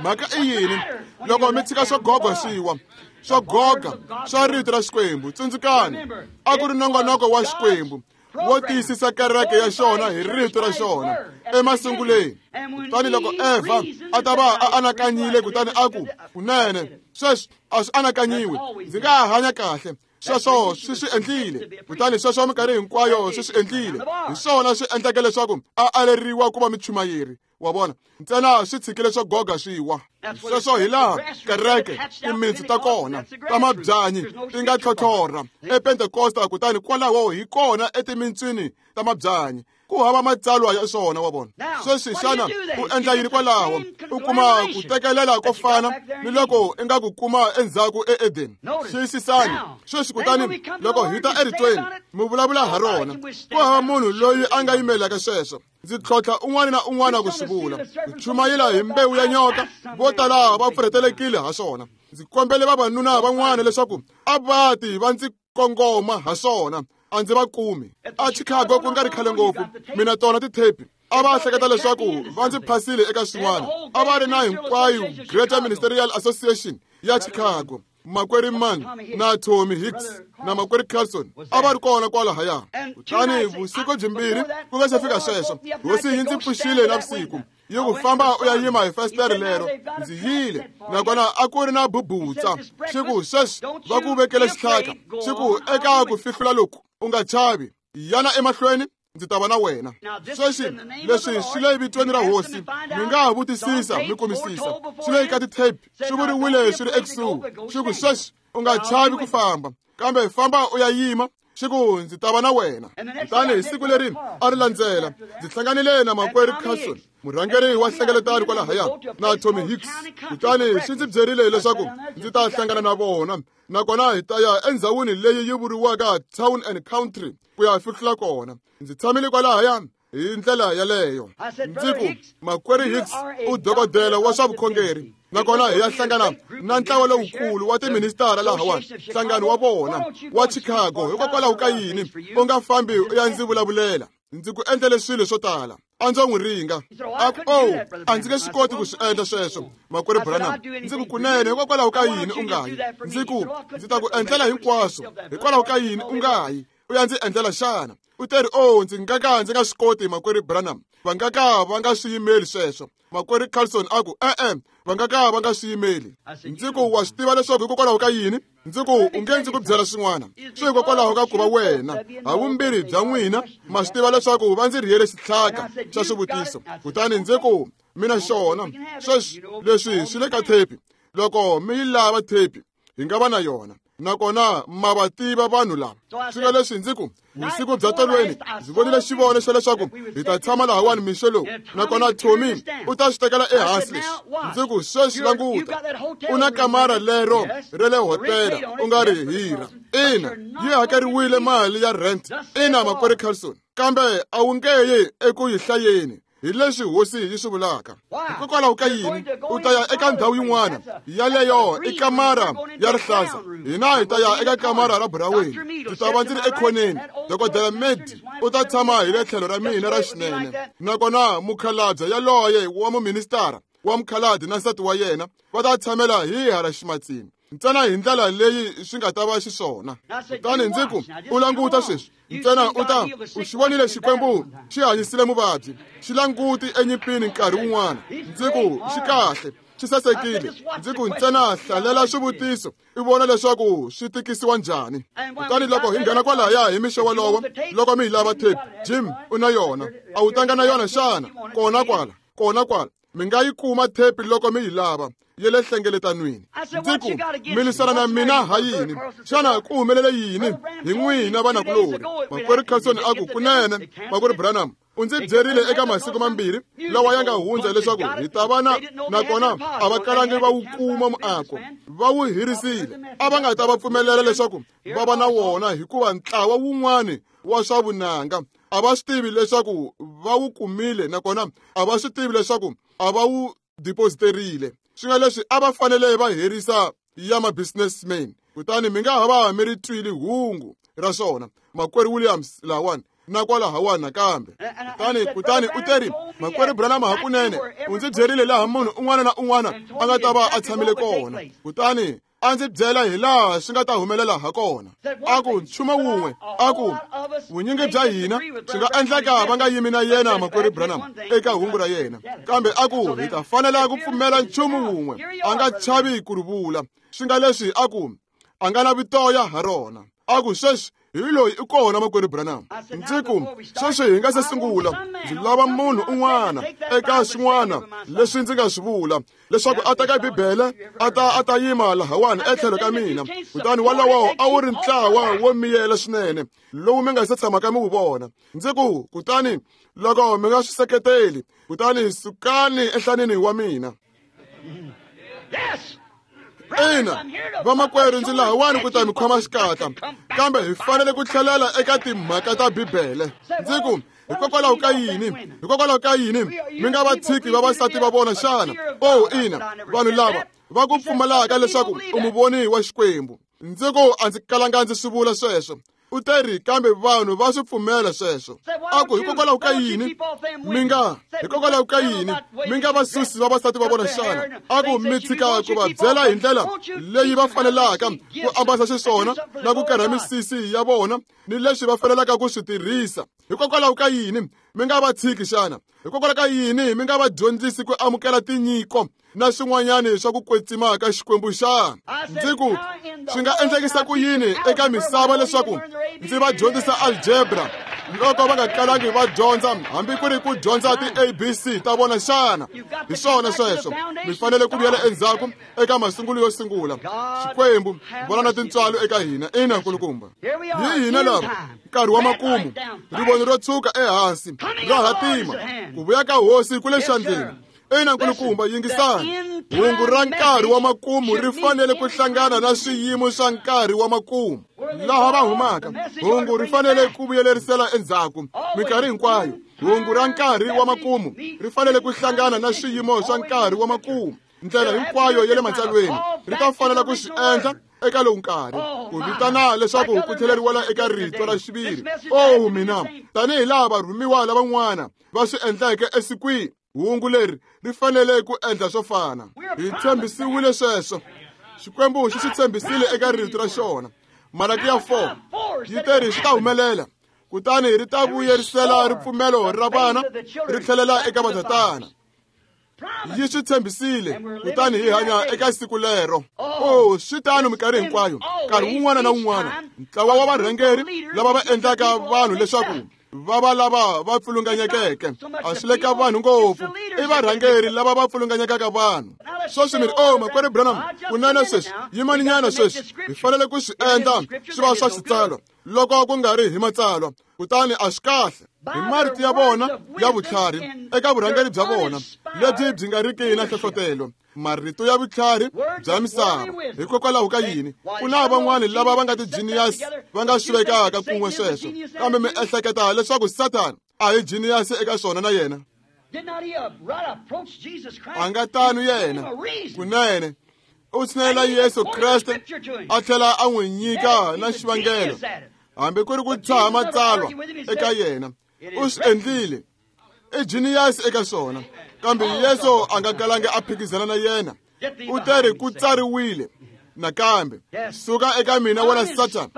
Mhaka i yini loko mi tshika swo goga swiwa, swo goga swa rito ra Xikwembu? Tsundzukani, a ku ri nongonoko wa Xikwembu wo tiyisisa kereke ya xona hi rito ra xona emasunguleni. Kutani loko Eva a ta va a anakanyile kutani a ku, kunene sweswi a swi anakanyiwe, ndzi nga ha hanya kahle, sweswo swi swi endlile. Kutani sweswo minkarhi hinkwayo swi swi endlile. Hi swona swi endleke leswaku a aleriwa ku va muchumayeri. Wa vona, ntsena swi tshikile swo goga swiwa. Sweswo hi laha kereke timintsu ta kona ta mabyanyi ti nga tlhotlhorha ePentekosta, kutani kwalaho hi kona etimintswini ta mabyanyi ku hava matsalwa ya swona. Wa vona, sweswi xana u endla yini kwalaho? U kuma ku tekelela ko fana ni loko i nga ku kuma endzhaku eEdeni. Xiyisisani sweswi. Kutani loko hi ta eritweni mi vulavula ha rona, ku hava munhu loyi a nga yimelaka sweswo. Ndzi tlhontlha un'wana na un'wana ku swi vula. Ku chumayela hi mbewu ya nyoka, vo tala va pfurhetelekile ha swona. Ndzi kombele vavanuna van'wana leswaku a va ti va ndzi kongoma ha swona, a ndzi va kumi. A Chicago ku nga ri khale ngopfu, mina tona tithepi a va hleketa leswaku va ndzi phasile eka swin'wana. A va ri na hinkwayo Greater Ministerial Association ya Chicago, Makwerhu Mann na Tommy Hicks na Makwerhu Carlson a va ri kona kwalahaya. Kutani vusiku byimbirhi ku nga se fika sweswo, hosi yi ndzi pfuxile navusiku yi ku, famba u ya yima hi fasitere lero. Ndzi yile, nakona a ku ri na bubutsa. Xi ku, sweswi va ku vekele xihlaka. Xi ku, eka ku fihlula loku, u nga chavi, yana emahlweni, ndzi ta va na wena. Sweswi leswi swi le vitweni ra hosi, mi nga ha vutisisa mi kumisisa, swi le ka ti-tape, swi vuriwile swi ri ekusuhi. Xi ku, sweswi u nga chavi ku famba, kambe famba u ya yima. Xi ku, ndzi ta va na wena. Kutani hi siku leri a ri landzela, ndzi hlanganile na Makwerhu Carlson, murhangeri wa nhlengeletano kwalahaya, na Tommy Hicks. Kutani xi ndzi byerile leswaku ndzi ta hlangana na vona, nakona hi ta ya endhawini leyi yi vuriwaka Town and Country ku ya fihlula kona. Ndzi tshamile kwalahaya hi ndlela yaleyo. Ndzi ku, Makwerhu Hicks u dokodela wa swa vukhongeri, nakona hi ya hlangana na ntlawa lowukulu wa tiministara lahawani, nhlangano wa vona wa Chicago. Hikokwalaho ka yini u nga fambi u ya ndzi vulavulela? Ndzi ku endlele swilo swo tala. A ndzo n'wi ringa. A ku, oh, a ndzi nge swi koti ku swi endla sweswo, Makwerhu Branham. Ndzi ku, kunene, hikokwalaho ka yini u nga yi? Ndzi ku, ndzi ta ku endlela hinkwaswo. Hikwalaho ka yini u nga yi u ya ndzi endlela xana? U teri, oh, ndzi nga ka ndzi nga swi koti, Makwerhu Branham. Va nga ka va nga swi yimeli sweswo. Makwerhu Carlson a ku, e-e, va nga ka va nga swi yimeli. Ndzi ku, wa swi tiva leswaku hikokwalaho ka yini? Ndzi ku, u nge ndzi ku byela swin'wana. Swi hikokwalaho ka ku va wena, havumbirhi bya n'wina ma swi tiva leswaku va ndzi rhiyele xitlhaka xa swivutiso. Kutani ndzi ku, mina xona sweswi leswi swi le ka thepi. Loko mi yi lava thepi, hi nga va na yona, nakona ma va tiva vanhu lava. Swi nga leswi ndzi ku, vusiku bya tolweni ndzi vonile xivono xa leswaku hi ta tshama lahawani mixo lowu, nakona Tommy u ta swi tekela ehansi leswi. Ndzi ku, sweswi languta, u na kamara lero ra le hotela u nga ri hira. Ina, yi hakeriwile mali ya rent. Ina, Makwerhu Carlson, kambe a wu nge yi eku yi hlayeni. Hi leswi hosi yi swi vulaka. Hikokwalaho ka yini u ta ya eka ndhawu yin'wana yaleyo i kamara ya rihlaza, hina hi ta ya eka kamara ra buraweni. Ndzi ta va ndzi ri ekhoneni, Dokodela Medi u ta tshama hi le tlhelo ra mina ra xinene, nakona mukhalabye yaloye wa muministara wa mukhalabye na nsati wa yena va ta tshamela hi hala ximatsini, ntsena hi ndlela leyi swi nga ta va xiswona. Kutani ndzi ku, u languta sweswi ntsena, u ta u xi vonile Xikwembu xi hanyisile muvabyi, xi languti enyimpini nkarhi wun'wana. Ndzi ku, xi kahle, xi sasekile. Ndzi ku, ntsena hlalela swivutiso i vona leswaku swi tikisiwa njhani. Kutani loko hi nghena kwalaya hi mixo wolowo, loko mi yi lava tape, Jim u na yona. A wu tanga na yona xana? Kona kwala, kona kwala mi nga yi kuma tape loko mi yi lava ya le hlengeletanweni. Ndzi ku, mi lwisana na mina ha yini? Xana ku humelele yini hi n'wina vanakulorhi? Makwerhu Carlson a ku, kunene, Makwerhu Branham u ndzi byerile eka masiku mambirhi lawa ya nga hundza leswaku hi ta va na, nakona a va kalangi va wu kuma muako, va wu hirisile. A va nga ta va pfumelela leswaku va va na wona hikuva ntlawa wun'wani wa swa vunanga a va swi tivi leswaku va wu kumile, nakona a va swi tivi leswaku a va wu depositerile. Swi nga leswi a va fanele va herisa ya ma-businessmen. Kutani mi nga ha va mi ri twile hungu ra swona. Makwerhu Williams lawani na kwalahawani nakambe. Kutani u teri Makwerhu Branham hakunene u ndzi byerile laha munhu un'wana na un'wana a nga ta va a tshamile kona. Kutani a ndzi byela hi laha swi nga ta humelela ha kona. A ku nchumu wun'we, a ku vunyingi bya hina swi nga endleka va nga yimi na yena Makwerhu Branham eka hungu ra yena, kambe a ku hi ta fanela ku pfumela nchumu wun'we, a nga chavi ku ri vula. Swi nga leswi a ku a nga lavi toya ha rona. A ku sweswi hi loyi i kona Makwerhu Branham. Ndzi ku sweswi hi nga se sungula, ndzi lava munhu un'wana eka swin'wana leswi ndzi nga swi vula leswaku a teka Bibele a ta yima lahawani etlhelo ka mina. Kutani walowo a wu ri ntlawa wo miyela swinene lowu mi nga se tshamaka mi wu vona. Ndzi ku kutani loko mi nga swi seketeli, kutani sukani enhlaneni wa mina. Ina, vamakwerhu, ndzi lahawani ku ta mi khoma xikatla, kambe hi fanele ku tlhelela eka timhaka ta Bibele. Ndzi ku hikokwalaho ka yini? Hikokwalaho ka yini mi nga va tshiki vavasati va vona xana? Oh, ina, vanhu lava va ku pfumalaka leswaku u muvoni wa Xikwembu. Ndzi ku a ndzi kalanga ndzi swi vula sweswo. U teri kambe vanhu va swi pfumela sweswo. A ku hikokwalaho ka yini mi nga hikokwalaho ka yini mi nga va susi vavasati va vona xana? A ku mi tshika ku va byela hi ndlela leyi va fanelaka ku ambasa xiswona na ku karha misisi ya vona ni leswi va fanelaka ku swi tirhisa. Hikokwalaho ka yini mi nga va tshiki xana? Hikokwalaho ka yini mi nga va dyondzisi ku amukela tinyiko na swin'wanyani swa ku kwetsima ka Xikwembu xana? Ndzi ku swi nga endlekisa ku yini eka misava leswaku ndzi va dyondzisa algebra loko va nga kalangi va dyondza hambi ku ri ku dyondza ti-ABC ta vona xana? Hi swona sweswo, mi fanele ku vuyela endzhaku eka masungulo yo sungula. Xikwembu vona na tintswalo eka hina. Ina, nkulukumba, hi hina lava nkarhi wa makumu, rivoni ro tshuka ehansi ra hatima, ku vuya ka hosi ku le xandleni. Ina, nkulukumba, yingisani. Hungu ra nkarhi wa makumu ri fanele ku hlangana na swiyimo swa nkarhi wa makumu laha va humaka. Hungu ri fanele ku vuyelerisela endzhaku minkarhi hinkwayo. Hungu ra nkarhi wa makumu ri fanele ku hlangana na swiyimo swa nkarhi wa makumu. Ndlela hinkwayo ya le matsalweni ri ta fanela ku swi endla eka lowu nkarhi, ku vitana leswaku ku tlheleriwela eka rito ra xiviri. Oh mina, tanihi laha varhumiwa lavan'wana va swi endleke esikwini, hungu leri ri fanele ku endla swo fana. Hi tshembisiwile sweswo. Xikwembu xi swi tshembisile eka rito ra xona. Malaki ya 4 yi teri swi ta humelela, kutani ri ta vuyerisela ripfumelo ra vana ri tlhelela eka vatatana. Yi swi tshembisile, kutani hi hanya eka siku lero. Oh, swi tano minkarhi hinkwayo, nkarhi wun'wana na wun'wana ntlawa wa varhangeri lava va endlaka vanhu leswaku va va lava va pfulunganyekeke. A swi le ka vanhu ngopfu, i varhangeri lava va pfulunganyekaka vanhu. Sweswi mi ri, oh, Makwerhu Branham, kunene sweswi, yimaninyana sweswi, hi fanele ku swi endla swi va swa xitsalwa loko ku nga ri hi matsalwa, kutani a swi kahle. Hi marito ya vona ya vutlhari eka vurhangeri bya vona lebyi byi nga riki na nhlohlotelo, marito ya vutlhari bya misava. Hikokwalaho ka yini ku na van'wani lava va nga ti-genius va nga swi vekaka kun'we sweswo, kambe mi ehleketa leswaku Satan a hi genius eka swona na yena? A nga tano yena. Kunene u tshinela Yesu Kreste a tlhela a n'wi nyika na xivangelo, hambi ku ri ku tshaha matsalwa eka yena. U swi endlile, i genius eka swona, kambe Yesu a nga kalangi a phikizana na yena. U teri ku tsariwile nakambe, suka eka mina wena Satan.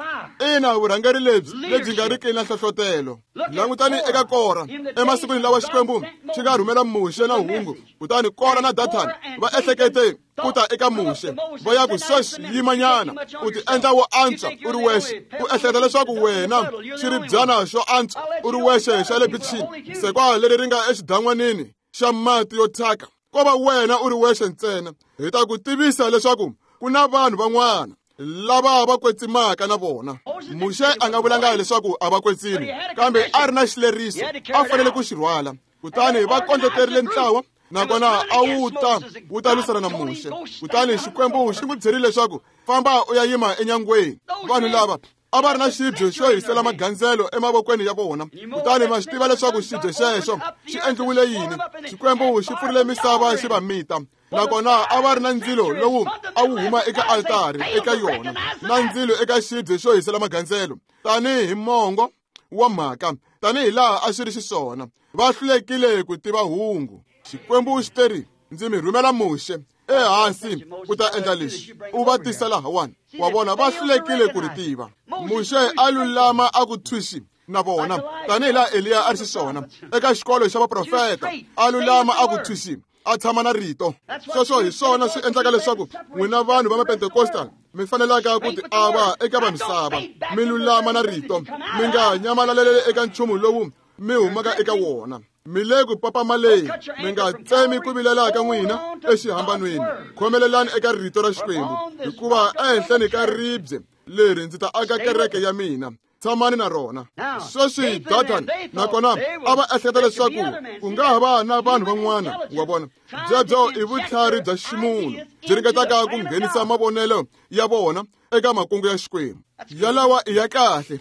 Ina, vurhangeri lebyi lebyi nga riki na nhlohlotelo. Langutani eka Kora emasikwini lawa Xikwembu xi nga rhumela Muxe na hungu, kutani Kora na Dathani va ehlekete ku ta eka Muxe va ya ku sweswi yimanyana, u ti endla wo antswa u ri wexe, u ehleketa leswaku wena xiribyana xo antswa u ri wexe xa le bichini, sekwa leri ri nga exidan'wanini xa mati yo thyaka, ko va wena u ri wexe ntsena. Hi ta ku tivisa leswaku ku na vanhu van'wana lava va kwetsimaka na vona. Muxe a nga vulanga leswaku a va kwetsimi, kambe a ri na xileriso a fanele ku xi rhwala. Kutani va kondleterile ntlawa, nakona a wu ta lwisana na Muxe. Kutani Xikwembu xi n'wi byerile leswaku famba u ya yima enyangweni. Vanhu lava a va ri na xibye xo hisela magandzelo emavokweni ya vona, kutani ma swi tiva leswaku xibye xexo xi endliwile yini. Xikwembu xi pfurile misava xi va mita. Nakona a va ri na ndzilo lowu a wu huma eka altari eka yona, na ndzilo eka xibye xo hisela magandzelo, tanihi mongo wa mhaka, tanihi laha a swi ri xiswona. Va hlulekile ku tiva hungu. Xikwembu xi teri, ndzi mi rhumela Muxe ehansi ku ta endla leswi, u va tisa lahawani. Wa vona, va hlulekile ku ri tiva. Muxe a lulama a ku thwixi na vona, tanihi laha Eliya a ri xiswona eka xikolo xa vaprofeta, a lulama a ku thwixi, a tshama na rito. Sweswo hi swona swi endlaka leswaku n'wina vanhu va Mapentecostal mi fanelaka ku ti ava eka va misava, mi lulama na rito, mi nga nyamalaleli eka nchumu lowu mi humaka eka wona. Mi le ku papamaleni, mi nga tsemi ku vilela ka n'wina exihambanweni. Khomelelani eka rito ra Xikwembu, hikuva ehenhleni ka ribye leri ndzi ta aka kereke ya mina. Tshamani na rona. Sweswi Datan nakona a va ehleketa leswaku ku nga ha va na vanhu van'wana, wa vona. Byebyo i vutlhari bya ximunhu byi ringetaka ku nghenisa mavonelo ya vona eka makungu ya Xikwembu. Yalawa i ya kahle.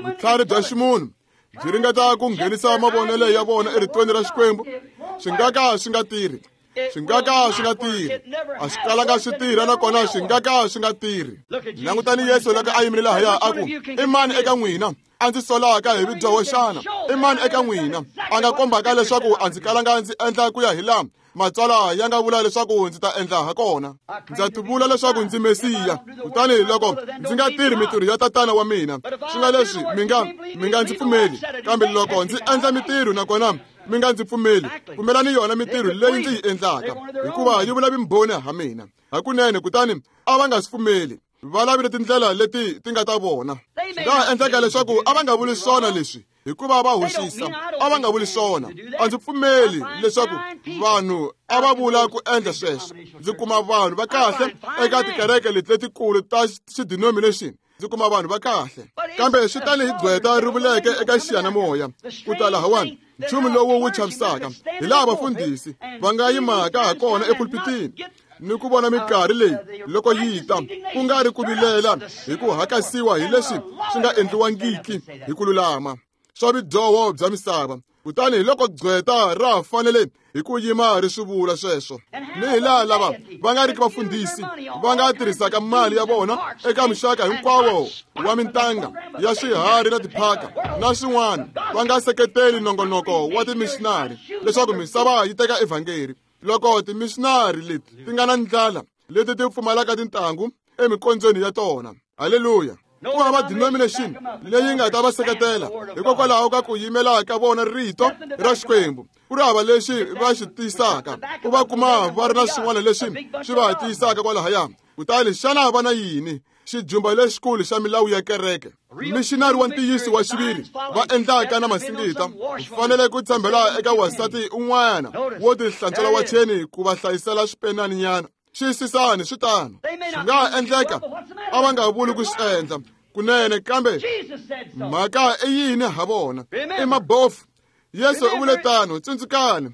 Vutlhari bya ximunhu byi ringeta ku nghenisa mavonelo ya vona eritweni ra Xikwembu. Swi nga ka swi nga tirhi. Swi nga ka swi nga tirhi. A swi kalanga swi tirha, nakona swi nga ka swi nga tirhi. Langutani Yesu loko a yimile lahaya a ku, i mani eka n'wina a ndzi solaka hi vudyoho xana? I mani eka n'wina a nga kombaka leswaku a ndzi kalanga ndzi endla ku ya hi laha Matsalwa ya nga vula leswaku ndzi ta endla ha kona? Ndza tivula leswaku ndzi Mesiya, kutani loko ndzi nga tirhi mitirho ya tatana wa mina, swi nga leswi mi nga ndzi pfumeli. Kambe loko ndzi endla mitirho nakona mi nga ndzi pfumeli, pfumelani yona mitirho leyi ndzi yi endlaka, hikuva yi vula vumbhoni ha mina hakunene. Kutani a va nga swi pfumeli. Va lavile tindlela leti ti nga ta vona. Swi nga ha endleka leswaku a va nga vuli swona leswi hikuva va hoxisa. A va nga vuli swona. A ndzi pfumeli leswaku vanhu a va vula ku endla sweswo. Ndzi kuma vanhu va kahle eka tikereke leti letikulu ta xidenomination. Ndzi kuma vanhu va kahle, kambe swi tani hi gqweta ri vuleke eka xiyanimoya ku ta lahawani, nchumu lowu wu chavisaka hi laha vafundhisi va nga yimaka ha kona epulpitini ni ku vona minkarhi leyi loko yi ta, ku nga ri ku vilela hi ku hakasiwa hi leswi swi nga endliwangiki hi ku lulama swa vudyoho bya misava. Kutani hi loko gqweta ra fanele hi ku yima ri swi vula sweswo, ni hi laha lava va nga riki vafundhisi va nga tirhisaka mali ya vona eka muxaka hinkwawo wa mintanga ya swiharhi na tiphaka na swin'wana, va nga seketeli nongonoko wa timishinari leswaku misava yi teka evhangeri. Loko timishinari leti ti nga na ndlala, leti ti pfumalaka tintangu emikondzweni ya tona, haleluya, ku hava denomination leyi nga ta va seketela hikokwalaho ka ku yimela ka vona rito ra Xikwembu. Ku ri hava lexi va xi tiyisaka, u va kuma va ri na swin'wana leswi swi va tiyisaka kwalahaya. Kutani xana va na yini? Xijumba lexikulu xa milawu ya kereke. Mishinari wa ntiyiso wa xiviri va endlaka na masingita u fanele ku tshembela eka wansati un'wana wo tihlantswela wacheni ku va hlayisela swipenaninyana. Xiyisisani, swi tano. Swi nga ha endleka a va nga vuli ku swi endla kunene, kambe mhaka i yini ha vona? I mabofu. Yesu u vule tano. Tsundzukani,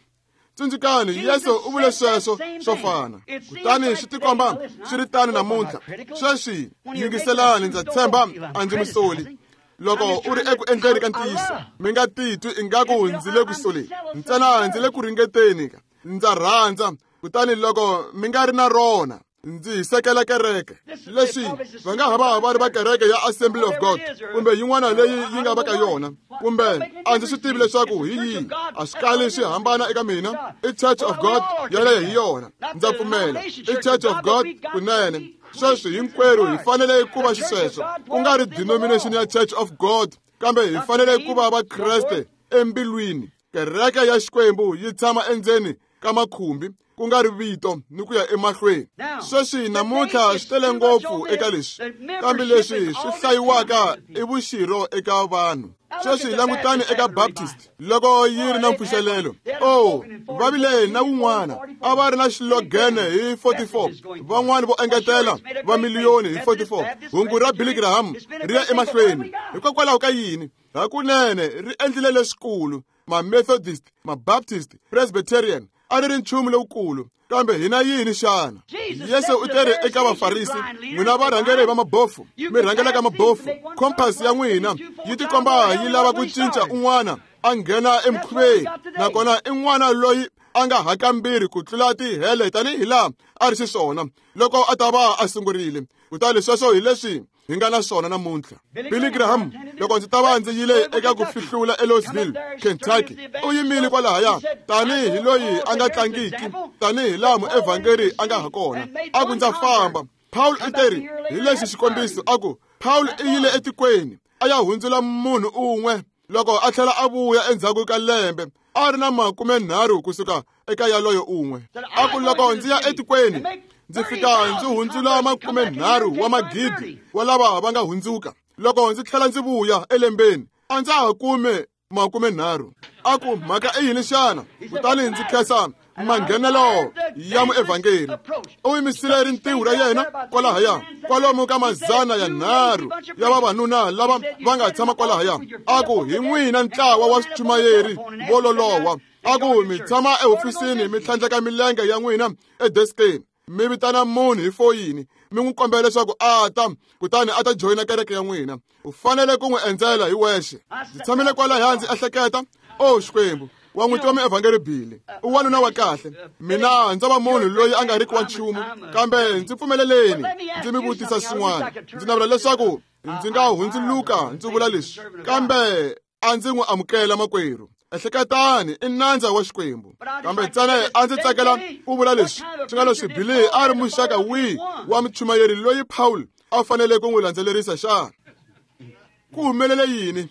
tsundzukani, Yesu u vule sweswo swo fana. Kutani swi tikomba swi ri tano namuntlha. Sweswi yingiselani, ndza tshemba a ndzi mi soli. Loko u ri eku endleni ka ntiyiso, mi nga titwi ingaku ndzi le ku soleni, ntsena ndzi le ku ringeteni. Ndza rhandza. Kutani loko mi nga ri na rona, ndzi hisekela kereke. Leswi va nga ha va va ri va kereke ya Assembly of God kumbe yin'wana leyi yi nga va ka yona, kumbe a ndzi swi tivi leswaku hi yihi, a swi kali swi hambana eka mina. I Church of God yaleyo hi yona, ndza pfumela i Church of God kunene. Sweswi hinkwerhu hi fanele ku va xisweswo, ku nga ri denomination ya Church of God, kambe hi fanele ku va Vakreste embilwini. Kereke ya Xikwembu yi tshama endzeni ka makhumbi, ku nga ri vito ni ku ya emahlweni. Sweswi namuntlha swi tele ngopfu eka leswi, kambe leswi swi hlayiwaka i vuxirho eka vanhu. Sweswi langutani eka Baptist loko yi ri na mpfuxelelo. Oh, va vile na wun'wana, a va ri na xilogene hi 44, van'wana vo engetela va miliyoni hi 44. Hungu ra Billy Graham ri ya emahlweni. Hikokwalaho ka yini? Hakunene ri endlile leswikulu. Ma-Methodist, ma-Baptist, Presbyterian a ri ri nchumu lowukulu, kambe hina yini xana? Yesu u teri eka Vafarisi, n'wina varhangeri va mabofu, mi rhangelaka mabofu, compass ya n'wina yi tikomba yi lava ku cinca un'wana a nghena emikhuveni, nakona i n'wana loyi a nga hakambirhi ku tlula tihele tanihi laha a ri xiswona loko a ta va a sungurile. Kutani sweswo hi leswi hi nga na swona namuntlha. Billy Graham, loko ndzi ta va ndzi yile eka ku fihlula eLouisville, Kentucky, u yimile kwalahaya tanihi loyi a nga tlangiki, tanihi laha muevhangeri a nga ha kona. A ku ndza famba. Paul u teri hi lexi xikombiso, a ku Paul i yile etikweni a ya hundzula munhu un'we, loko a tlhela a vuya endzhaku ka lembe a ri na 30 kusuka eka yaloyo un'we. A ku loko ndzi ya etikweni ndzi fika ndzi hundzula 30 wa magidi wa lava va nga hundzuka, loko ndzi tlhela ndzi vuya elembeni a ndza ha kume 30. A ku mhaka i yini xana? Kutani ndzi khensa manghenelo ya muevhangeri. U yimisile rintiho ra yena kwalahaya kwalomu ka 300 ya vavanuna lava va nga tshama kwalahaya. A ku hi n'wina ntlawa wa swichumayeri vo lolowa. A ku mi tshama ehofisini mi tlhandleka milenge ya n'wina edeskeni, mi vitana munhu hi foyini mi n'wi kombela leswaku a ta, kutani a ta joyina kereke ya n'wina. U fanele ku n'wi endzela hi wexe. Ndzi tshamile kwalahaya ndzi ehleketa, o Xikwembu, wa n'wi tiva muevhangeri Billy, u wanuna wa kahle. Mina ndza va munhu loyi a nga riki wa nchumu, kambe ndzi pfumeleleni ndzi mi vutisa swin'wana. Ndzi navela leswaku ndzi nga hundzuluka ndzi vula leswi, kambe a ndzi n'wi amukela makwerhu. Ehleketani, i nandza wa Xikwembu. Kambe ntsena a ndzi tsakela ku vula leswi swi nga leswi Billy a ri muxaka wihi wa muchumayeri loyi Paul a fanele ku n'wi landzelerisa xana? Ku humelele yini?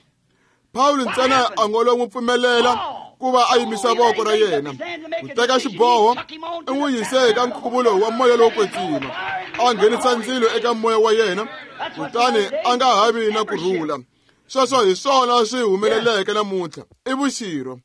Paul ntsena a ngo lo n'wi pfumelela ku va a yimisa voko ra yena ku teka xiboho, i n'wi yise eka nkhuvulo wa moya lowo kwetsima, a nghenisa ndzilo eka moya wa yena, kutani a nga ha vi na ku rhula. Sweswo hi swona swi humeleleke namuntlha. I vuxirho.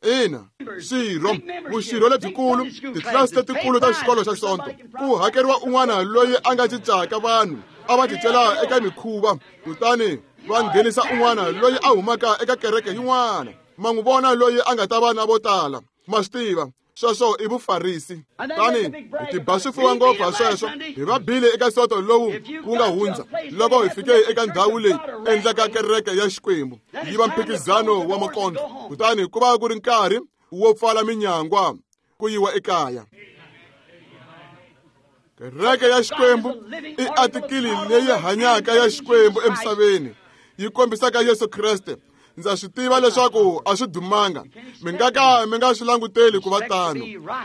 Ina, swirho, vuxirho lebyikulu, titlilasi letikulu ta xikolo xa Sonto, ku hakeriwa un'wana loyi a nga cincaka vanhu a va cincela eka mikhuva, kutani va nghenisa un'wana loyi a humaka eka kereke yin'wana. Ma n'wi vona loyi a nga ta va na vo tala. Ma swi tiva, sweswo i vufarisi. Tani hi tiba swifuwa ngopfu ha sweswo, hi va bile eka soto lowu wu nga hundza loko hi fike eka ndhawu leyi endlaka kereke ya Xikwembu yi va mphikizano wa makondlo, kutani ku va ku ri nkarhi wo pfala minyangwa ku yiwa ekaya. Kereke ya Xikwembu i atikili leyi hanyaka ya Xikwembu emisaveni, yi kombisaka Yesu Kreste. Ndza swi tiva leswaku a swi dumanga, mi nga ka mi nga swi languteli ku va tano.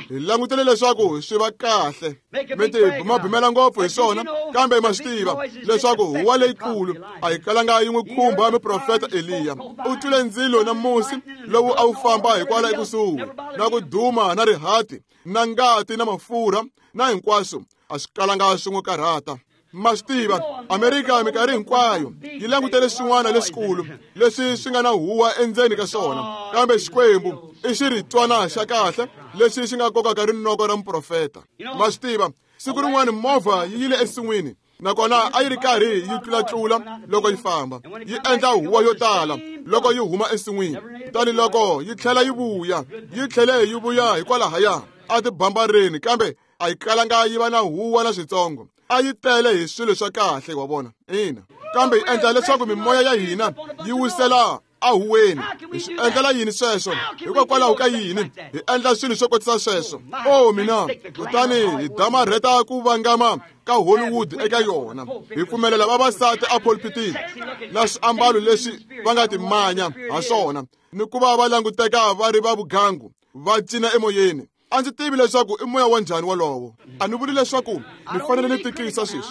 Hi langutele leswaku swi va kahle, mi ti bumabumela ngopfu hi swona, kambe ma swi tiva leswaku huwa leyikulu a yi kalanga yi n'wi khumba muprofeta Eliya. U twile ndzilo na musi lowu a wu famba hikwala ekusuhi, na ku duma na rihati na ngati na mafurha na hinkwaswo, a swi kalanga swi n'wi karhata. Ma swi tiva, Amerika minkarhi hinkwayo yi langutele swin'wana leswikulu leswi swi nga na huwa endzeni ka swona, kambe Xikwembu i xiritwana xa kahle lexi xi nga kokaka rinoko ra muprofeta. Ma swi tiva, siku rin'wana movha yi yile ensin'wini, nakona a yi ri karhi yi tlulatlula loko yi famba, yi endla huwa yo tala loko yi huma ensin'wini. Kutani loko yi tlhela yi vuya, yi tlhele yi vuya hikwalahaya a tibambareni, kambe a yi kalanga yi va na huwa na switsongo. A yi tele hi swilo swa kahle, wa vona. Ina, kambe yi endla leswaku mimoya ya hina yi wisela a huweni. Hi swi endlela yini sweswo? Hikokwalaho ka yini hi endla swilo swo kotisa sweswo? O mina, kutani hi damarheta ku vangama ka Hollywood eka yona. Hi pfumelela vavasati a pulpitini na swiambalo leswi va nga timanya ha swona, ni ku va va languteka va ri va vugangu, va cina emoyeni. A ndzi tivi leswaku i moya wa njhani wolowo. A ni vuli leswaku mi fanele ni tikisa sweswi.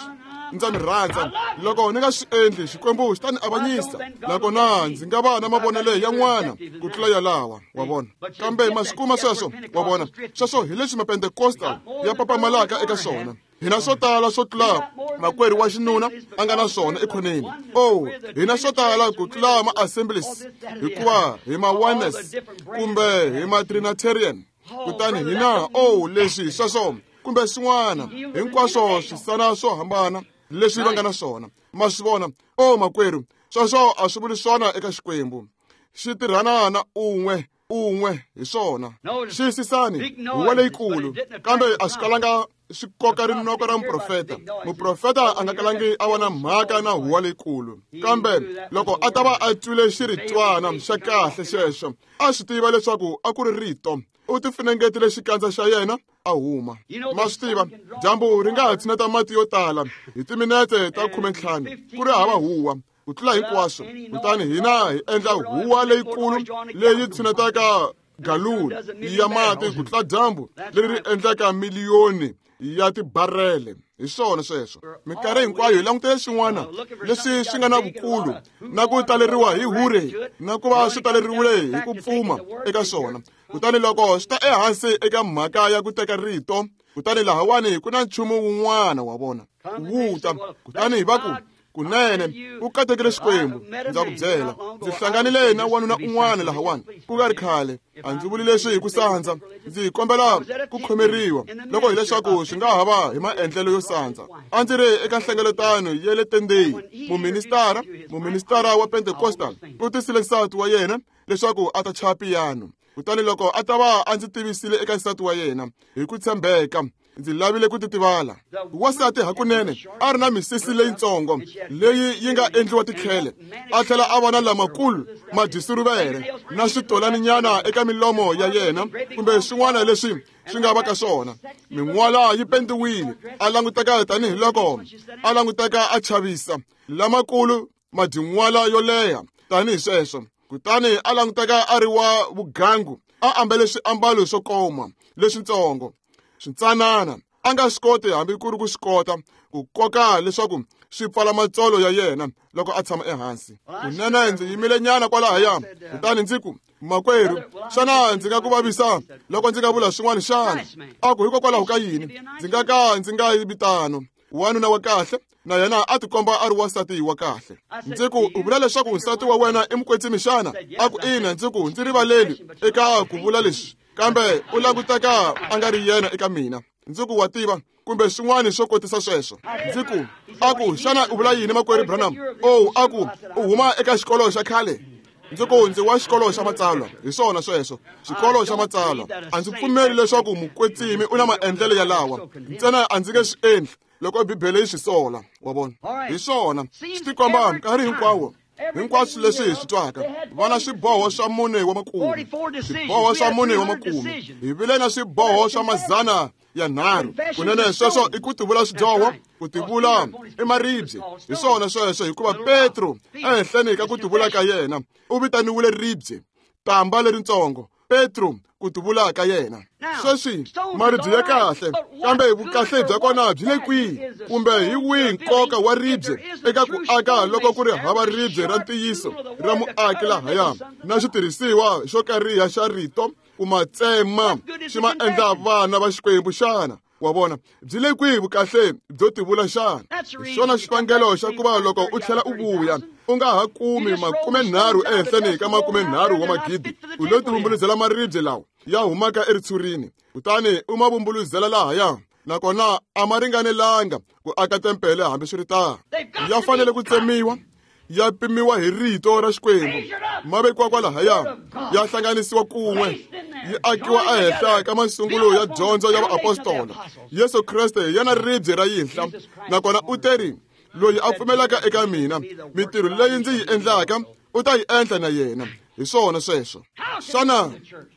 Ndza mi rhandza. Loko ni nga swi endli, Xikwembu xi ta ni avanyisa, nakona ndzi nga va na mavonelo yan'wana ku tlula yalawa, wa vona. Kambe ma swi kuma sweswo, wa vona. Sweswo hi leswi Mapentecostal ya papamalaka eka swona. Hina swo tala swo tlula makwerhu wa xinuna a nga na swona ekhoneni. Oh, hina swo tala ku tlula ma-assemblies, hikuva hi ma-oneness kumbe hi ma-trinitarian. Kutani hina, oh, leswi sweswo kumbe swin'wana, hinkwaswo swisana swo hambana leswi va nga na swona. Ma swi vona? Oh, makwerhu, sweswo a swi vuli swona eka Xikwembu. Xi tirhana na un'we un'we hi swona. Xiyisisani, huwa leyikulu, kambe a swi kalanga swi koka rinoko ra muprofeta. Muprofeta a nga kalangi a va na mhaka na huwa leyikulu, kambe loko a ta va a twile xiritwana xa kahle xexo, a swi tiva leswaku a ku ri rito. U tifunengetile xikandza xa yena a huma. Ma swi tiva, dyambu ri nga ha tshineta mati yo tala hi timinete ta 15 ku ri hava huwa ku tlula hinkwaswo. Kutani hina hi endla huwa leyikulu leyi tshinetaka galuni ya mati ku tlula dyambu leri ri endlaka miliyoni ya tibarele. Hi swona sweswo. Minkarhi hinkwayo hi langutele swin'wana leswi swi nga na vukulu na ku taleriwa hi hure na ku va swi taleriwile hi ku pfuma eka swona. Kutani loko swi ta ehansi eka mhaka ya ku teka rito, kutani lahawani ku na nchumu wun'wana wa vona wu ta. Kutani va ku, kunene u katekile Xikwembu, ndza ku byela, ndzi hlanganile na wanuna un'wana lahawani ku nga ri khale. A ndzi vuli leswi hi ku sandza, ndzi kombela ku khomeriwa loko hileswaku swi nga ha va hi maendlelo yo sandza. A ndzi ri eka nhlengeletano ya le tendeni, muministara wa Pentecostal u tisile nsati wa yena leswaku a ta chaya piyano. Kutani loko a ta va a ndzi tivisile eka nsati wa yena hi ku tshembeka, ndzi lavile ku titivala. Wansati hakunene a ri na misisi leyitsongo leyi yi nga endliwa tikhele, a tlhela a va na lamakulu madyisuruvele na switolaninyana eka milomo ya yena kumbe swin'wana leswi swi nga va ka swona. Min'wala yi pendiwile, a languteka tanihiloko a languteka a chavisa, lamakulu madyin'wala yo leha tanihi sweswo. Kutani a languteka a ri wa vugangu, a ambele swiambalo swo koma leswitsongo swintsanana, a nga swi koti hambi ku ri ku swi kota ku koka leswaku swi pfala matsolo ya yena loko a tshama ehansi. Kunene ndzi yimile nyana kwalahaya, kutani ndzi ku, makwerhu, xana ndzi nga ku vavisa loko ndzi nga vula swin'wana xana? A ku, hikokwalaho ka yini ndzi nga ka ndzi nga vi tano? Wanuna wa kahle na yena a tikomba a ri wansati wa kahle. Ndzi ku, u vula leswaku nsati wa wena i mukwetsimi xana? A ku, ina. Ndzi ku, ndzi rivaleli eka ku vula leswi, kambe u languteka a nga ri yena eka mina. Ndzi ku, wa tiva, kumbe swin'wana swo kotisa sweswo. Ndzi ku, a ku, xana u vula yini, makwerhu Branham? Oh, a ku, u huma eka xikolo xa khale? Ndzi ku, ndzi wa xikolo xa matsalwa. Hi swona sweswo, xikolo xa matsalwa. A ndzi pfumeli leswaku mukwetsimi u na maendlelo yalawa, ntsena a ndzi nge swi endli loko Bibele yi swi sola. Wa vona? Hi swona, swi tikomba nkarhi hinkwawo. Hinkwaswo leswi hi swi twaka, va na swiboho swa 4 wa makume, swiboho swa 4 wa makume. Hi vile na swiboho swa 300. Kunene sweswo i ku tivula swidyoho, ku tivula i maribye. Hi swona sweswo, hikuva Petro ehenhleni ka ku tivula ka yena u vitaniwile ribye, tamba leritsongo. Petro ku tivula ka yena. Sweswi maribye ya kahle, kambe vukahle bya kona byi le kwihi? Kumbe hi wihi nkoka wa ribye eka ku aka loko ku ri hava ribye ra ntiyiso ra muaki lahaya na xitirhisiwa xo kariha xa rito ku ma tsema xi ma endla vana va Xikwembu xana? Wa vona, byi le kwihi vukahle byo tivula xana? Hi xona xivangelo xa ku va loko u tlhela u vuya u nga ha kumi 30 ehenhleni ka 30 wa magidi. U lo tivumbuluzela maribye lawa ya humaka eritshurini, kutani u ma vumbuluzela lahaya, nakona a ma ringanelanga ku aka tempele hambiswiritano. Ya fanele ku tsemiwa, ya pimiwa hi rito ra Xikwembu, ma vekiwa kwalahaya, ya hlanganisiwa kun'we, yi akiwa ehenhla ka masungulo ya dyondzo ya vaapostola. Yesu Kreste hi yena ribye ra yinhla, nakona u teri, loyi a pfumelaka eka mina, mintirho leyi ndzi yi endlaka u ta yi endla na yena. Hi swona sweswo. Xana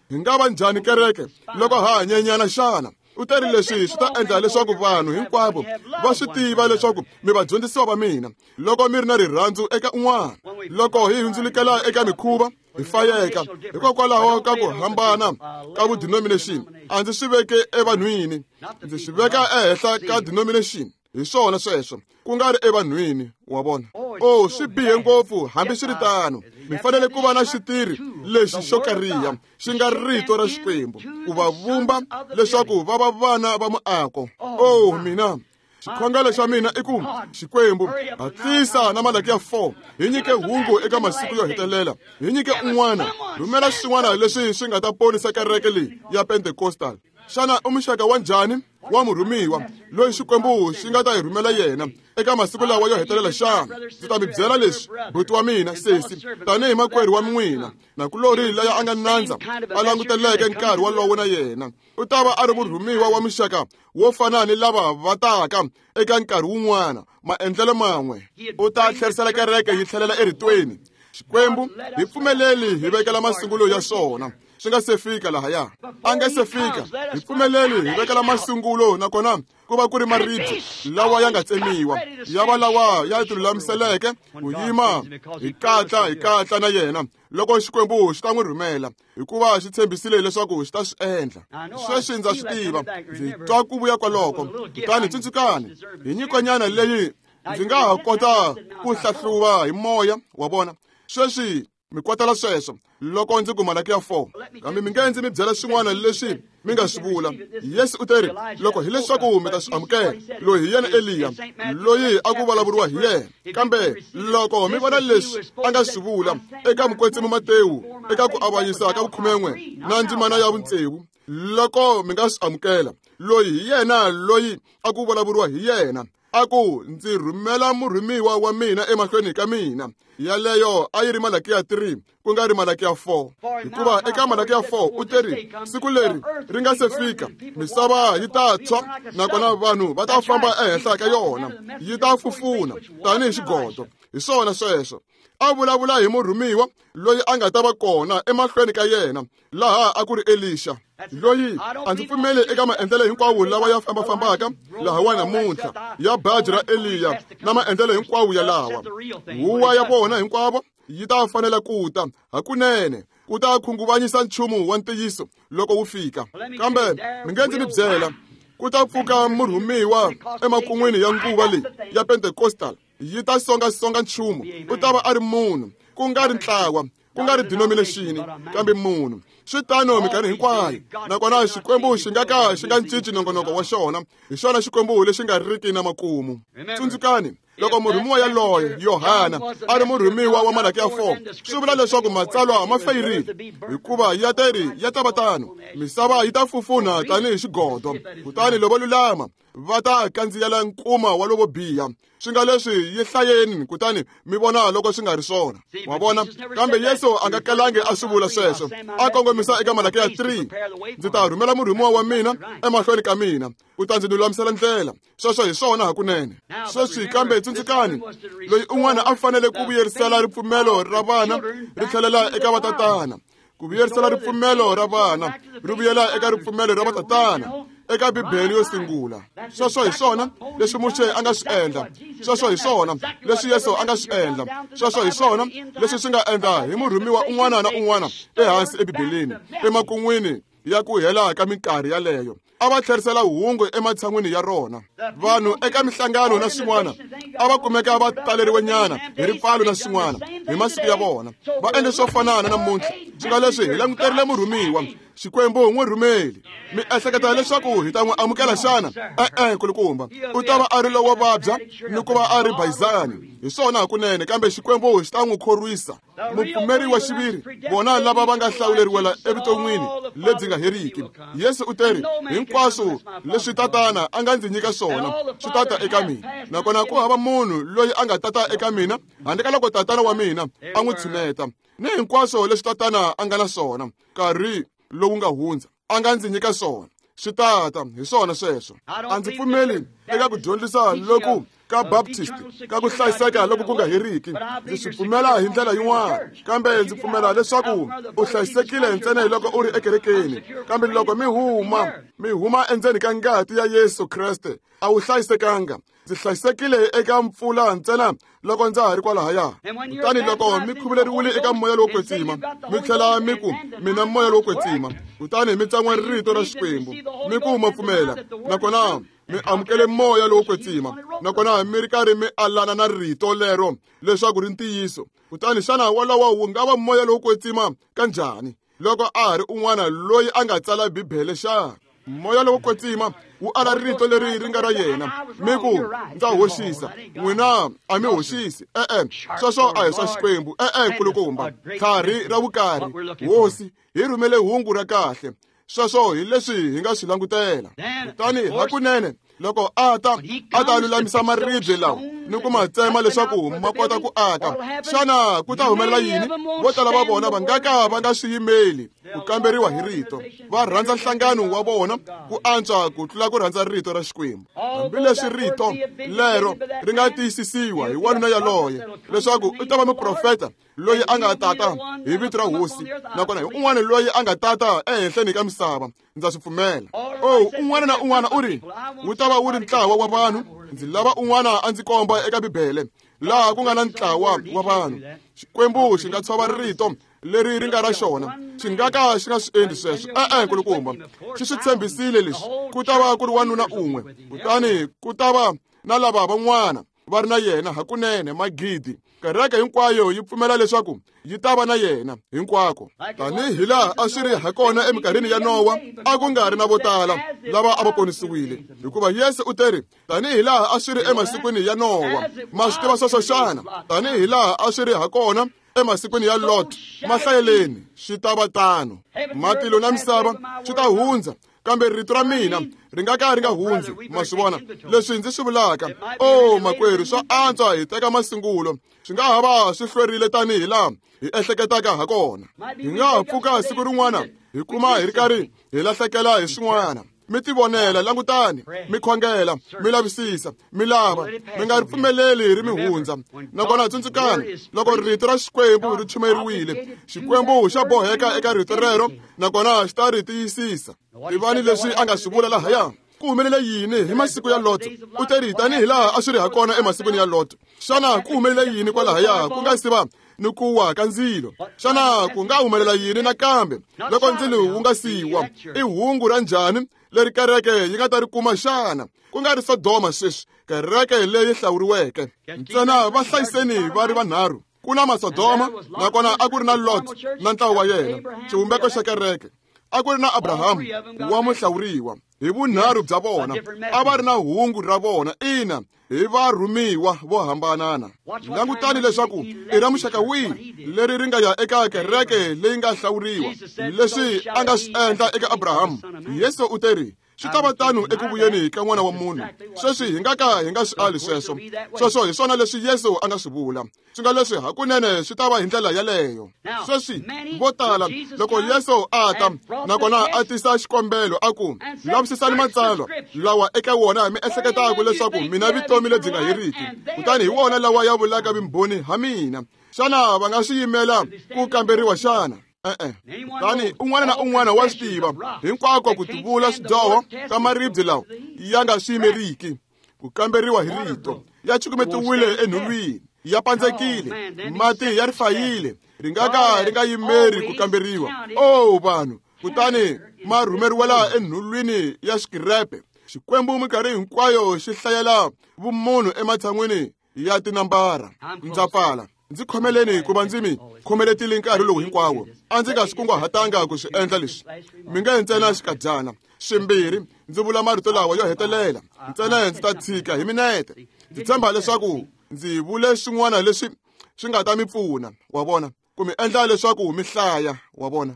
hi nga va njhani kereke loko ha ha nyenyana xana? U teri leswi swi ta endla leswaku vanhu hinkwavo va swi tiva leswaku mi vadyondzisiwa va mina loko mi ri na rirhandzu eka un'wana. Loko hi hundzulukela eka mikhuva, hi fayeka hikokwalaho ka ku hambana ka vudenomination. A ndzi swi veke evanhwini, ndzi swi veka ehenhla ka denomination. Hi swona sweswo, ku nga ri evanhwini. Wa vona? Oh, swi bihe ngopfu. Hambiswiritano, mi fanele ku va na xitirhi lexi xo kariha xi nga rito ra Xikwembu ku va vumba leswaku va va vana va muako. Oh, mina xikhongelo xa mina i ku, Xikwembu, hatlisa na Malakiya 4, hi nyike hungu eka masiku yo hetelela, hi nyike un'wana, rhumela swin'wana leswi swi nga ta ponisa kereke leyi ya Pentecostal. Xana u muxaka wa njhani wa murhumiwa loyi Xikwembu xi nga ta hi rhumela yena eka masiku lawa yo hetelela xana? Ndzi ta mi byela leswi, buti wa mina, sesi, tanihi makwerhu wa n'wina, nakulorhi laya a nga nandza a languteleke nkarhi wolowo na yena, u ta va a ri murhumiwa wa muxaka wo fana ni lava va taka eka nkarhi wun'wana, maendlelo man'we. U ta tlherisela kereke yi tlhelela eritweni. Xikwembu, hi pfumeleli hi vekela masungulo ya swona. swi nga se fika lahaya. A nga se fika, hi pfumeleli hi vekela masungulo nakona ku va ku ri maribye lawa ya nga tsemiwa, ya va lawa ya tilulamiseleke ku yima hi katla na yena loko Xikwembu xi ta n'wi rhumela, hikuva xi tshembisile leswaku xi ta swi endla. Sweswi ndza swi tiva, ndzi twa ku vuya kwaloko. Kutani tsundzukani, hi nyikonyana leyi ndzi nga ha kota ku hlahluva hi moya wa vona. Sweswi mi kotela sweswo loko ndzi ku Malakiya 4, kambe mi nge ndzi mi byela swin'wana leswi mi nga swi vula. Yesu u teri, loko hileswaku mi ta swi amukela, loyi hi yena Eliya, loyi a ku vulavuriwa hi yena. Kambe loko mi vona leswi a nga swi vula eka mukwetsimi Matewu eka ku avanyisa ka 11 na ndzimana ya 6, loko mi nga swi amukela, loyi hi yena loyi a ku vulavuriwa hi yena, a ku ndzi rhumela murhumiwa wa mina emahlweni ka mina. Yaleyo a yi ri Malakiya 3 ku nga ri Malakiya 4, hikuva eka Malakiya 4 u teri siku leri ri nga se fika, misava yi ta tshwa nakona vanhu va ta famba ehenhla ka yona, yi ta fufuna tanihi xigodo. Hi swona sweswo. A vulavula hi murhumiwa loyi a nga ta va kona emahlweni ka yena, laha a ku ri Elisha, loyi a ndzi pfumeli eka maendlelo hinkwawo lawa ya fambafambaka lahawa namuntlha ya baji ra Eliya na maendlelo hinkwawo ya lawa. Huwa ya vona hinkwavo yi ta fanela ku ta hakunene, ku ta khunguvanyisa nchumu wa ntiyiso loko wu fika. Kambe mi nge ndzi mi byela, ku ta pfuka murhumiwa emakun'wini ya nguva leyi ya Pentecostal, yi ta songasonga nchumu. U ta va a ri munhu, ku nga ri ntlawa, ku nga ri denomination, kambe munhu. Swi tano minkarhi hinkwayo, nakona Xikwembu xi nga ka xi nga cinci nongonoko wa xona. Hi xona Xikwembu lexi nga riki na makumu. Tsundzukani, loko murhumiwa yaloye Yohana a ri murhumiwa wa Malakiya 4, swi vula leswaku matsalwa ma fayirile, hikuva ya teri ya ta va tano, misava yi ta fufuna tanihi xigodo, kutani lovo lulama va ta kandziyela nkuma wa lovo biha. Swi nga leswi yi hlayeni kutani mi vona loko swi nga ri swona. Wa vona? Kambe Yesu a nga kalangi a swi vula sweswo, a kongomisa eka Malakiya 3, ndzi ta rhumela murhumiwa wa mina emahlweni ka mina, ku ta ndzi lulamisela ndlela. Sweswo hi swona hakunene. Sweswi kambe tsundzukani, loyi un'wana a fanele ku vuyerisela ripfumelo ra vana ri tlhelela eka vatatana, ku vuyerisela ripfumelo ra vana ri vuyela eka ripfumelo ra vatatana, eka Bibele yo sungula. Sweswo hi swona leswi Muxe a nga swi endla, sweswo hi swona leswi Yesu a nga swi endla, sweswo hi swona leswi swi nga endla hi murhumiwa un'wana na un'wana ehansi eBibeleni emakun'wini ya ku hela ka minkarhi yaleyo. A va tlherisela hungu ematshan'wini ya rona. Vanhu eka mihlangano na swin'wana a va kumeka va taleriwenyana hi ripfalo na swin'wana hi masiku ya vona. Va endle swo fanana namuntlha. Swi nga leswi hi languterile murhumiwa, Xikwembu n'wi rhumeli. Mi ehleketa leswaku hi ta n'wi amukela xana? E-e, kulukumba. U ta va a ri lowo vabya ni ku va a ri bayizani. Hi swona hakunene, kambe Xikwembu xi ta n'wi khorwisa. Mupfumeri wa xiviri, vona lava va nga hlawuleriwela evuton'wini lebyi nga heriki. Yesu u teri, hinkwaswo leswi Tatana a nga ndzi nyika swona swi tata eka mina, nakona ku hava munhu loyi a nga tata eka mina handle ka loko Tatana wa mina a n'wi tshuneta. Ni hinkwaswo leswi Tatana a nga na swona nkarhi lowu nga hundza a nga ndzi nyika swona swi tata. Hi swona sweswo. A ndzi pfumeli eka ku dyondzisa loku ka Baptist ka ku hlayiseka loko ku nga heriki. Ndzi swi pfumela hi ndlela yin'wana, kambe ndzi pfumela leswaku u hlayisekile ntsena hi loko u ri ekerekeni. Kambe loko mi huma endzeni ka ngati ya Yesu Kreste, a wu hlayisekanga. Ndzi hlayisekile eka mpfula ntsena loko ndza ha ri kwalahaya. Kutani loko mi khuvuleriwile eka moya lowo kwetsima, mi tlhela mi ku mina moya lowo kwetsima, kutani mi tsan'wa rito ra Xikwembu, mi ku ma pfumela, nakona mi amukele moya lowo kwetsima, nakona mi ri karhi mi alana na rito lero leswaku ri ntiyiso, kutani xana wolowo wu nga va moya lowo kwetsima kanjhani loko a ha ri un'wana loyi a nga tsala Bibele xana? Moya lowo kwetsima wu ala rito leri ri nga ra yena, mi ku ndza hoxisa. N'wina a mi hoxisi. E-e, sweswo a hi swa Xikwembu. E-e, nkulukumba. Tlhari ra vukarhi, Hosi, hi rhumele hungu ra kahle. Sweswo hi leswi hi nga swi langutela. Kutani hakunene loko a ta lulamisa maribye lawa, ni ku ma tsema leswaku ma kota ku aka. Xana ku ta humelela yini? Vo tala va vona va nga ka va nga swi yimeli ku kamberiwa hi rito. Va rhandza nhlangano wa vona ku antswa ku tlula ku rhandza rito ra Xikwembu. Hambileswi rito lero ri nga tiyisisiwa hi wanuna yaloye leswaku u ta va muprofeta loyi a nga tata hi vito ra hosi, nakona hi un'wana loyi a nga tata ehenhleni ka misava. Ndza swi pfumela. Oh, un'wana na un'wana u ri wu ta va wu ri ntlawa wa vanhu. Ndzi lava un'wana a ndzi komba eka Bibele laha ku nga na ntlawa wa vanhu. Xikwembu xi nga tshova rito leri ri nga ra xona, xi nga ka xi nga swi endli sweswo. E-e, nkulukumba, xi swi tshembisile leswi. Ku ta va ku ri wanuna un'we, kutani ku ta va na lava van'wana va ri na yena hakunene magidi. Kereke hinkwayo yi pfumela leswaku yi ta va na yena hinkwako. Tanihi laha a swi ri hakona eminkarhini ya Nowa, a ku nga ri na vo tala lava a va ponisiwile, hikuva Yesu u teri tanihi laha a swi ri emasikwini ya Nowa. Ma swi tiva sweswo xana? Tanihi laha a swi ri hakona emasikwini ya Lot, mahlayeleni swi ta va tano. Matilo na misava swi ta hundza, kambe rito ra mina ri nga ka ri nga hundzi. Ma swi vona leswi ndzi swi vulaka? O makwerhu, swa antswa hi teka masungulo. Swi nga ha va swi hlwerile tanihi laha hi ehleketaka ha kona. Hi nga ha pfuka siku rin'wana hi kuma hi ri karhi hi lahlekela hi swin'wana. Mi tivonela, langutani, mi khongela, mi lavisisa, mi lava, mi nga ri pfumeleli ri mi hundza. Nakona tsundzukani, loko rito ra Xikwembu ri chumeriwile, Xikwembu xa boheka eka rito rero, nakona xi ta ri tiyisisa. Tivani leswi a nga swi vula lahaya. Ku humelele yini hi masiku ya Lot? U teri tanihi laha a swi ri hakona emasikwini ya Lot. Xana ku humelele yini kwalahaya ku nga si va ni ku wa ka ndzilo? Xana ku nga humelela yini nakambe loko ndzilo wu nga siwa? I hungu ra njhani leri kereke yi nga ta ri kuma xana? Ku nga ri Sodoma sweswi, kereke leyi hlawuriweke. Ntsena va hlayiseni va ri vanharhu. Ku na Masodoma, nakona a ku ri na Lot na ntlawa wa yena, xivumbeko xa kereke. A ku ri na Abrahamu wa muhlawuriwa. Hi vunharhu bya vona a va ri na hungu ra vona, ina, hi varhumiwa vo hambanana. Langutani leswaku i ra muxaka wihi leri ri nga ya eka kereke leyi nga hlawuriwa. Leswi a nga swi endla eka Abrahamu, Yesu u teri swi ta va tano eku vuyeni ka N'wana wa Munhu. Sweswi hi nga ka hi nga swi ali sweswo. Sweswo hi swona leswi Yesu a nga swi vula. Swi nga leswi hakunene swi ta va hi ndlela yaleyo. Sweswi vo tala loko Yesu a ta nakona a tisa xikombelo a ku, lavisisani matsalwa lawa eka wona mi ehleketaka leswaku mina vutomi lebyi nga heriki, kutani hi wona lawa ya vulaka vumbhoni ha mina. Xana va nga swi yimela ku kamberiwa xana? E-e. Kutani un'wana na un'wana wa swi tiva hinkwako ku tivula swidyoho ka maribye lawa ya nga swi yimeriki ku kamberiwa hi rito. Ya cukumetiwile enhulwini, ya pandzekile, mati ya ri fayile, ri nga ka ri nga yimeri ku kamberiwa. Oh vanhu, kutani ma rhumeriwela enhulwini ya xikirepe. Xikwembu minkarhi hinkwayo xi hlayela vumunhu ematshan'wini ya tinambara. Ndza pfala. Ndzi khomeleni hikuva ndzi mi khomeletile nkarhi lowu hinkwawo. A ndzi nga swi kunguhatanga ku swi endla leswi. Mi nge ntsena xikadyana swimbirhi ndzi vula marito lawa yo hetelela, ntsena ndzi ta tshika hi minete. Ndzi tshemba leswaku ndzi vule swin'wana leswi swi nga ta mi pfuna, wa vona, ku mi endla leswaku mi hlaya, wa vona.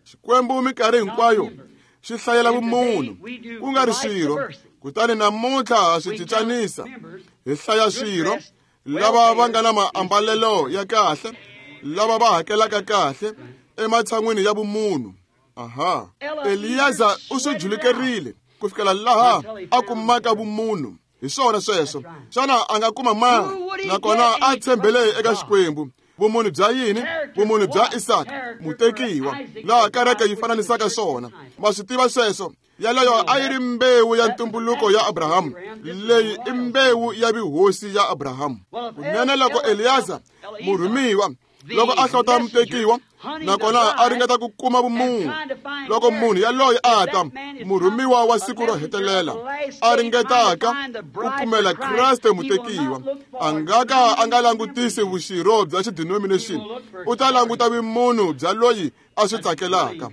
Xikwembu minkarhi hinkwayo xi hlayela vumunhu, ku nga ri swirho. Kutani namuntlha ha swi cincanisa, hi hlaya swirho, lava va nga na maambalelo ya kahle, lava va hakelaka kahle, ematshan'wini ya vumunhu. Aha. Eliyaza u swi julukerile ku fikela laha a kumaka vumunhu. Hi swona sweswo. Xana a nga kuma mani? Nakona a tshembele eka Xikwembu. Vumunhu bya yini? Vumunhu bya Isaka, mutekiwa, laha kereke yi fananisaka swona. Ma swi tiva sweswo? Yaleyo a yi ri mbewu ya ntumbuluko ya Abrahamu. Leyi i mbewu ya vuhosi ya Abrahamu. Kunene loko Eliyaza, murhumiwa, loko a hlota mutekiwa, nakona a ringeta ku kuma vumunhu, loko munhu yaloye a ta, murhumiwa wa siku ro hetelela, a ringetaka ku kumela Kreste mutekiwa, a nga ka a nga langutisi vuxirho bya xidenomination, u ta languta vumunhu bya loyi a swi tsakelaka.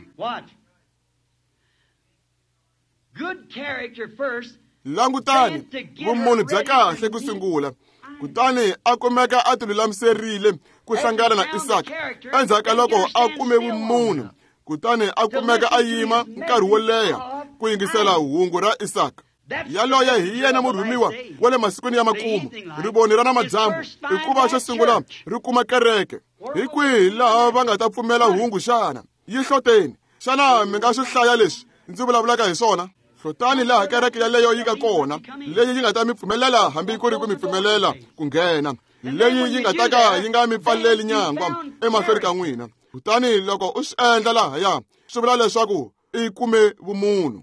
Langutani vumunhu bya kahle ku sungula, kutani a kumeka a tilulamiserile ku hlangana na Isaka. Endzhaku ka loko a kume vumunhu, kutani a kumeka a yima nkarhi wo leha ku yingisela hungu ra Isaka. Yaloye hi yena murhumiwa wa le masikwini ya makumu, rivoni ra namadyambu, hikuva xo sungula ri kuma kereke. Hi kwihi laha va nga ta pfumela hungu xana? Yi hloteni. Xana mi nga swi hlaya leswi ndzi vulavulaka hi swona? Hlotani laha kereke yaleyo yi nga kona, leyi yi nga ta mi pfumelela hambi ku ri ku mi pfumelela ku nghena, leyi yi nga ta ka yi nga mi pfaleli nyangwa emahlweni ka n'wina. Kutani loko u swi endla lahaya, swi vula leswaku i kume vumunhu.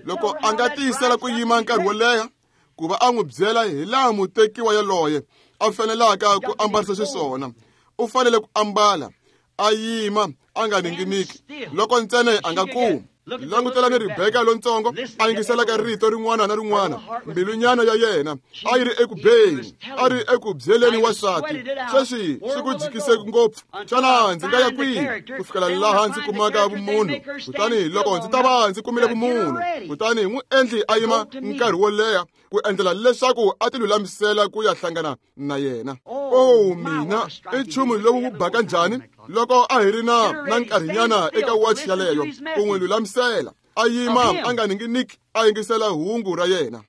Loko a nga tiyisela ku yima nkarhi wo leha ku va a n'wi byela hi laha mutekiwa yaloye a fanelaka ku ambarisa xiswona, u fanele ku ambala a yima a nga ninginiki loko ntsena a nga kumi. Langutelani Rebeka lontsongo a yingiselaka rito rin'wana na rin'wana, mbilunyana ya yena a yi ri eku beni, a ri eku byeleni wansati. Sweswi swi ku jikise ngopfu. Xana ndzi nga ya kwihi ku fikela laha ndzi kumaka vumunhu? Kutani loko ndzi ta va ndzi kumile vumunhu, kutani n'wi endli a yima nkarhi wo leha ku endlela leswaku a ti lulamisela ku ya hlangana na yena. Oh mina, i nchumu lowu wu baka njhani loko a hi ri na nkarhinyana eka wachi yaleyo ku n'wi lulamisela a yima a nga ninginiki a yingisela hungu ra yena.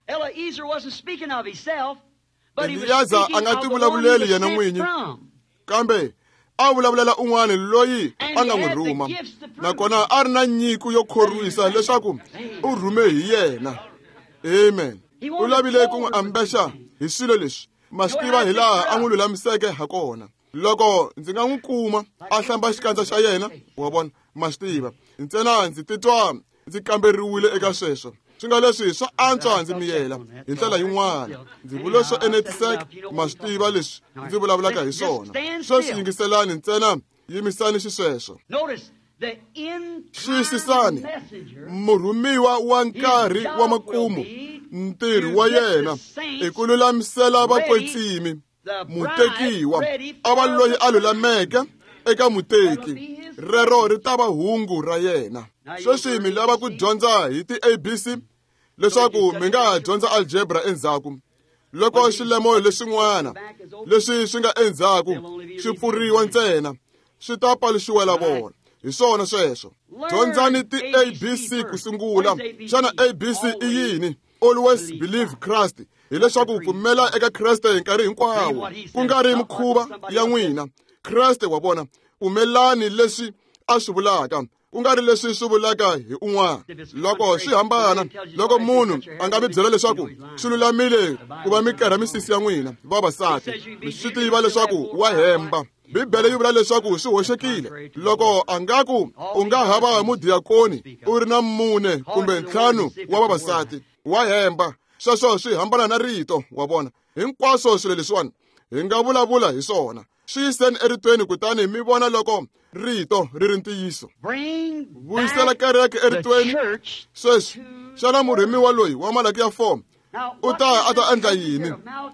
Eliyaza a nga tivulavuleli yena n'winyi, kambe a vulavulela un'wana loyi a nga n'wi rhuma, nakona a ri na nyiko yo khorwisa leswaku u rhume hi yena. Amen. U lavile ku n'wi ambexa hi swilo leswi, ma swi tiva hi laha a n'wi lulamiseke ha kona. Loko ndzi nga n'wi kuma a hlamba xikandza xa yena, wa vona, ma swi tiva, ntsena ndzi titwa ndzi kamberiwile eka sweswo. Swi nga leswi swa antswa ndzi miyela hi ndlela yin'wana. Ndzi vule swo enetiseka, ma swi tiva leswi ndzi vulavulaka hi swona. Sweswi yingiselani ntsena, yimisani xisweswo. Xiyisisani, murhumiwa wa nkarhi wa makumu, ntirho wa yena i ku lulamisela vakwetsimi, mutekiwa a va loyi a lulameke eka muteki. Rero ri ta va hungu ra yena. Sweswi mi lava ku dyondza hi ti-ABC leswaku mi nga ha dyondza algebra endzhaku. Loko xilemo lexin'wana leswi swi nga endzhaku swi pfuriwa ntsena, swi ta paluxiwela vona. Hi swona sweswo. Dyondzani ti-ABC ku sungula. Xana ABC i yini? Always believe Christ. Hileswaku pfumela eka Kreste hi nkarhi hinkwawo, ku nga ri mikhuva ya n'wina. Kreste wa vona, pfumelani leswi a swi vulaka, ku nga ri leswi swi vulaka hi un'wana. Loko swi hambana, loko munhu a nga mi byela leswaku swi lulamile ku va mi kerha misisi ya n'wina vavasati, mi swi tiva leswaku wa hemba. Bibele yi vula leswaku swi hoxekile. Loko a nga ku u nga hava mudiyakoni u ri na 4 kumbe 5 wa vavasati, wa hemba. Sweswo swi hambana na rito, wa vona. Hinkwaswo swilo leswiwani hi nga vulavula hi swona. Swi yiseni eritweni kutani mi vona loko rito ri ri ntiyiso. Vuyisela kereke eritweni. Sweswi, xana murhumiwa loyi wa Malaki ya 4 u ta a ta endla yini?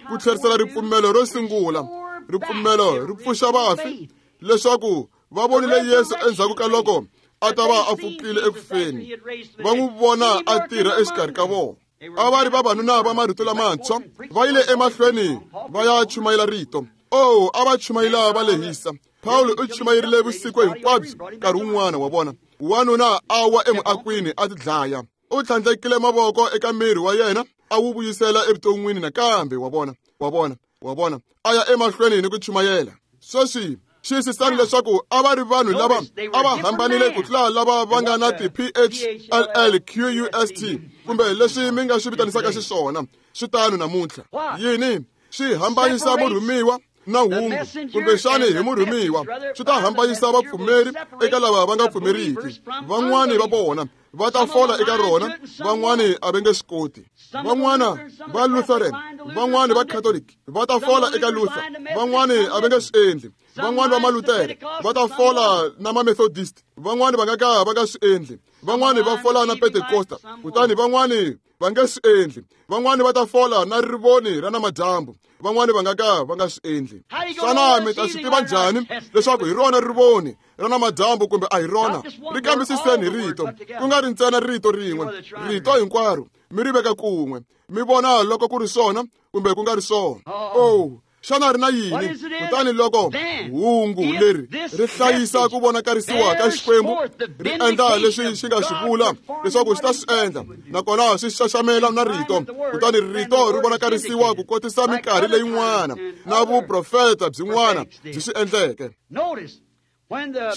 Ku tlherisela ripfumelo ro sungula. Ripfumelo ri pfuxa vafi leswaku va vonile Yesu endzhaku ka loko a ta va a pfukile eku feni, va n'wi vona a tirha exikarhi ka vona. A va ri vavanuna va marito lamantshwa, va yile emahlweni va ya chumayela rito. Oh, a va chumayela va lehisa. Paulo u chumayerile vusiku hinkwabyo nkarhi wun'wana, wa vona. Wanuna a wa emuakwini a tidlaya. U tlhandlekile mavoko eka miri wa yena a wu vuyisela evuton'wini nakambe, wa vona, wa vona, wa vona. A ya emahlweni ni ku chumayela. Sweswi xiyisisani leswaku a va ri vanhu lava a va hambanile ku tlula lava va nga na ti-PHLLQUST kumbe leswi mi nga swi vitanisaka xiswona. Swi tano namuntlha. Yini? Swi hambanyisa murhumiwa na hungu, kumbexani hi murhumiwa swi ta hambanyisa vapfumeri eka lava va nga pfumeriki. Van'wani va vona va ta fola eka rona, van'wani a va nge swi koti. Van'wana va Lutheran, van'wani va Catholic va ta fola eka Luther, van'wani a va nge swi endli. Van'wani va Malutere va ta fola na ma-Methodist, van'wani va nga ka va nga swi endli. Van'wani va fola na Pentecosta, kutani van'wani va nge swi endli. Van'wani va ta fola na rivoni ra namadyambu, van'wani va nga ka va nga swi endli. Xana mi ta swi tiva njhani leswaku hi rona rivoni ra namadyambu kumbe a hi rona? Ri kambisiseni hi rito, ku nga ri ntsena rito rin'we, rito hinkwaro mi ri veka kun'we, mi vona loko ku ri swona kumbe ku nga ri swona. Oh, Xana ri na yini? Kutani loko hungu leri ri hlayisa ku vonakarisiwa ka Xikwembu, ri endla leswi xi nga swi vula leswaku xi ta swi endla, nakona swi xaxamela na rito, kutani rito ri vonakarisiwa ku kotisa minkarhi leyin'wana na vuprofeta byin'wana byi swi endleke.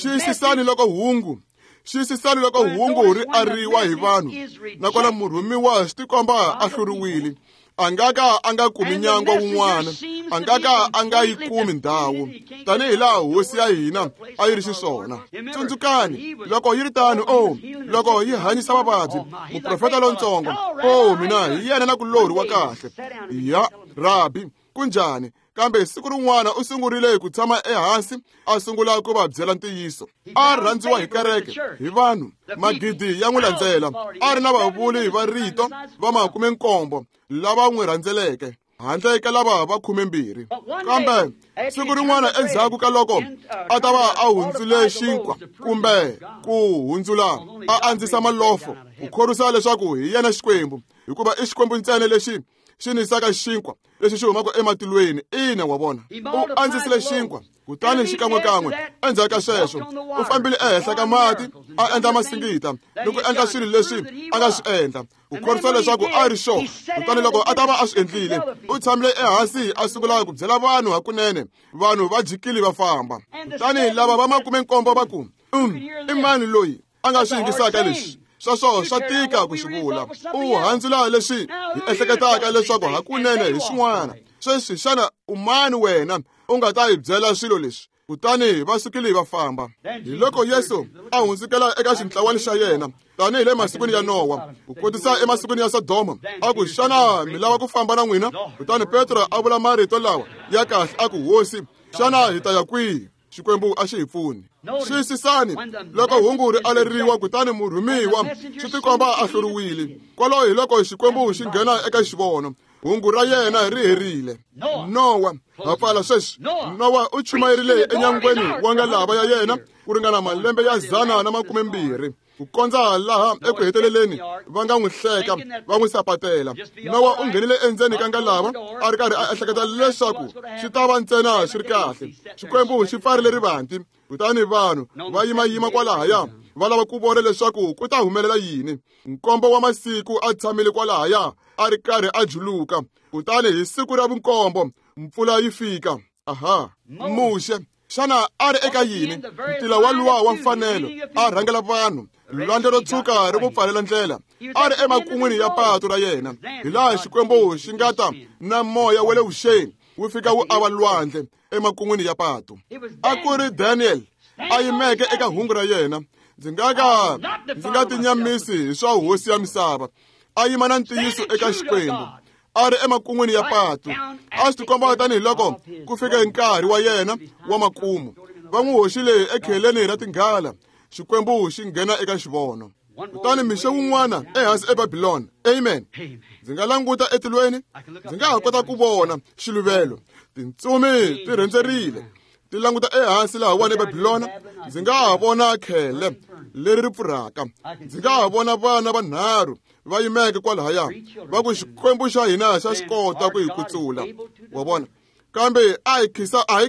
Xiyisisani loko hungu xiyisisani loko hungu ri ariwa hi vanhu, nakona murhumiwa swi tikomba a hluriwile. A nga ka a nga kumi nyangwa wun'wana, a nga ka a nga yi kumi ndhawu, tanihi laha hosi ya hina a yi ri xiswona. Tsundzukani loko yi ri tano, o loko yi hanyisa vavabyi, muprofeta lontsongo, o mina hi yena na kulorhi wa kahle ya rabi kunjhani, kambe siku rin'wana u sungurile ku tshama ehansi a sungula ku va byela ntiyiso. A rhandziwa hi kereke, hi vanhu, magidi ya n'wi landzela. A ri na vavuli va rito va 17 lava n'wi rhandzeleke, handle ka lava va 12. Kambe siku rin'wana endzhaku ka loko a ta va a hundzule xinkwa kumbe ku hundzula a andzisa malofo ku khorwisa leswaku hi yena Xikwembu, hikuva i Xikwembu ntsena lexi xi nisaka xinkwa lexi xi humaka ematilweni. Ina, wa vona, u andzisile xinkwa, kutani xikan'wekan'we endzhaku ka sweswo u fambile ehenhla ka mati, a endla masingita ni ku endla swilo leswi a nga swi endla ku khorwisa leswaku a ri xona. Kutani loko a ta va a swi endlile, u tshamile ehansi a sungula ku byela vanhu hakunene. Vanhu va jikile va famba. Kutani lava va 17 va ku, i mani loyi a nga swi yingisaka leswi? Sweswo swa tika ku swi vula. U handzula leswi hi ehleketaka leswaku hakunene hi swin'wana. Sweswi xana u mani wena u nga ta hi byela swilo leswi? Kutani va sukile va famba. Hi loko Yesu a hundzukela eka xintlawani xa yena, tanihi le masikwini ya Nowa, ku kotisa emasikwini ya Sodoma, a ku, xana mi lava ku famba na n'wina? Kutani Petro a vula marito lawa ya kahle, a ku, Hosi, xana hi ta ya kwihi? Xikwembu a xi hi pfuni. Xiyisisani loko hungu ri aleriwa, kutani murhumiwa swi tikomba a hluriwile. Kwalaho hi loko Xikwembu xi nghena eka xivono, hungu ra yena ri herile. Nowa, ha pfala sweswi. Nowa u chumayerile enyangweni wa ngalava ya yena ku ringana malembe ya 120, ku kondza laha eku heteleleni va nga n'wi hleka, va n'wi sapatela. Nowa u nghenile endzeni ka ngalava a ri karhi a ehleketa leswaku swi ta va ntsena swi ri kahle. Xikwembu xi pfarile rivanti, kutani vanhu va yimayima kwalahaya va lava ku vona leswaku ku ta humelela yini. 7 wa masiku a tshamile kwalahaya a ri karhi a juluka, kutani hi siku ra vu-7 mpfula yi fika. Aha, Muxe xana a ri eka yini? Ntila wa luwa wa mfanelo a rhangela vanhu, lwandle ro tshuka ri n'wi pfalela ndlela. A ri emakun'wini ya patu ra yena, hi laha Xikwembu xi nga ta na moya wa le vuxeni wu fika wu ava lwandle emakun'wini ya patu. A ku ri Daniel a yimeke eka hungu ra yena. Ndzi nga ka ndzi nga tinyamisi hi swa hosi ya misava. A yima na ntiyiso eka Xikwembu, a ri emakun'wini ya patu. A swi tikomba tanihi loko ku fike nkarhi wa yena wa makumu. Va n'wi hoxile ekheleni ra tinghala. Xikwembu xi nghena eka xivono. Kutani mixo wun'wana ehansi eBabilona, amen, ndzi nga languta etilweni, ndzi nga ha kota ku vona xiluvelo, tintsumi ti rhendzerile ti languta ehansi lahawani eBabilona. Ndzi nga ha vona khele leri ri pfurhaka, ndzi nga ha vona vana vanharhu va yimeke kwalahaya, va ku Xikwembu xa hina xa swi kota ku hi kutsula. Wa vona? Kambe a hi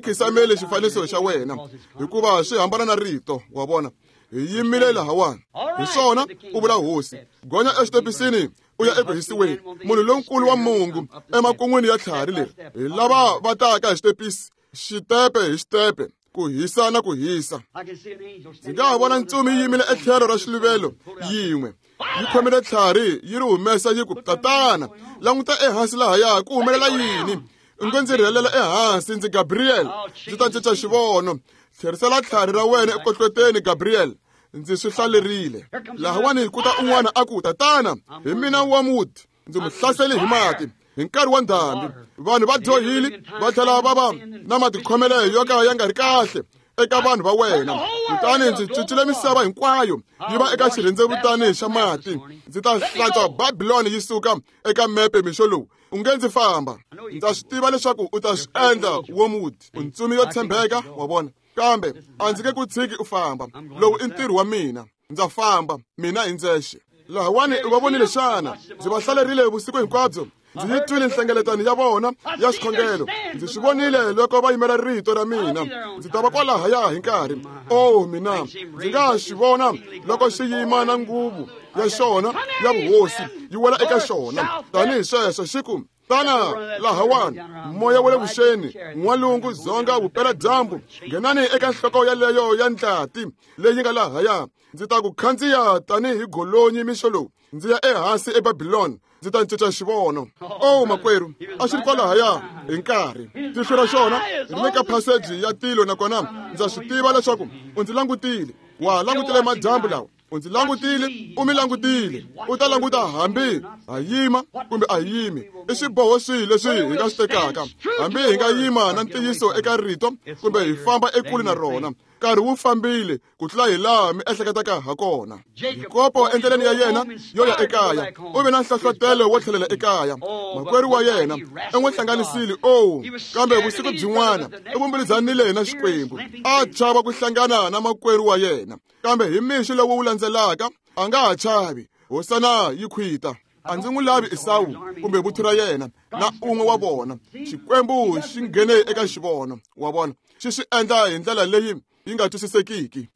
khisameli xifaniso xa wena, hikuva swi hambana na rito. Wa vona? Hi yimile lahawani. Hi swona, ku vula Hosi. Gonya exitepisini u ya eku hisiweni. Munhu lonkulu wa mungu emakun'wini ya tlhari leri, hi lava va taka hi xitepisi, xitepe hi xitepe, ku hisa na ku hisa. Ndzi nga ha vona ntsumi yi yimile etlhelo ra xiluvelo yin'we, yi khomile tlhari yi ri humesa, yi ku, Tatana, languta ehansi lahaya, ku humelela yini? U nge ndzi rhelela ehansi, ndzi Gabriel, ndzi ta cinca xivono. Tlherisela tlhari ra wena ekohloteni, Gabriel, ndzi swi hlalerile. Lahawani ku ta un'wana a ku, Tatana, hi mina Wormwood, ndzi mu hlasele hi mati hi nkarhi wa ndhambi. Vanhu va dyohile va tlhela va va na matikhomelo yo ka ya nga ri kahle eka vanhu va wena, kutani ndzi cincile misava hinkwayo yi va eka xirhendzevutani xa mati. Ndzi ta hlantswa Babiloni yi suka eka mepe mixo lowu. U nge ndzi famba. Ndza swi tiva leswaku u ta swi endla, Wormwood, u ntsumi yo tshembeka, wa vona, kambe a ndzi nge ku tshiki u famba. Lowu i ntirho wa mina. Ndza famba mina hi ndzexe. Lahawani u va vonile xana? Ndzi va hlalerile vusiku hinkwabyo. Ndzi yi twile nhlengeletano ya vona ya xikhongelo. Ndzi swi vonile loko va yimela rito ra mina. Ndzi ta va kwalahaya hi nkarhi. O mina, ndzi nga xi vona loko xi yima na nguvu ya xona ya vuhosi yi wela eka xona. Tanihi sweswo xi ku, tana lahawani, moya wa le vuxeni, n'walungu, dzonga, vupeladyambu, nghenani eka nhloko yaleyo ya ndlati leyi nga lahaya. Ndzi ta ku khandziya tanihi golonyi mixo lowu, ndzi ya ehansi eBabiloni, ndzi ta cinca xivono. O makwerhu, a xi ri kwalahaya hi nkarhi. Tihlo ra xona ri le ka phaseji ya tilo, nakona ndza swi tiva leswaku u ndzi langutile. Wa langutile madyambu lawa. U ndzi langutile, u mi langutile. U ta languta hambi ha yima kumbe a hi yimi. I xiboho swihi leswi hi nga swi tekaka, hambi hi nga yima na ntiyiso eka rito kumbe hi famba ekule na rona. Nkarhi wu fambile ku tlula hi laha mi ehleketaka ha kona. Yakobo endleleni ya yena yo ya ekaya u ve na nhlohlotelo wo tlhelela ekaya. Makwerhu wa yena u n'wi hlanganisile. O, kambe vusiku byin'wana u vumbilizanile na Xikwembu. A chava ku hlangana na makwerhu wa yena, kambe hi mixo lowu wu landzelaka a nga ha chavi. Hosana yi khwita. A ndzi n'wi lavi Esawu kumbe vuthu ra yena na un'we wa vona. Xikwembu xi nghene eka xivono wa vona, xi swi endla hi ndlela leyi yi nga twisisekiki.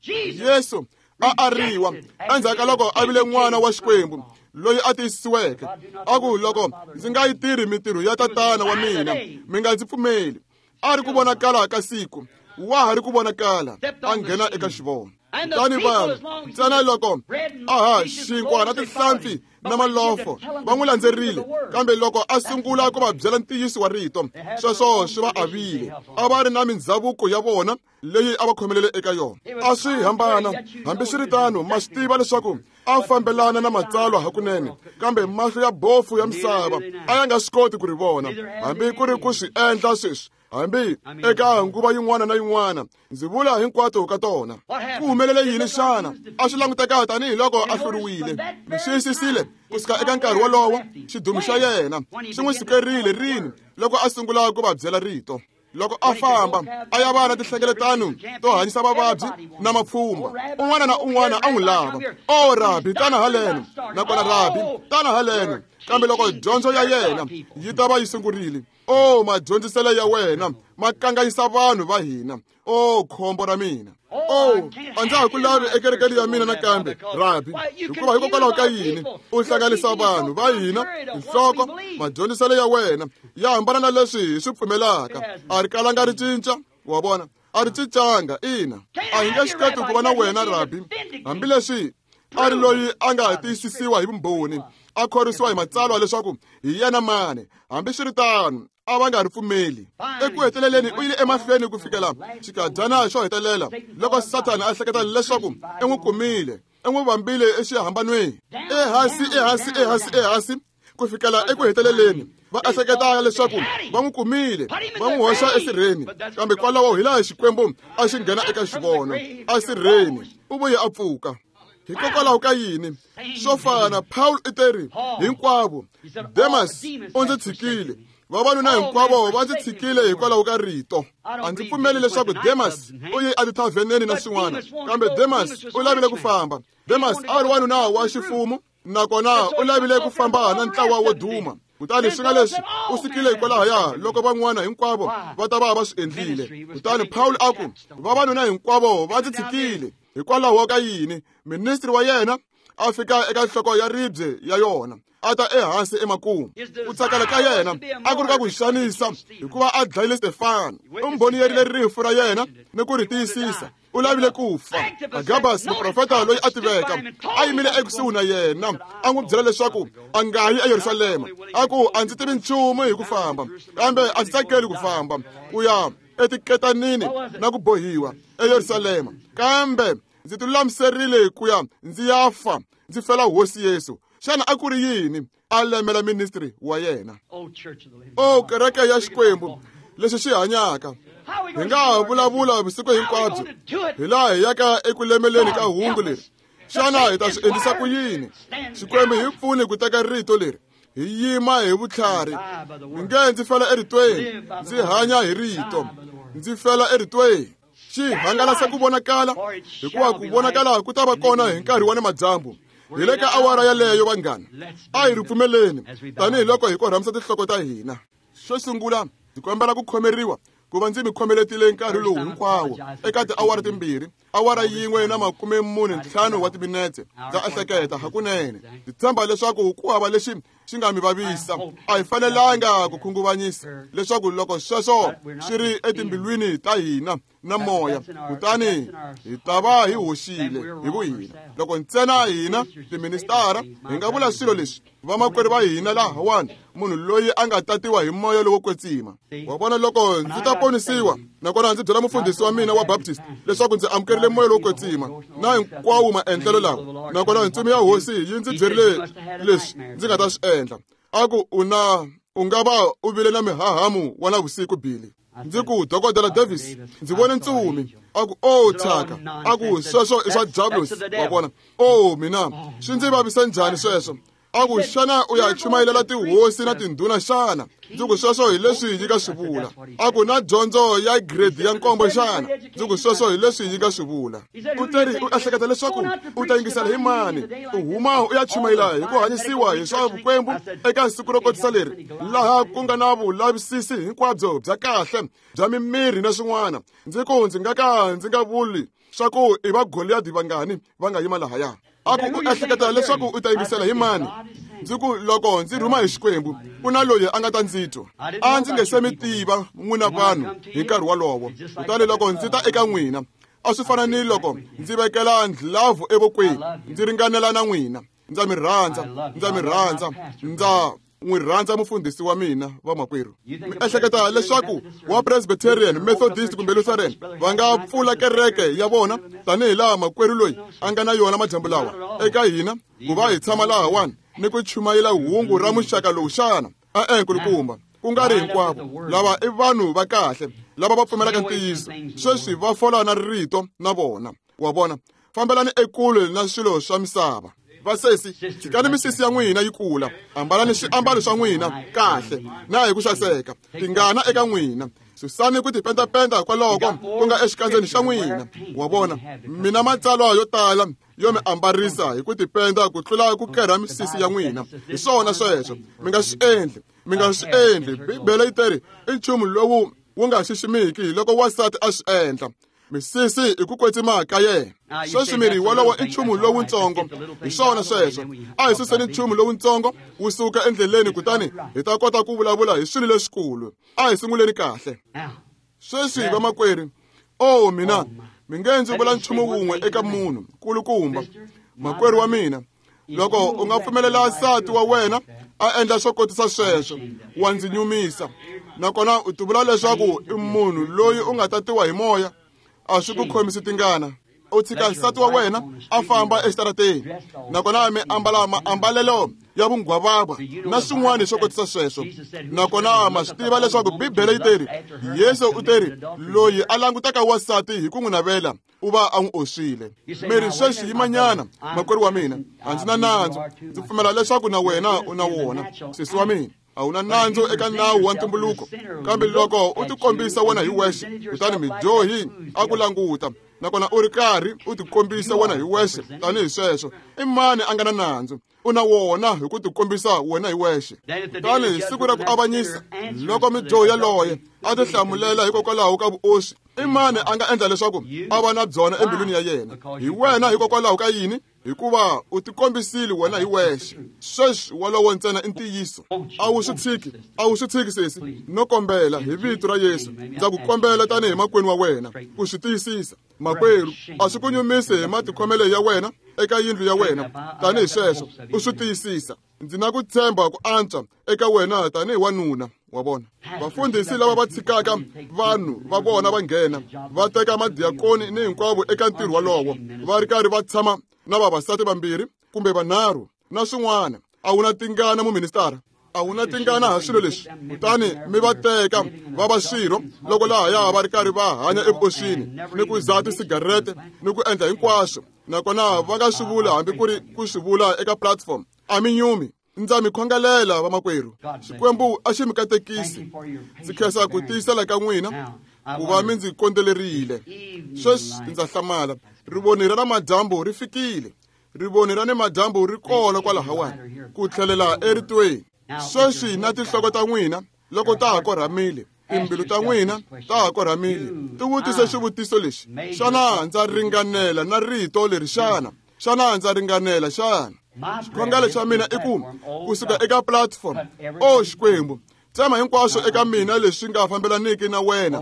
Yesu a ariwa endzhaku ka loko a vile n'wana wa Xikwembu loyi a tiyisisiweke. A ku, loko ndzi nga yi tirhi mintirho ya tatana wa mina, mi nga ndzi pfumeli. A ri ku vonakala ka siku, wa ha ri ku vonakala, a nghena eka xivono. Kutani vanhu ntsena loko aha xinkwa na tinhlampfi na malofo va n'wi landzerile, kambe loko a sungula ku va byela ntiyiso wa rito, sweswo swi va avile. A va ri na mindhavuko ya vona leyi a va khomelele eka yona, a swi hambana. Hambiswiritano, ma swi tiva leswaku a fambelana na matsalwa hakunene, kambe mahlo ya bofu ya misava a ya nga swi koti ku ri vona, hambi ku ri ku swi endla sweswi. Hambi eka nguva yin'wana na yin'wana, ndzi vula hinkwato ka tona. Ku humelele yini xana? A swi languteka tanihiloko a hluriwile. Mi xiyisisile kusuka eka nkarhi wolowo, xidumu xa yena xi n'wi sukerile rini loko a sungula ku va byela rito. Loko a famba a ya va na tinhlengeletano to hanyisa vavabyi na mapfhumba, un'wana na un'wana a n'wi lava. O Rabi, tana haleno, nakona Rabi, tana haleno. Kambe loko dyondzo ya yena yi ta va yi sungurile, o madyondziselo ya wena ma kanganyisa vanhu va hina. O khombo ra mina. O, a ndza ha ku lavi ekerekeni ya mina nakambe, Rabi, hikuva hikokwalaho ka yini u hlanganisa vanhu va hina nhloko? Madyondziselo ya wena ya hambana na leswi hi swi pfumelaka. A ri kalanga ri cinca, wa vona, a ri cincanga. Ina, a hi nge swi koti ku va na wena, Rabi. Hambileswi a ri loyi a nga tiyisisiwa hi vumbhoni, a khorwisiwa hi matsalwa leswaku hi yena mani, hambiswiritano a va nga ri pfumeli. Eku heteleleni u yile emahlweni ku fikela xikadyana xo hetelela, loko Sathana a hleketa leswaku i n'wi kumile, i n'wi vambile exihambanweni, ehansi ehansi ehansi ehansi ku fikela eku heteleleni va ehleketa leswaku va n'wi kumile, va n'wi hoxa esirheni. Kambe kwalaho hi laha Xikwembu a xi nghena eka xivono esirheni, u vuye a pfuka. Hikokwalaho ka yini? Swo fana, Paul i teri hinkwavo, Demas u ndzi tshikile, vavanuna hinkwavo va ndzi tshikile hikwalaho ka rito. A ndzi pfumeli leswaku Demas u ye etithavheneni na swin'wana, kambe Demas u lavile ku famba. Demas a ri wanuna wa xifumu, nakona u lavile ku famba na ntlawa wo duma. Kutani swi nga leswi u sukile hikwalahaya loko van'wana hinkwavo va ta va va swi endlile. Kutani Paul a ku, vavanuna hinkwavo va ndzi tshikile. Hikwalaho ka yini? Ministri wa yena a fika eka nhloko ya ribye ya yona, a ta ehansi emakumu. Ku tsakela ka yena a ku ri ka ku xanisa, hikuva a dlayile Stefano. U mbhoniyerile rifu ra yena ni ku ri tiyisisa. U lavile ku fa. Agabus, muprofeta loyi a tiveka, a yimile ekusuhi na yena, a n'wi byela leswaku a nga yi eYerusalema. A ku, a ndzi tivi nchumu hi ku famba, kambe a ndzi tsakeli ku famba ku ya etiketanini na ku bohiwa eYerusalema, kambe ndzi tilulamiserile ku ya ndzi ya fa, ndzi fela Hosi Yesu. Xana a ku ri yini? A lemela ministry wa yena. O kereke ya Xikwembu lexi xi hanyaka, hi nga ha vulavula vusiku hinkwabyo hi laha hi yaka eku lemeleni ka hungu leri. Xana hi ta swi endlisa ku yini? Xikwembu hi pfuni ku teka rito leri, hi yima hi vutlhari. Mi nge ndzi fela eritweni, ndzi hanya hi rito, ndzi fela eritweni. Xi hangalasa ku vonakala, hikuva ku vonakala ku ta va kona hi nkarhi wa namadyambu. Hi le ka awara yaleyo vanghana, a hi ri pfumeleni tanihiloko hi korhamisa tinhloko ta hina. Xo sungula ndzi kombela ku khomeriwa ku va ndzi mi khomeletile nkarhi lowu hinkwawo eka tiawara timbirhi, awara 1 na 45 wa timinetse. Ndza ehleketa hakunene ndzi tshemba leswaku ku hava lexi xi nga mi vavisa. A hi fanelanga ku khunguvanyisa leswaku loko sweswo swi ri etimbilwini ta hina na moya, kutani hi ta va hi hoxile hi vuhina. Loko ntsena hina tiministara hi nga vula swilo leswi, vamakwerhu va hina lahawani, munhu loyi a nga tatiwa hi moya lowo kwetsima. Wa vona, loko ndzi ta ponisiwa nakona ndzi byela mufundhisi wa mina wa Baptist leswaku ndzi amukerile moya lowo kwetsima na hinkwawo maendlelo lawa, nakona ntsumi ya hosi yi ndzi byerile leswi ndzi nga ta swi endla, a ku u nga va u vile na mihahamu wa navusiku Billy. Ndzi ku, Dokodela Davis, ndzi vone ntsumi. A ku, o thyaka. A ku, sweswo i swa diablos. Wa vona, o mina swi ndzi vavisa njhani sweswo. A ku, xana u ya chumayelela tihosi na tindhuna xana? Ndzi ku, sweswo hi leswi yi nga swi vula. A ku, na dyondzo ya grade ya 7 xana? Ndzi ku, sweswo hi leswi yi nga swi vula. U teri u ehleketa leswaku u ta yingisela hi mani? U huma u ya chumayela hi ku hanyisiwa hi swa vukwembu eka siku ro kotisa leri, laha ku nga na vulavisisi hinkwabyo bya kahle bya mimirhi na swin'wana. Ndzi ku, ndzi nga ka ndzi nga vuli swa ku i va Goliyadi vangani va nga yima lahaya. A ku, u ehleketa leswaku u ta yingisela hi mani? Ndzi ku, loko ndzi rhuma hi Xikwembu, ku na loyi a nga ta ndzi twa. A ndzi nge se mi tiva n'wina vanhu hi nkarhi wolowo. Kutani loko ndzi ta eka n'wina, a swi fana ni loko ndzi vekela ndlhavu evokweni, ndzi ringanela na n'wina. Ndza mi rhandza, ndza mi rhandza, ndza n'wi rhandza mufundhisi wa mina vamakwerhu. Mi ehleketa leswaku wa Presbyterian, Methodist kumbe Lutheran va nga pfula kereke ya vona tanihi laha makwerhu loyi a nga na yona madyambu lawa eka hina, ku va hi tshama lahawani ni ku chumayela hungu ra muxaka lowu xana? E-e, nkulukumba, ku nga ri hinkwavo. Lava i vanhu va kahle lava va pfumelaka ntiyiso. Sweswi va fola na rito na vona. Wa vona, fambelani ekule na swilo swa misava. Vasesi, tshikani misisi ya n'wina yi kula, ambalani swiambalo swa n'wina kahle na hi ku xaseka, tingana eka n'wina. Susani ku tipentapenta kwaloko ku nga exikandzeni xa n'wina. Wa vona, mina matsalwa yo tala yo mi ambarisa hi ku tipenda ku tlula ku kerha misisi ya n'wina. Hi swona sweswo, mi nga swi endli, mi nga swi endli. Bibele yi teri i nchumu lowu wu nga xiximiki loko wansati a swi endla. Misisi i ku kwetsima ka yena. Sweswi miri wolowo i nchumu lowuntsongo. Hi swona sweswo, a hi suseni nchumu lowuntsongo wu suka endleleni, kutani hi ta kota ku vulavula hi swilo leswikulu. A hi sunguleni kahle. Sweswi vamakwerhu, o mina mi nge ndzi vula nchumu wun'we eka munhu kulukumba, makwerhu wa mina, loko u nga pfumelela nsati wa wena a endla swo kotisa sweswo, wa ndzi nyumisa. Nakona u tivula leswaku i munhu loyi u nga tatiwa hi moya, a swi ku khomisi tingana. U tshika nsati wa wena a famba exitarateni, nakona mi ambala maambalelo ya vunghwavava na swin'wana swo kotisa sweswo. Nakona ma swi tiva leswaku Bibele yi teri, Yesu u teri, loyi a langutaka wansati hi ku n'wi navela u va a n'wi oswile. Miri sweswi yimanyana, makwerhu wa mina, a ndzi na nandzu. Ndzi pfumela leswaku na wena u na wona, sesi wa mina. A wu na nandzu eka nawu wa ntumbuluko, kambe loko u tikombisa wena hi wexe, kutani midyohi a ku languta, nakona u ri karhi u tikombisa wena hi wexe tanihi sweswo, i mani a nga na nandzu? U na wona hi ku tikombisa wena hi wexe. Kutani hi siku ra ku avanyisa, loko midyohi yaloye a tihlamulela hikokwalaho ka vuoswi, i mani a nga endla leswaku a va na byona embilwini ya yena? Hi wena. Hikokwalaho ka yini? Hikuva u tikombisile wena hi wexe. Sweswi wolowo ntsena i ntiyiso. A wu swi tshiki, a wu swi tshiki sesi. No kombela hi vito ra Yesu, ndza ku kombela tanihi makwenu wa wena ku swi tiyisisa. Makwerhu, a swi ku nyumisi hi matikhomelo ya wena eka yindlu ya wena tanihi sweswo, u swi tiyisisa. Ndzi na ku tshemba ku antswa eka wena tanihi wanuna. Wa vona, vafundhisi lava va tshikaka vanhu va vona va nghena va teka madiakoni ni hinkwavo eka ntirho wolowo, va ri karhi va tshama na vavasati vambirhi kumbe vanharhu na swin'wana. A wu na tingana muministara, a wu na tingana ha swilo leswi. Kutani mi va teka va va swirho loko lahaya va ri karhi va hanya evuoswini ni ku dzaha tisigarete ni ku endla hinkwaswo, nakona va nga swi vula hambi ku ri ku swi vula eka platform. A mi nyumi. Ndza mi khongelela vamakwerhu, Xikwembu a xi mi katekisi. Ndzi khensa ku tiyisela ka n'wina ku va mi ndzi kondzelerile. Sweswi ndza hlamala, rivoni ra namadyambu ri fikile. Rivoni ra nimadyambu ri kona kwalahawani ku tlhelela eritweni. Sweswi na tinhloko ta n'wina loko ta ha korhamile, timbilu ta n'wina ta ha korhamile, ti vutise xivutiso lexi: xana ndza ringanela na rito leri xana? Xana ndza ringanela xana? Xikhongelo xa mina i ku kusuka eka platform, o Xikwembu, tsema hinkwaswo eka mina leswi nga fambelaniki na wena.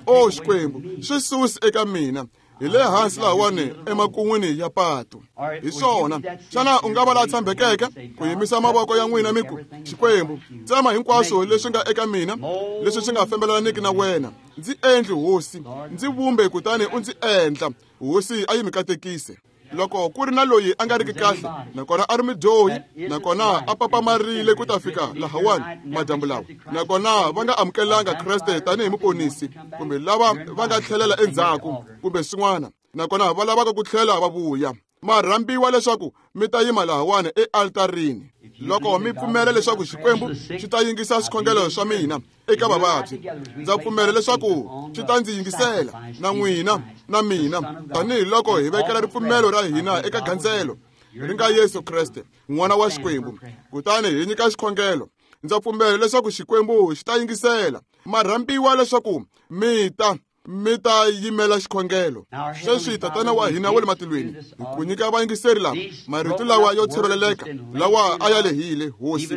O Xikwembu, swi susi eka mina. Hi le hansi lahawani emakun'wini ya patu. Hi swona, xana u nga va la tshembekeke ku yimisa mavoko ya n'wina mi ku, Xikwembu, tsema hinkwaswo leswi nga eka mina leswi swi nga fambelaniki na wena. Ndzi endli, Hosi, ndzi vumbe kutani u ndzi endla. Hosi a yi mi katekise. Loko ku ri na loyi a nga riki kahle, nakona a ri mudyohi, nakona a papamarile ku ta fika lahawani madyambu lawa, nakona va nga amukelanga Kreste tanihi muponisi, kumbe lava va nga tlhelela endzhaku kumbe swin'wana, nakona va lavaka ku tlhela va vuya, ma rhambiwa leswaku mi ta yima lahawani ealtarini. Loko mi pfumela leswaku Xikwembu xi ta yingisa swikhongelo swa mina eka vavabyi, ndza pfumela leswaku xi ta ndzi yingisela na n'wina na mina, tanihiloko hi vekela ripfumelo ra hina eka gandzelo ri nga Yesu Kreste, N'wana wa Xikwembu, kutani hi nyika xikhongelo. Ndza pfumela leswaku Xikwembu xi ta yingisela. Ma rhambiwa leswaku mi ta yimela xikhongelo. Sweswi, Tatana wa hina wa le matilweni, hi ku nyika vayingiseri lava marito lawa yo tshiveleleka lawa a ya lehile, Hosi.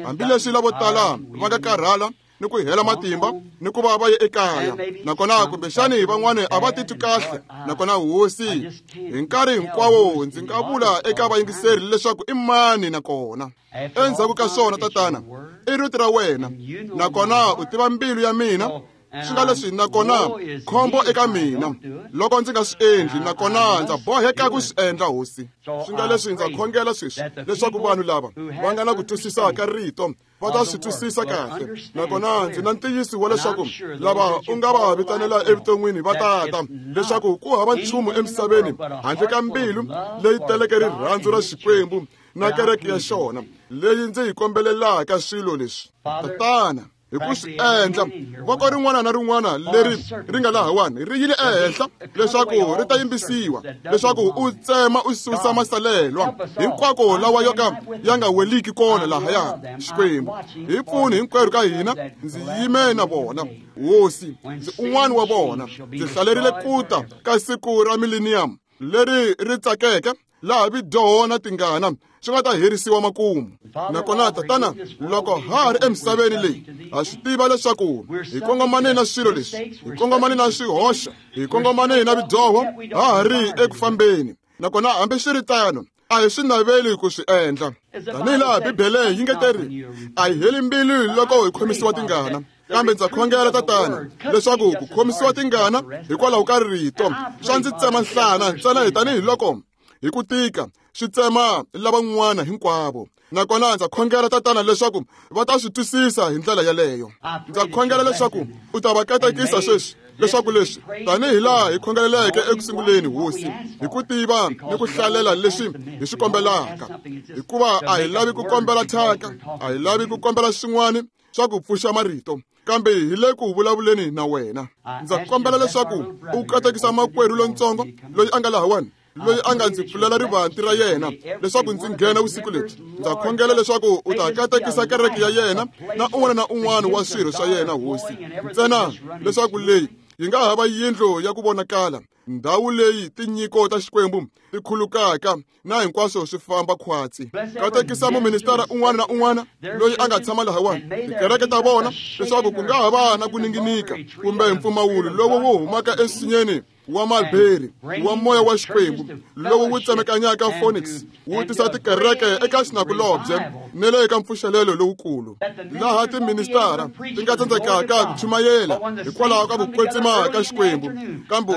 Hambileswi lavo tala va nga karhala ni ku hela matimba ni ku va va ye ekaya, nakona kumbexani van'wani a va titwi kahle, nakona Hosi, hi nkarhi hinkwawo ndzi nga vula eka vayingiseri leswaku i mani nakona. Endzhaku ka swona, Tatana, i rito ra wena, nakona u tiva mbilu ya mina. Swi nga leswi, nakona khombo eka mina loko ndzi nga swi endli, nakona ndza boheka ku swi endla, Hosi. Swi nga leswi, ndza khongela sweswi leswaku vanhu lava va nga na ku twisisa ka rito va ta swi twisisa kahle, nakona ndzi na ntiyiso wa leswaku lava u nga va vitanela evuton'wini va ta ta, leswaku ku hava nchumu emisaveni handle ka mbilu leyi teleke rirhandzu ra Xikwembu na kereke ya xona leyi ndzi yi kombelelaka swilo leswi. Tatana, hi ku swi endla, voko rin'wana na rin'wana leri ri nga lahawani ri yile ehenhla leswaku ri ta yimbisiwa, leswaku u tsema u susa masalelwa hinkwako lawa yo ka ya nga weliki kona lahaya. Xikwembu, hi pfuni hinkwerhu ka hina. Ndzi yime na vona, Hosi, ndzi un'wana wa vona. Ndzi hlalerile ku ta ka siku ra millennium leri ri tsakeke, laha vidyoho na tingana swi nga ta herisiwa makumu. Nakona, Tatana, loko ha ha ri emisaveni leyi, ha swi tiva leswaku hi kongomane na swilo leswi, hi kongomane na swihoxo, hi kongomane na vidyoho, ha ha ri eku fambeni. Nakona hambiswiritano, a hi swi naveli ku swi endla. Tanihi laha Bibele yi nge teri, a hi heli mbilu loko hi khomisiwa tingana, kambe ndza khongela, Tatana, leswaku ku khomisiwa tingana hikwalaho ka rito swa ndzi tsema nhlana ntsena hi tanihiloko hi ku tika swi tsema lavan'wana hinkwavo. Nakona ndza khongela, Tatana, leswaku va ta swi twisisa hi ndlela yaleyo. Ndza khongela leswaku u ta va katekisa sweswi, leswaku leswi tanihi laha hi khongeleleke eku sunguleni, Hosi, hi ku tiva ni ku hlalela leswi hi swi kombelaka, hikuva a hi lavi ku kombela thyaka, a hi lavi ku kombela swin'wana swa ku pfuxa marito, kambe hi le ku vulavuleni na wena. Ndza kombela leswaku u katekisa makwerhu lontsongo loyi a nga lahawani, loyi a nga ndzi pfulela rivanti ra yena leswaku ndzi nghena vusiku lebyi. Ndza khongela leswaku u ta katekisa kereke ya yena na un'wana na un'wana wa swirho swa yena, Hosi, ntsena leswaku leyi yi nga hava yindlu ya ku vonakala, ndhawu leyi tinyiko ta Xikwembu ti khulukaka na hinkwaswo swi famba khwatsi. Katekisa muministara un'wana na un'wana loyi a nga tshama lahawani, tikereke ta vona, leswaku ku nga ha va na ku ninginika kumbe mpfumawulo lowu wu humaka ensinyeni wa mulberry wa moya wa Xikwembu lowu wu tsemekanyaka Phoenix, wu tisa tikereke eka xinakulobye ni le ka mpfuxelelo lowukulu, laha tiministara ti nga tsandzekaka ku chumayela hikwalaho ka ku kwetsima ka Xikwembu. Kambe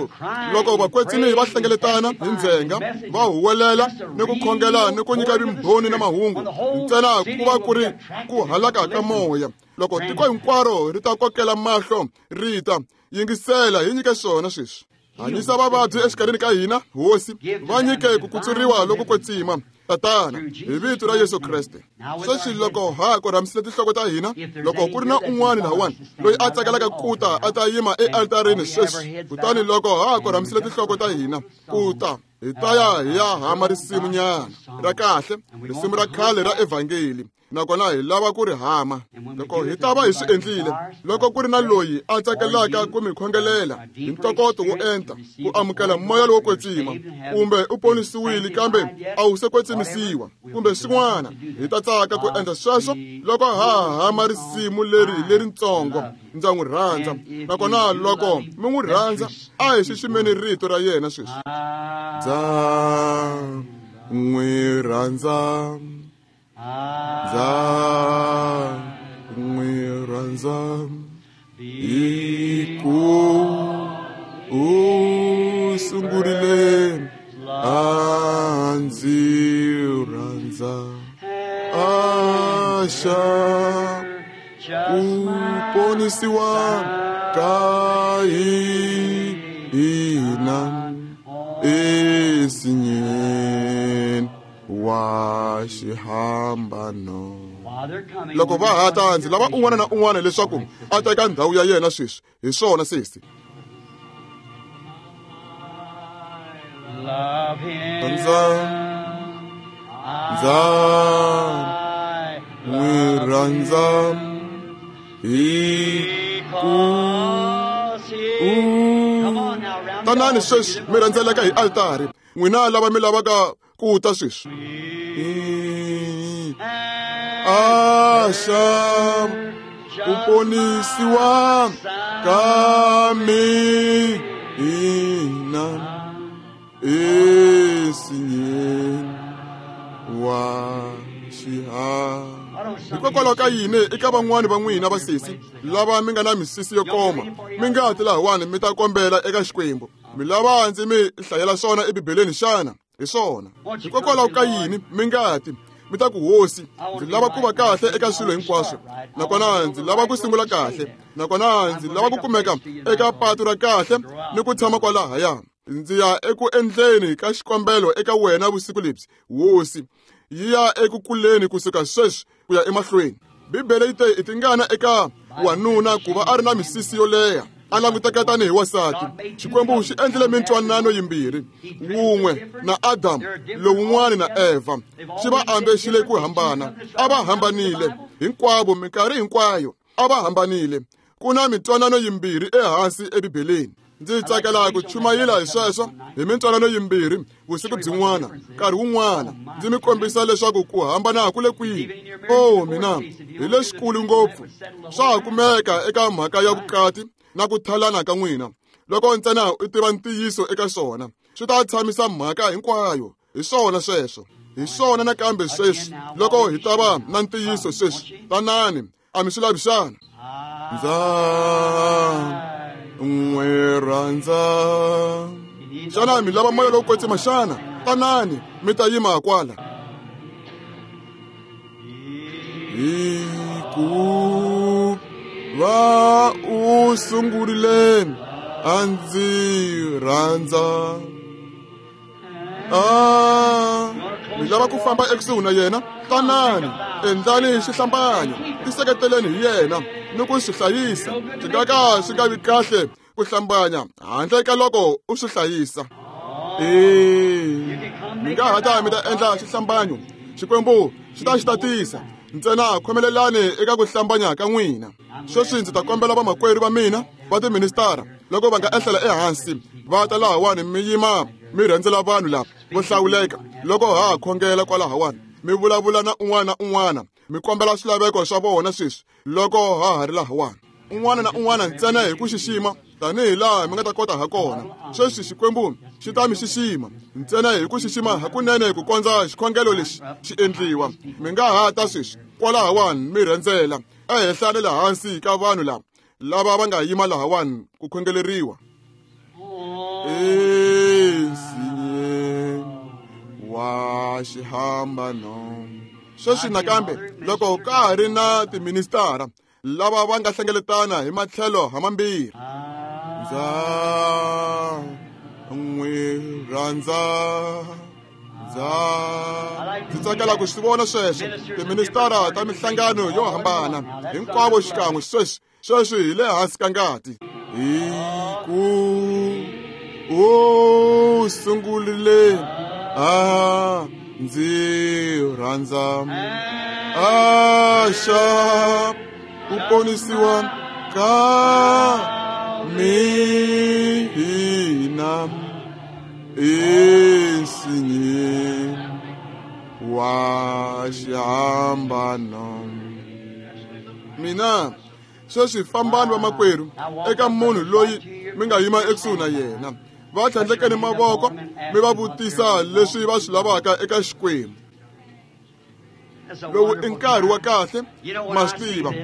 loko vakwetsimi va hlengeletana hi ndzhenga, va huwelela ni ku khongela ni ku nyika vumbhoni na mahungu, ntsena ku va ku ri ku halaka ka moya. Loko tiko hinkwaro ri ta kokela mahlo ri ta yingisela, hi nyike swona sweswi. Hanyisa vavabyi exikarhini ka hina, Hosi, va nyike ku kutsuriwa loko kwetsima, Tatana, hi vito ra Yesu Kreste. Sweswi loko ha korhamisile tinhloko ta hina, loko ku ri na un'wana lahawani loyi a tsakelaka ku ta a ta yima ealtarini sweswi, kutani loko ha korhamisile tinhloko ta hina ku ta Hi ta ya hi ya hama risimu nyana ra kahle, risimu ra khale ra evhangeli, nakona hi lava ku ri hama. Loko hi ta va hi swi endlile, loko ku ri na loyi a tsakelaka ku mi khongelela hi ntokoto wo enta ku amukela moya lowo kwetsima, kumbe u ponisiwile kambe a wu se kwetsimisiwa, kumbe swin'wana, hi ta tsaka ku endla sweswo loko ha hama risimu leri leritsongo, ndza n'wi rhandza. Nakona loko mi n'wi rhandza, a hi xiximeni rito ra yena sweswi. Ndza n'wi rhandza, ndza n'wi rhandza, hi ku u sungurile a ndzi rhandza, a xa ku ponisiwa ka hina ensinyeni wa xihambano. Loko va ha ta, ndzi lava un'wana na un'wana leswaku a teka ndhawu ya yena sweswi. Hi swona sesi. Ndza ndza n'wi rhandza, hi ku u. Tanani sweswi mi rhandzeleka hi altari, n'wina lava mi lavaka ku ta sweswi. A xa ku ponisiwa ka mina ensinyeni wa xiharhi. Hikokwalaho ka yini eka van'wani va n'wina vasesi lava mi nga na misisi yo koma, mi nga ti lahawani mi ta kombela eka Xikwembu? Mi lava ndzi mi hlayela swona eBibeleni xana? Hi swona. Hikokwalaho ka yini mi nga ti mi ta ku, Hosi, ndzi lava ku va kahle eka swilo hinkwaswo, nakona ndzi lava ku sungula kahle, nakona ndzi lava ku kumeka eka patu ra kahle ni ku tshama kwalahaya. Ndzi ya eku endleni ka xikombelo eka wena vusiku lebyi, Hosi, yi ya eku kuleni kusuka sweswi ku ya emahlweni. Bibele yi te i tingana eka wanuna ku va a ri na misisi yo leha, a languteka tanihi wansati. Xikwembu xi endlile mintwanano yimbirhi, wun'we na Adamu, lowun'wana na Eva. Xi va ambexile ku hambana, a va hambanile hinkwavo minkarhi hinkwayo, a va hambanile. Ku na mintwanano yimbirhi ehansi eBibeleni. Ndzi tsakela ku chumayela hi sweswo, hi mintwanano yimbirhi vusiku byin'wana, nkarhi wun'wana, ndzi mi kombisa leswaku ku hambana ku le kwihi. Oh mina, hi lexikulu ngopfu. Swa ha kumeka eka mhaka ya vukati na ku thalana ka n'wina. Loko ntsena u tiva ntiyiso eka swona, swi ta tshamisa mhaka hinkwayo. Hi swona sweswo. Hi swona nakambe sweswi, loko hi ta va na ntiyiso sweswi. Tanani, a mi swi lavi xana? Ndza n'wi rhandza. Xana mi lava moya lowo kwetsima xana? Tanani, mi ta yima kwala. Hi ku va u sungurile a ndzi rhandza. Mi lava ku famba ekusuhi na yena? Tanani, endlani xihlambanyo, tiseketeleni hi yena ni ku swi hlayisa. Swi nga ka swi nga vi kahle ku hlambanya handle ka loko u swi hlayisa. Mi nga ha ta mi ta endla xihlambanyo, Xikwembu xi ta xi tatisa. Ntsena khomelelani eka ku hlambanya ka n'wina. Sweswi ndzi ta kombela vamakwerhu va mina va tiministara, loko va nga ehlela ehansi va ta lahawani, mi yima mi rhendzela vanhu lava vo hlawuleka loko ha khongela kwalahawani, mi vulavula na un'wana na un'wana, mi kombela swilaveko swa vona sweswi loko ha ha ri lahawani. Un'wana na un'wana ntsena hi ku xixima tanihi laha mi nga ta kota ha kona. Sweswi Xikwembu xi ta mi xixima ntsena hi ku xixima hakunene ku kondza xikhongelo lexi xi endliwa. Mi nga ha ta sweswi kwalahawani mi rhendzela ehenhla ni le hansi ka vanhu lava lava va nga yima lahawani ku khongeleriwa. Ensinyeni wa xihambano. Sweswi nakambe loko ka ha ri na tiministara lava va nga hlengeletana hi matlhelo hamambirhi. Ndza n'wi rhandza, ndza ndzi tsakela ku swi vona sweswo. Tiministara ta mihlangano yo hambana hinkwavo xikan'we sweswi, sweswi hi le hansi ka ngati. Hi ku U sungurile a ndzi rhandza axa ku ponisiwa ka mina ensinyeni wa xihambano. Mina sweswi fambani vamakwerhu eka munhu loyi mi nga yima ekusuhi na yena, va tlhandlekeni mavoko mi va vutisa leswi va swi lavaka eka Xikwembu. Lowu i nkarhi wa kahle, ma swi tiva.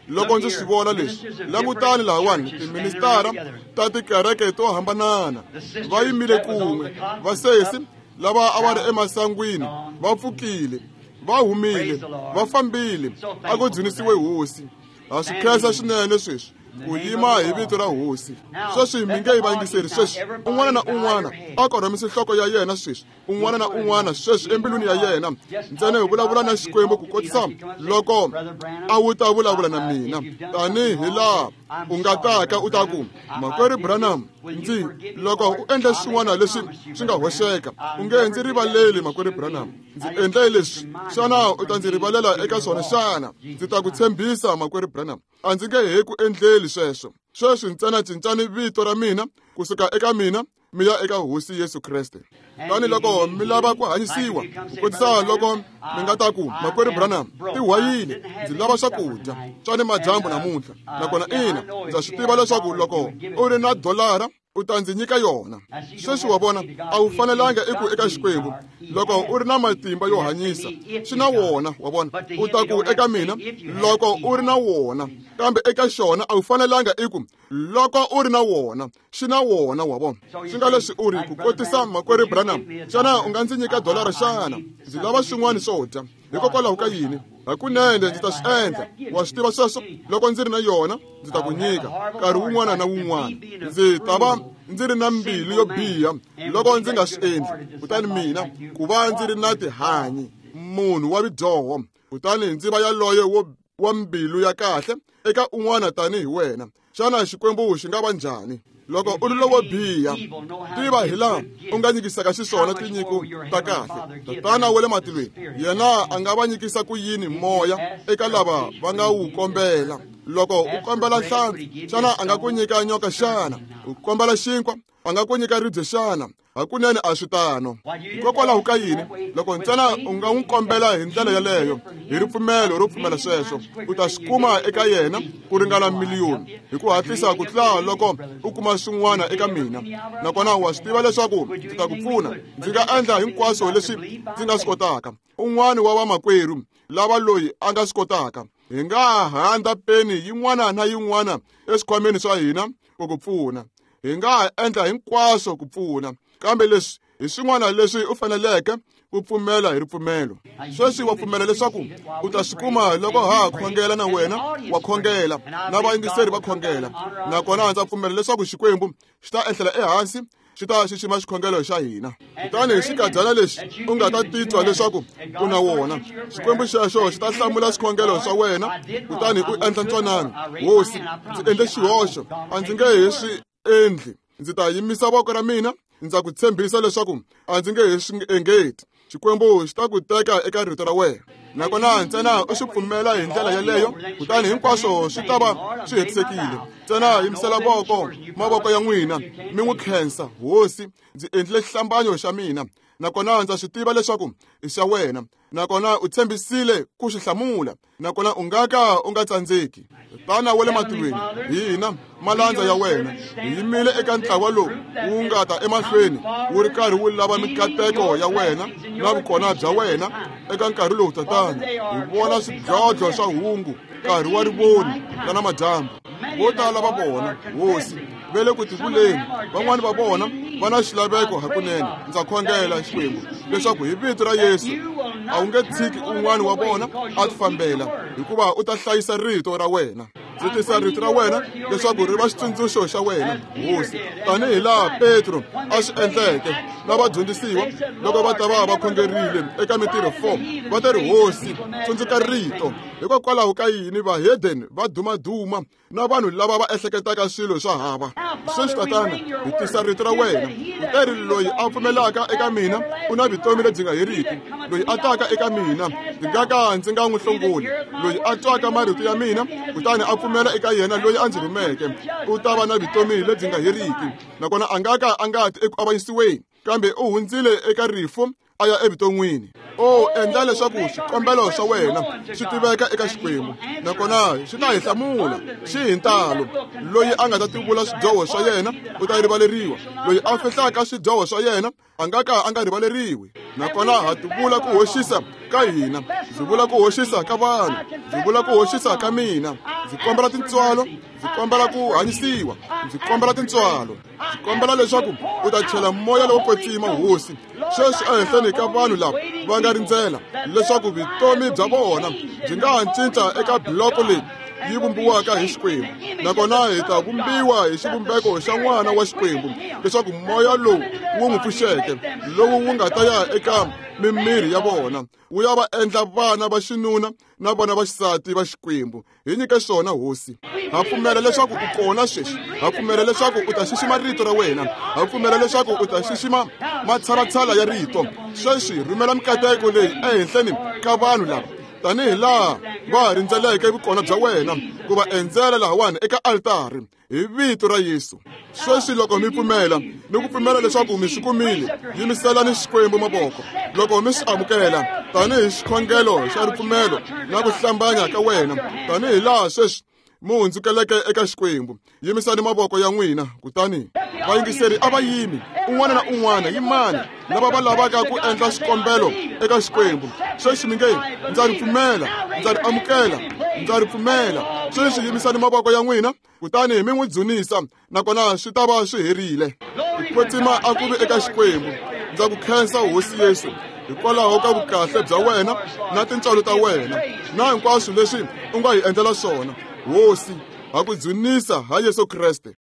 Loko ndzi swi vona leswi, langutani lahawani, tiministara ta tikereke to hambanana va yimile kun'we, vasesi lava a va ri emasangwini va pfukile, va humile, va fambile. A ku dzunisiwe Hosi. Ha swi khensa swinene sweswi ku yima hi vito ra Hosi. Sweswi mi nge yi vayingiseri sweswi, un'wana na un'wana a korhamise nhloko ya yena sweswi, un'wana na un'wana sweswi embilwini ya yena ntsena hi vulavula na Xikwembu ku kotisa loko a wu ta vulavula na mina, tanihi laha u nga taka u ta ku, Makwerhu Branham, ndzi loko u endle swin'wana leswi swi nga hoxeka, u nge ndzi rivaleli. Makwerhu Branham, ndzi endle leswi, xana u ta ndzi rivalela eka swona xana? Ndzi ta ku tshembisa, Makwerhu Branham, a ndzi nge he ku endleli sweswo. Sweswi ntsena cincani vito ra mina kusuka eka mina mi ya eka Hosi Yesu Kreste. Tani loko mi lava ku hanyisiwa, ku kotisa loko mi nga ta ku, Makwerhu Branham, tihwayile, ndzi lava swakudya swa ni madyambu namuntlha. Nakona ina, ndza swi tiva leswaku loko u ri na dolara u ta ndzi nyika yona. Sweswi wa vona, a wu fanelanga i ku eka Xikwembu loko u ri na matimba yo hanyisa, swi na wona, wa vona. U ta ku eka mina loko u ri na wona, kambe eka xona a wu fanelanga i ku loko u ri na wona, xi na wona, wa vona. Swi nga leswi u ri ku kotisa, Makwerhu Branham, xana u nga ndzi nyika dolara xana? Ndzi lava swin'wana swo dya. Hikokwalaho ka yini? Hakunene ndzi ta swi endla. Wa swi tiva sweswo, loko ndzi ri na yona ndzi ta ku nyika nkarhi wun'wana na wun'wana. Ndzi ta va ndzi ri na mbilu yo biha loko ndzi nga swi endli. Kutani mina ku va ndzi ri na tihanyi, munhu wa vidyoho, kutani ndzi va yaloye wa mbilu ya kahle eka un'wana tanihi wena. Xana Xikwembu xi nga va njhani? Loko u ri lowo biha, tiva hi laha u nga nyikisaka xiswona tinyiko ta kahle. Tatana wa le matilweni yena a nga va nyikisa ku yini moya eka lava va nga wu kombela? Loko u kombela nhlampfi, xana a nga ku nyika nyoka xana? U kombela xinkwa, a nga ku nyika ribye xana? Hakunene a swi tano. Hikokwalaho ka yini? Loko ntsena u nga n'wi kombela hi ndlela yaleyo, hi ripfumelo ro pfumela sweswo, u ta swi kuma eka yena ku ringana miliyoni hi ku hatlisa ku tlula loko u kuma swin'wana eka mina. Nakona wa swi tiva leswaku ndzi ta ku pfuna. Ndzi nga endla hinkwaswo leswi ndzi nga swi kotaka. Un'wana wa vamakwerhu lava loyi a nga swi kotaka, hi nga handza peni yin'wana na yin'wana eswikhwameni swa hina ku ku pfuna. Hi nga ha endla hinkwaswo ku pfuna, kambe leswi hi swin'wana leswi u faneleke ku pfumela hi ripfumelo. Sweswi wa pfumela leswaku u ta swi kuma loko ha khongela na wena wa khongela, na vayingiseri va khongela. Nakona ndza pfumela leswaku Xikwembu xi ta ehlela ehansi, xi ta xixima xikhongelo xa hina. Kutani hi xikadyana lexi u nga ta titwa leswaku u na wona, Xikwembu xexo xi ta hlamula swikhongelo swa wena, kutani u endla ntwanano. Hosi, ndzi endle xihoxo, a ndzi nge he swi endli. Ndzi ta yimisa voko ra mina, ndza ku tshembisa leswaku a ndzi nge he swi engeti. Xikwembu xi ta ku teka eka rito ra wena. Nakona ntsena u swi pfumela hi ndlela yaleyo, kutani hinkwaswo swi ta va swi hetisekile. Ntsena yimisela voko, mavoko ya n'wina, mi n'wi khensa. Hosi, ndzi endlile xihlambanyo xa mina, nakona ndza swi tiva leswaku i xa wena, nakona u tshembisile ku swi hlamula, nakona u nga ka u nga tsandzeki. Tana wa le matilweni, hina malandza ya wena hi yimile eka ntlawa lowu wu nga ta emahlweni wu ri karhi wu lava mikateko ya wena na vukona bya wena eka nkarhi lowu. Tatana, hi vona swidlodlo swa hungu, nkarhi wa rivoni ra namadyambu. Vo tala va vona, Hosi, ve le ku tivuleni, van'wani va vona va na xilaveko hakunene. Ndza khongela, Xikwembu, leswaku hi vito ra Yesu a wu nge tshiki un'wana wa vona a tifambela, hikuva u ta hlayisa rito ra wena. Ndzi tisa rito ra wena leswaku ri va xitsundzuxo xa wena, Hosi, tanihi laha Petro a swi endleke na vadyondzisiwa loko va ta va va khongerile eka Mintirho 4, va ta ri, Hosi, tsundzuka rito. Hikokwalaho ka yini vahedeni va dumaduma na vanhu lava va ehleketaka swilo swa hava? Sweswi, Tatana, hi tisa rito ra wena. U teri, loyi a pfumelaka eka mina u na vutomi lebyi nga heriki. Loyi a taka eka mina ndzi nga ka ndzi nga n'wi hlongoli. Loyi a twaka marito ya mina kutani a pfumela eka yena loyi a ndzi rhumeke u ta va na vutomi lebyi nga heriki, nakona a nga ka a nga ti eku avanyisiweni, kambe u hundzile eka rifu a ya evuton'wini. O endla leswaku swikombelo swa wena swi tiveka eka Xikwembu, nakona xi ta hi hlamula xi hi ntalo. Loyi a nga ta tivula swidyoho swa yena u ta rivaleriwa, loyi a fihlaka swidyoho swa yena a nga ka a nga rivaleriwi. Nakona ha tivula ku hoxisa ka hina, ndzi vula ku hoxisa ka vanhu, ndzi vula ku hoxisa ka mina. Ndzi kombela tintswalo, ndzi kombela ku hanyisiwa, ndzi kombela tintswalo. Ndzi kombela leswaku u ta chela moya lowo kwetsima, Hosi, sweswi ehenhleni ka vanhu lava va nga rindzela leswaku vutomi bya vona byi nga ha cinca eka biloko leyi yi vumbiwaka hi Xikwembu, nakona hi ta vumbiwa hi xivumbeko xa N'wana wa Xikwembu, leswaku moya lowu wu n'wi pfuxeke, lowu wu nga ta ya eka mimiri ya vona, wu ya va endla vana va xinuna na vana va xisati va Xikwembu. Hi nyike swona, Hosi. Ha pfumela leswaku u kona sweswi. Ha pfumela leswaku u ta xixima rito ra wena. Ha pfumela leswaku u ta xixima matshalatshala ya rito. Sweswi rhumela mikateko leyi ehenhleni ka vanhu lava, tanihi laha va ha rindzeleke vukona bya wena ku va endzela lahawani eka altari, hi vito ra Yesu. Sweswi loko mi pfumela ni ku pfumela leswaku mi swi kumile, yimiselani Xikwembu mavoko loko mi swi amukela tanihi xikhongelo xa ripfumelo na ku hlambanya ka wena, tanihi laha sweswi mi hundzukeleke eka Xikwembu. Yimisani mavoko ya n'wina, kutani vayingiseri a va yimi, un'wana na un'wana yimani, lava va lavaka ku endla xikombelo eka Xikwembu. Sweswi mi nge, ndza ri pfumela, ndza ri amukela, ndza ri pfumela. Sweswi yimisani mavoko ya n'wina kutani mi n'wi dzunisa, nakona swi ta va swi herile. Ku kwetsima a ku vi eka Xikwembu. Ndza ku khensa, Hosi Yesu, hikwalaho ka vukahle bya wena na tintswalo ta wena na hinkwaswo leswi u nga hi endlela swona. Hosi, ha ku dzunisa ha Yesu Kreste.